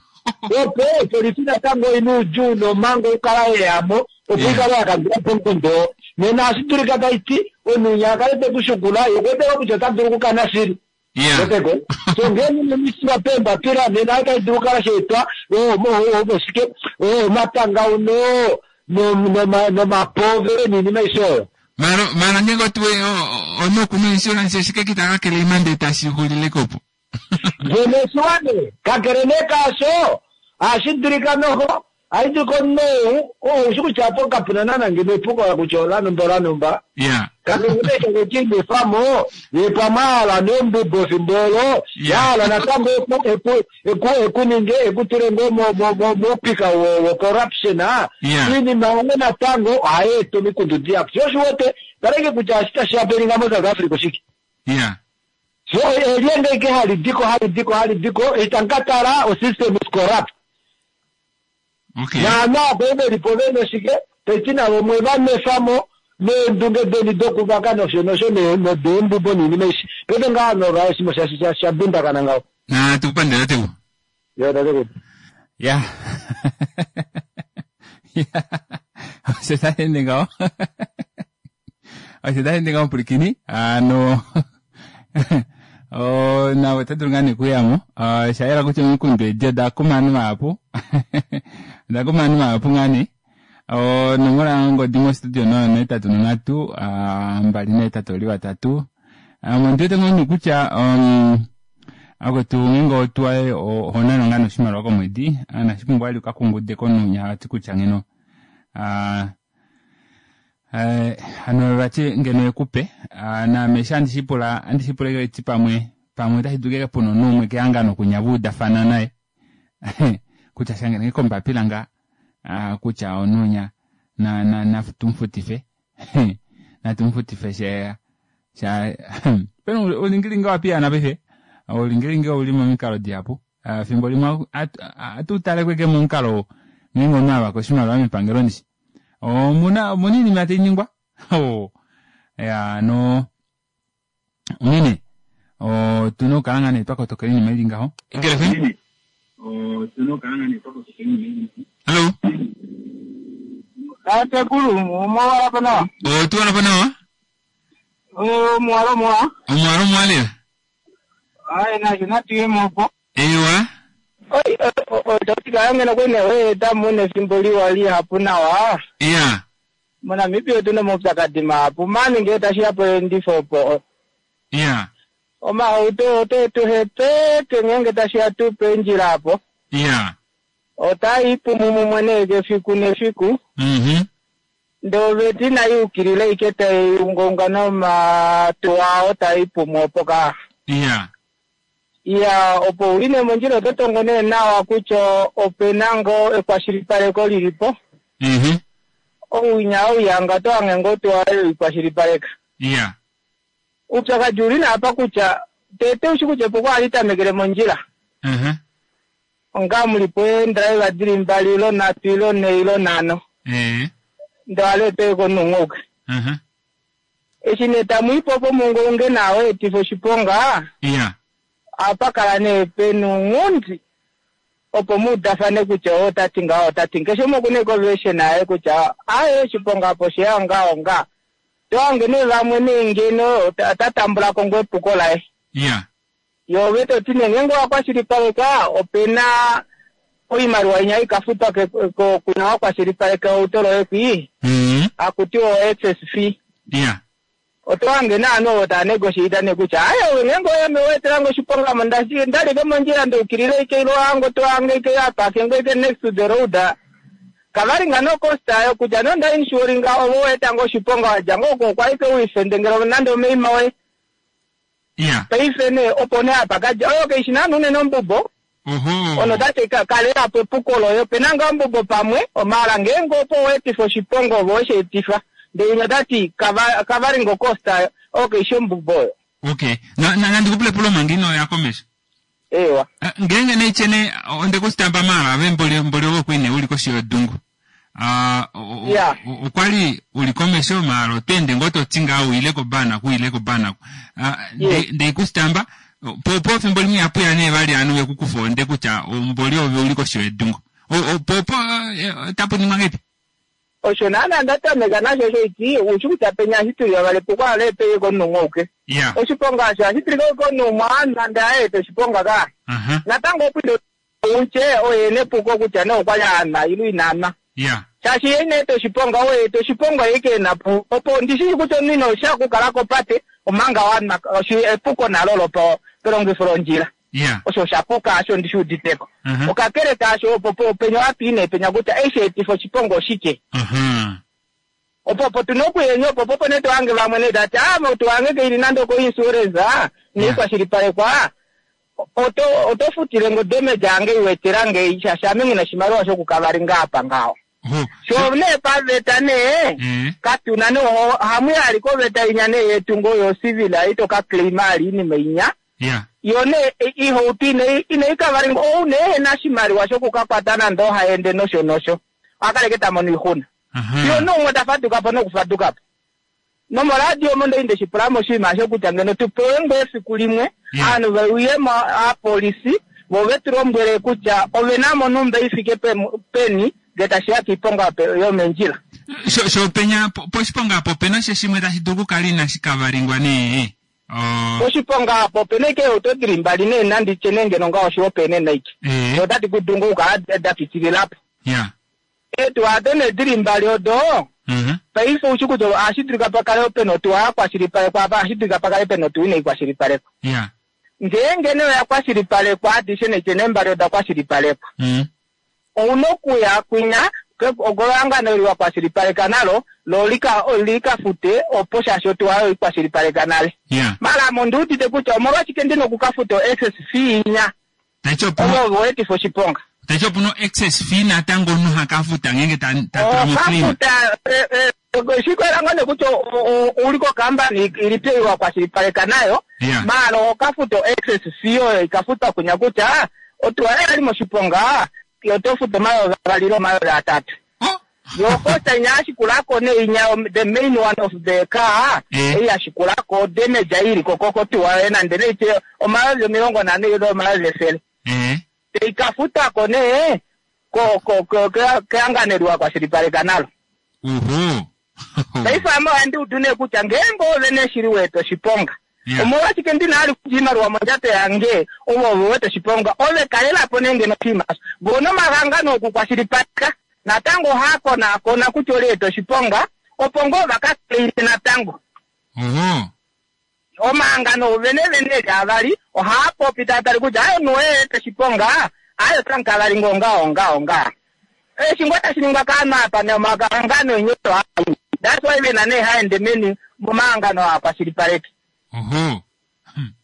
opo opolisi natango ina uudjuu nomango ukala yeyamo opo ikale yakandulapo omukundu Nena ohashi dulika tashi ti omunhu a kale te ku shukula, ye okwe teka kutya ota dulu okukana shili. Weteko? So ngeenge ino miswa peembapila nena otashi dulu okukala sha etwa oshike omatangauno nomapove niinima aishe oyo. Mara mara ngenge otuwe onoku no insurance oshike kitaka kelema ndee tashi xulile kopo. Ngeno oshiwane kakele nee kaasho ohashi dulika noho ohashi dulika omunhu ou oushi kutya apo kapuna naana ngeno epuko kutya olanumba olanumba. Ya. Kakele nee sheke ye pamwe ahala neembubo efimbo olo yahala natango eku eku ekuninge ekutule ngoo moupika wo corruption iinima oyo natango ohayi eta omikundu dihapu. Sho oshiwete taleke kutya ohashi tashi happeninga mo South Africa oshike. Ya. So elyenge ike hali diko hali diko hali diko eshi tamu ka tala o system is corrupt. Okay. Naana apo velipo vena oshike taiti navo mwe va nwefamo neendunge deni dokuvaka nosho nosho nodeembubo niinima ishi. Paife ngaa nova oshinima sha dundakana ngaho. Na tukupandela teu. Yo tatekulu. Ya. Ya. Osho tashi ende ngaho. Osho tashi ende ngaho pwilikini. Ano nawe ota dulu ngaa nee okuyamo. Osha yela kutya omikundu edi oda kuma ovanhu vahapu. Oda kuma ovanhu vahapu ngaa nee. Onomola yongodi mostudio noyo ohetatu nonhatu mbali nahetatu oli vatatu. Ondiwete ngoo nee kutya akwetu ngeenge otuwa oho nanwa ngaa noshimaliwa komwedi inashi pumbwa vali ukakungude komunhu ati kutya ngeno hano vati ngeno ekupe. Naame eshi handi shipula handi shipula eti pamwe pamwe otashi dulu puna omunhu umwe kehangano kunya vaudafana naye kutya shangelenge kombapila ngaa kutya omunhu unya na na natumufutife natumufutife sha sha pena oulingilingi owa paife oulingilingi ouli momikalo dihapu fimbo limwe atu tale kweke momukalo ngeenge omunhu avaka oshimaliwa mepangelo ndishi omuna omuna iinima tainingwa ya no onghene otuna okukala ngaa nee twakotokela iinima ili ngaho. Otuna okukala ngaa nee twakotokela iinima ili ngaho. Hello. Tatekulu, omwala po nawa. Otuwala po nawa? Omwala omwa. Omwala omwa lela. Ayi nasho natuyemo po. Ewa. Oi, ototika ngeno kwene weeta muna efimbo liwa lihapu nawa. Ya. MoNamibia otuna omaupyakadi mahapu mani ngee tashiya poendifo opo. Ya. Omahauto ote tuhepeke ngeenge tashiya tuu pendjila apo. Ya. Otai pumu mumwe nee kefiku nefiku. Mhm. Ndee oveta inayi ukilila ike tai ungaunga nomatuwa ao tai pumu opo ka. Ya. Iya, opo uli nee mondjila oto tongo nee nawa kutya opena ngoo ekwashilipaleko lilipo. Mhm. Ouwinya ouyanga oto hange ngoo otuwa ikwashilipaleka. Ya. Uupyakadi uli nee apa kutya tete ushi kutya epuko ohali tamekele mondjila. Mhm. Onga mulipo eendriver dili mbali ilo nhatu ilo nhee ilo nhano. Eh. Ndee ohaleeta komunhu Mhm. Eshi nee tamuipo opo muungaunge nawo etifa oshiponga. Ya. Ohapa kala nee pena ounghundi opo muudafane kutya oo otati ngaho otati keshe umwe okuna econversion yaye kutya aaye oshiponga apo osheya ngaho nga. Tohange nee vamwe nee ngeno ota tambulako ngoo epuko laye. Ya. Yo ove toti nee ngeenge owakwashilipaleka opena oimaliwa inya ikafutwa kuna wakwashilipaleka outo loye kwii. Hakuti o excess fee. Ya. Oto hange naanhu ovo tava negotiate nee kutya aye ove ngeenge oyame weetelange oshiponga ndalike mondjila ndeukilile ike ilo hange oto hange ike apake ike next to the road. Kavali nga no cost ayo kutya nonda insuringa ovo weetange oshiponga wadja ngoo oko okwa ike uifendengele nande omeima woye. Ya. Paife nee opo nee apa kadja oyo kaishi naana unene ombubo. Oho. Ono tati kalelapo epuko loye opena ngaa ombubo pamwe maala ngeenge opo weetifa oshiponga ove wesheetifa. Ndee umwe tati covering cost ayo oyo kaishi ombubo oyo. Okay. Na na nandikupule pulo manga inoya komesho. Ewa. Ngeenge nee chene onde kusitamba mala ave mboli mboli ove kwine uli koshi yodungu. Ah Ya. okwali uli komesho mala otende ngoo toti ngaa uile kobana ku ile kobana. Ndei kusitamba po po fimbo limwe apuya nee vali anu vekukufa onde kutya mboli ove uli koshi yedungu. Po po tapu ningwa ngeipi? Osho naana nda tameka nasho osho iti ushi kutya penya eshi tuli vavali epuko ohaleetele komunhu umwe auke. Ya. Oshiponga osho ohashi tilika komunhu umwe nande ayeeta oshiponga ka. Aha. Natango opo utye oye nepuko kutya nee okwali anwa ile ina nwa. Ya. Shaashi ye ina eta oshiponga oye eta oshiponga ye ke na po opo ndishi kutya omunhu ino sha okukala kopate omanga wanwa oshi epuko nalo lopo pelongifo londjila. Ya. Osho osha puka asho ndishi uditeko. Mhm. Okakele kaasho opo po penya wapiine penya kutya eshi etifa oshiponga oshike. Mhm. Opo opo tuna okuyenya opo popo ne tohange vamwe ne tati ah motu wange keili nande oko insurance ah neikwashilipalekwa oto oto futile ngo damage yange iwetela nge shaashi ame ngina oshimaliwa shokukavalinga apa ngaho. Sho nee paveta nee katuna nee ohamu yali koveta inya nee yetu ngo yo civil ito ka claim ali iinima inya. Ya. Yo nee ihauto ine ineikavalinga ou nee ena oshimaliwa shokukakwata nande ohaende nosho nosho akaleke tamono oixuna. Yo noumwe tafadukapo nokufadukapo. Nomoradio omo ndai ndeshipulamo oshinima osho kutya ngeno tupewe ngoo efiku limwe ovanhu veuyemo aapolisi vo vetu lombwele kutya ovena mo onumba ifike peni ngee tashiya kiiponga yomendjila. Sho sho penya poshiponga apo opena sha shimwe tashi dulu okukala inashi kavalingwa nee. Poshiponga apo opena ashike eehauto dili mbali nee nanditye nee ngeno ngaho oshihopaenenwa ike. Otadi kudungu okukala da pitililapo. Ya. Eetuwa ado nee dili mbali odo paife oushi kutya ohashi dulika pakale pena otuwa yakwashilipalekwa apa ohashi dulika pakale pena otuwa inaikwashilipalekwa. Ya. Ngeenge nee oya kwashilipalekwa adishe nee nee mbali oda kwashilipalekwa. Ouna okuya kwinya ehangano eli wakwashilipaleka nalo lo lika likafute opo shaashi otuwa oyo ikwashilipaleka nale. Ya. Mala ame ondiudite kutya omolwashike ndina okukafuta o-excess fee inya ovo weetifa oshiponga. Tachi opuna excess fee natango omunhu hakafuta ngeenge ta ta tula mo claim. Okafuta shikwela ngoo nee kutya uli kokambani ilipi ei wakwashilipaleka nayo Yeah. maala okafuta o-excess fee oyo ikafutwa kwinya kutya otuwa yoye yali moshiponga oto futu omayovi avali ile omayovi atatu. Yo kosta inya yashikulako nee inya the main one of the car ei yashikulako damage ei iliko kotuwa yoye nande neitye omayovi omilongo nhano ile omayovi efele. Teikafutako nee ko ko ko kehangano eli wakwashilipaleka nalo. Oho. Paife ame ohandi udu nee kutya ngeenge ove nee shili weeta oshiponga omolwashike ndina ali kutya iimaliwa mondjato yange ove ove wete oshiponga ove kalelapo nee ngeno oshinima osho. Voo nomahangano okukwashilipaleka natango ohaakonaakona kutya oleeta oshiponga opo ngoo vakaclaime natango. Oho. Omahangano vene vene eli avali ohaapopi taatali kutya aye omunhu oye eeta oshiponga aye otamukavali ngoo ngaho ngaho ngaho. Eshi ngoo tashi ningwa kaanhu apa nomahangano enye osho haa that's why vena nee haende meni momahangano aakwashilipaleki. Oho.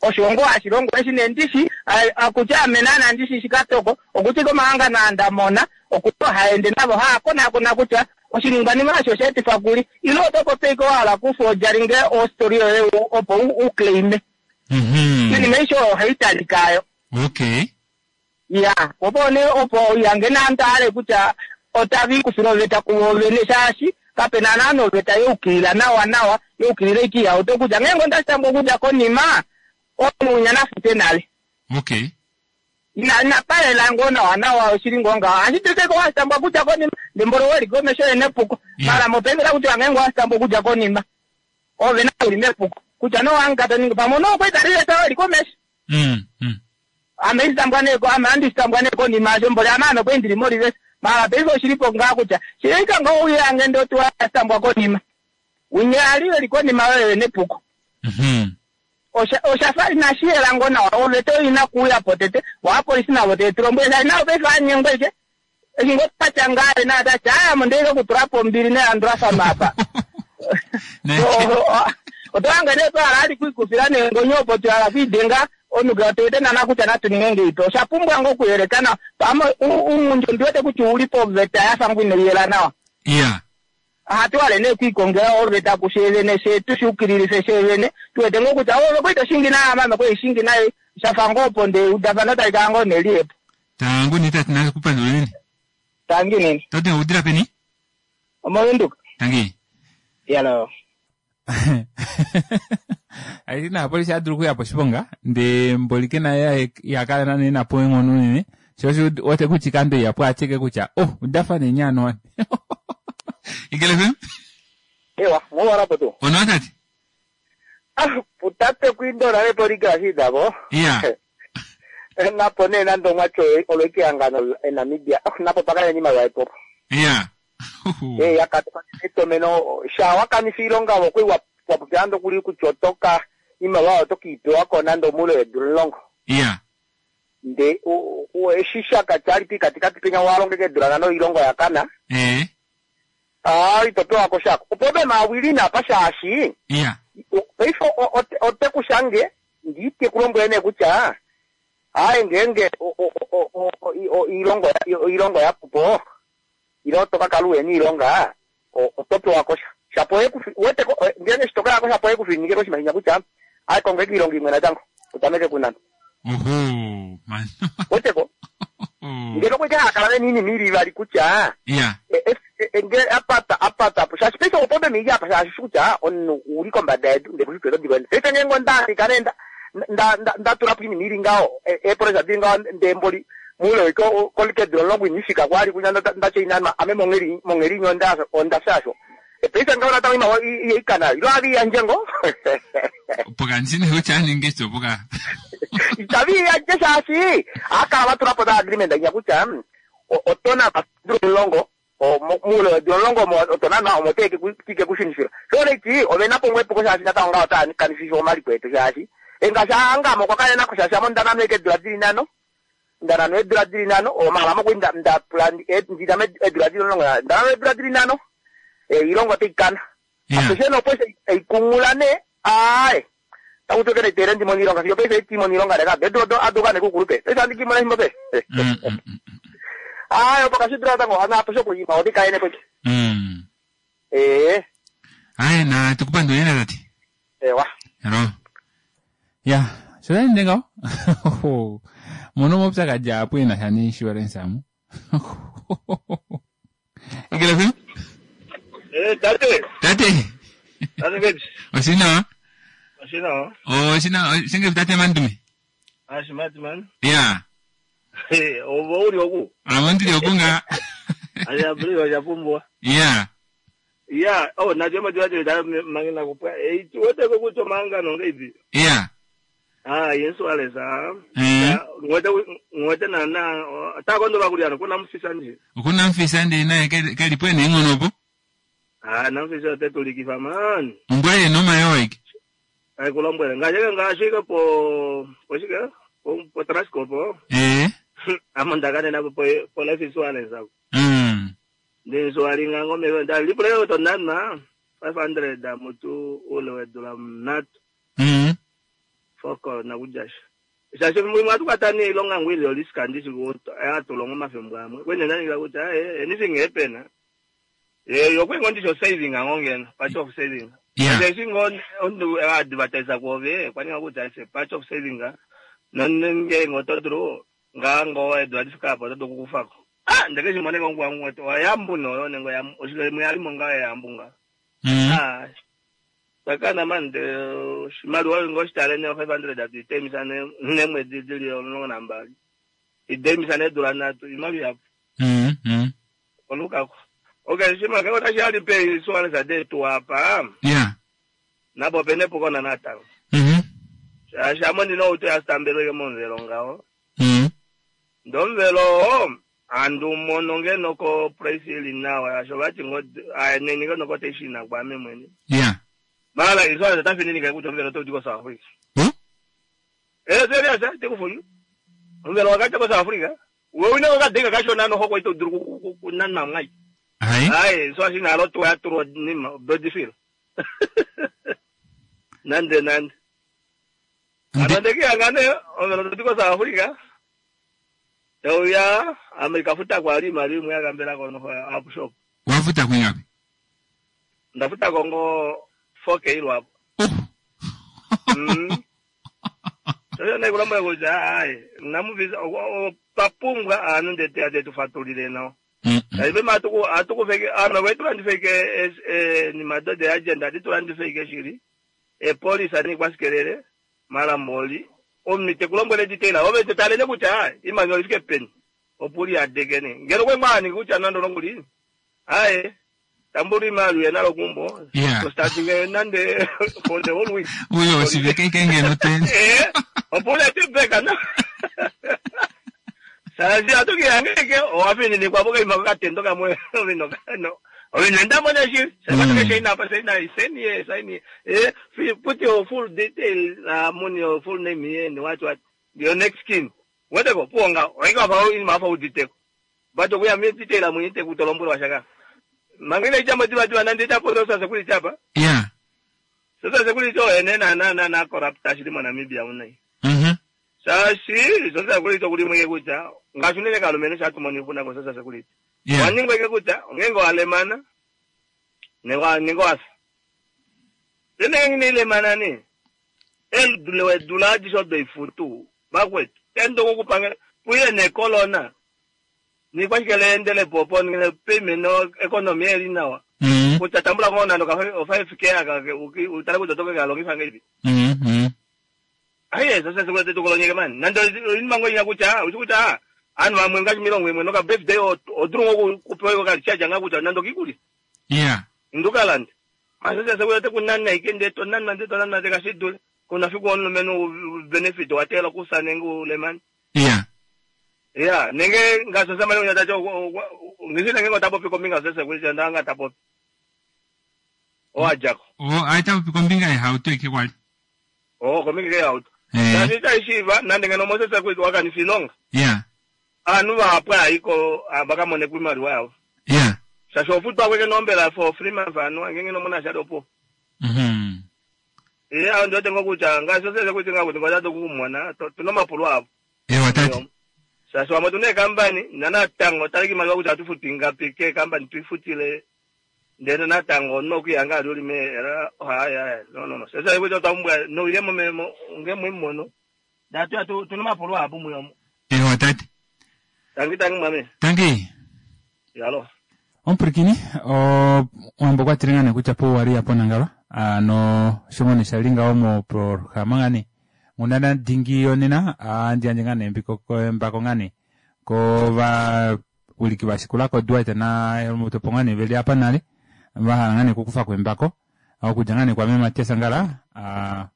Osho ngoo hashi longo eshi nee ndishi akutya ame naana ndishi shikatoko okuti komahangano aa ndamona okuti ohaende navo haakonaakona kutya oshiningwanima osho oshaetifwa kuli ile oto popi ashike wahala okufoodjalinge ostory yoye opo uclaime. Iinima aishe oyo ohayi talika yo. Okay. Ya, opo nee opo yange naantu ahale kutya otava ikufile oveta kuvo vene shaashi kapena naana oveta yeukilila nawa nawa yeukilila ashike iihauto kutya ngeenge ondashitambwa okudja konima omunhu winya nafute nale. Okay. Ina inapalela ngoo nawa nawa oshili ngoo ngaho ohashi dulika ashike washitambwa okudja konima ndee mboli weli komesho yena epuko. Mara mopaife otakutiwa ngeenge owashitambwa okudja konima ove nawe uli mepuko kutya nee owaanga toningi pamwe nokwali talileta weli komesho. Mm. Mm. Ame ishitambwa nee ame ohandi shitambwa nee konima yasho mboli ame ame kwali ndili molivesi mara paife oshilipo ngaa kutya shilika ngoo uye ndee otuwa yashitambwa konima winya ali weli konima oyo yena epuko. Osha oshafa inashi yela ngoo nawa oveta oyo ina kuuyapo tete vo aapolisi navo teetulombwele shaashi navo paife vanyengwa ashike eshi ngoo twatya ngaale naye otati aaye ame ondeike okutulapo ombili nelandulafano apa. Oto hange nee twahala ali kwiikufila neengonyo opo twahala kwiidenga omunhu kee otuwete naana kutya natu ninge ngeipi osha pumbwa ngoo okuyeleka nawa pamwe uunghundi ondiwete kutya ouli poveta yafa ngoo inaiyela nawa. Ya. Ohatu hale nee okwiikongela oveta kusheevene fyee tushiukililife sheevene tuwete ngoo kutya ove kwali toshingi naye ame ame kwali shingi naye shafa ngoo opo ndee eudafano tali kala ngoo nelihepo. Tangu nee tate nakupandula unene. Tangi nene. Toti udila peni? Omovenduka. Tangi. Yalo. Aiti naapolisi adulu okuya poshiponga ndee mboli kena ihakala nana enapo eenghono unene sho osho uwete kutya ikando ihapu atyeke kutya oh udafa nenyaano wani. Eagle F M? Ewa, mwowalapo tu. Onawa tate? Ah, putate kuindola lepo ligashiidavo. Iya. Napo nee nande omwatyo olo ehangano eNamibia. Ah, napo pakale niimaliwa yepopo. Iya. Eh, yakatuka etomeno sha wakanifa iilonga okwi wa wapopya ando kuli kutya otoka iimaliwa oto kiipewa nande omuule weedula omulongo. Iya. Nde u- u- eshi shaka chali pikatikati penya walongeka eedula nhano oilonga yakana. Eh. Ah, ito pewako shako. Opo ube mawili napa shaashi. Iya. Paife ote kushange ndiite kulombwele nee kutya aye ngeenge o- o- o- o- o- iilongo iilongo yapupo ile oto kakala uhena iilonga o- oto pewako sha shapo ekufi- weteko ngeenge eshi tokayako shapo ekufininike koshimahinya kutya aye konga iilonga imwe natango utameke kunana Oho, man. weteko ngeno kweke hakala vena iinima ili ivali kutya Iya. e- e- e- nge apata apata po shaashi paife opo bemiji apa shaashi shi kutya omunhu uli kombada yedu ndee kushitwe todikwenda paife ngeenge ondafika nee nda nda nda ndatula po iinima ili ngaho eepressure dili ngaho ndee mboli muule weke kolikedilo omulongo inifika kwali kunya ndachoinanwa ame mongheli mongheli imwe onda ondafya paife ngaho natango iimaliwa iyeikana ilo aviyandje ngo Poka ndine kutya aninge cho poka. itaviyandje shaashi akala vatula po da agreement inya kutya mm, o- otona padula omulongo o- mo- muule weedula omulongo omo otona na omo tike kushinifila shoneiti ovenapo ngwepuko shaashi natango ngaho otaakanifisha omaliko etu shaashi engaashi angamo kwakale nako shaashi amo ndanano eke eedula dili nhano ndanano eedula dili nhano omala mokwi nda- ndapula ndinamo eedula dili omulongo ndanano eedula dili nhano eh, iilongo otaikana apeshe nopo eikungula nee aaye takutokela itere ndimona iilonga fiyo paife itimona iilonga leka bedu aduka nekukulupe paife andikimona efimbo pe aaye opo kashidula natango ana apeshe okuyima odikaene poche Mm. ee Aye na tukupanduleni tate. ewa Hello. Ya, sho nde ngaho. Mono maupyakadhi apo ena sha ne-insurance amu. Eagle F M? Eh, tate. Tate. Tate Babes. Oshinawa? Oshinawa. Oshinawa, shinge tate Mandume. Ashimati man. Ya. Eh, obo uli oku. Amo ndili okunga. Aya buli wajapumbwa. Ya. Ya, oh najema jwa da mangina kupwa. Eh, tuwete ko kuto manga no ngebi. Ya. Ah, insurance ah. Eh. Ngwete ngwete na na ta kondo bakulya kuna mfisa nje. Okuna mfisa ndi naye kali pwene ing'ono po. Ah, na mfisa tetulikifa man. Mbwele noma yoike. Ay kulombwele ngaje ngashika po po shika po po Transco po. Eh. Amandakane napo po po life insurance ako. Mm. Ndinsowalinga ngome ndalipuleka tonana five hundred mutu ule wedula mnatu Mm. foko nakujasha shasho mwe atukatani ilonga ngwili oliska ndisi atulonga mafembo amwe kwene nanika kuti aye anything happen eh yokwengo ndisho saving angongena part of saving Yeah. singo ondu advertise kwove kwaninga kuti ase part of saving nonenge ngotodro ngango edward fikapo todokukufako ah ndeke chimoneka ngwangu wayambu noyo nengo yam oshike muyalimo nga yambunga Mm. ah sakana mande shimaliwa ngo shitale ne five hundred atitemisa ne nemwedzi dzili omulongo nambali idemisa nedula nhatu imali yapo Mm. Mm. olukako okay shima ke ota shali pe insurance adetu apa Yeah. napo penepo kona natango Mhm. shamo ndino uto yasitambeleke momvelo ngawo Mm. ndomvelo andu mono ngeno ko price ili nawa asho vati ngo neni ngeno ko teshina kwame mwene Yeah. mala insurance tafininike kuti omvelo toti ko South Africa Hmm? eh serious eh tekufuni omvelo wakati ko South Africa wewe une wakadhenga kashona noho kwaita udiri kunanma mwai Hai. hayi so ashinalo tuya turo nima bodifil nande nande anandekiyangane omvelo toti ko South Africa tauya amerika futa kwali mali imwe yakambela kono up shop Wafuta kwingapi? ndafuta kongo four K lwapo mm. Sasa nakulamba kuti hayi namuvisa papumbwa anu ndete atetufatulile nawo aibe matuku atukufeke ana wetulandifeke ni madode agenda atitulandifeke shili epolisi ani kwasikelele mara moli omnite kulombwele detail ove tetalele kuti hayi imani olifike peni opuli adekene ngeno kwemwani kuti anandolongulini hayi Tambula imali uye kumbo. Yeah. So starting eh, nande for the whole week. Uyo oshiveke ike ngeno ten. Eh, opula tibeka na. Sazi atuki angeke owafini kwa boka imako katendo kamwe ovino no. Ovino ndamona shi. Sabata ke ina pa saina iseni ye saini. Eh, fi- put your full detail uh, money your full name here and what what your next kin. Weteko ponga oika pa in mafa detail. But we are me detail amuite kutolombura washaka. Mangine ichamba tiba tiba nandi chapo sasa kuli chapa. Yeah. Sasa security ene na na na na corrupt ashiri mo Namibia unai. Mhm. Sashi sasa security kuli mweke kucha ngashunene kalumene shatumoni funa ko sasa security. Yeah. Waningwe ke kucha ngengo alemana nengo nengo asa. Tene ngine lemana ni. El dule dula jisho de futu bakwetu. Tendo kokupanga puye ne kolona. Ni kwashikele endele popo ngine payment no economy eri nawa. Mhm. Kucha tambula kona no ka five k aka utale kutotoka kalongisa ngeipi. Mhm. Aye, sasa sekulete tukolonyeke mani. Nando inmango inyakucha, uchikucha. Anu amwe ngachi milongo imwe noka birthday odrungo kupewa kali chaja ngakucha nando kikuli. Yeah. Ndukalandi. Masasa sekulete kunana ikende to nana nde to nana teka Kuna fiku onu menu benefit watela kusane ngule mani. Yeah. Yeah, nenge ngasasa mali unyatacho ngisina ngenge tapopi kominga sasa kulisa ndanga tapopi. Oajako. O aita kombinga yehauto ike kwali. Oh, kominga ke auto. Eh. Sasa ishiva nande ngeno mosesa kuiti wakanisilonga. Yeah. anu vapwa iko vakamone kwimali wavo Yeah. shasho futwa kweke nombela for three months anu angenge nomona shadopo Mhm. iye awo ndotenga kucha ngasosese kuti ngakuti ngwatatu kumona tuna mapulu avo Ewa tati. shasho wamwe tune kambani nanatango taliki mali wakuti atufuti ngapi ke kambani tuifutile ndene natango nokuyanga ali ulime era haya haya no no no sasa ikuti otambwa no ilemo memo ngemwe datu atu tuna mapulu apo muyomo Ewa tati. tangi tangi mwame Tangi. yalo Ompurikini o wambo kwatile ngane kutya po wali apo nangalo ano shongone shalinga omo programa ngane ngunana dingi yonena andi anje ngane mbiko ko mbako ngane ko va uliki vashikula ko Dwight na Helmut po ngane veli apa nale vahala ngane kukufa kwembako okudja ngane kwa mema Matias Ngala a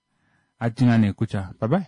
ati ngane kutya bye bye.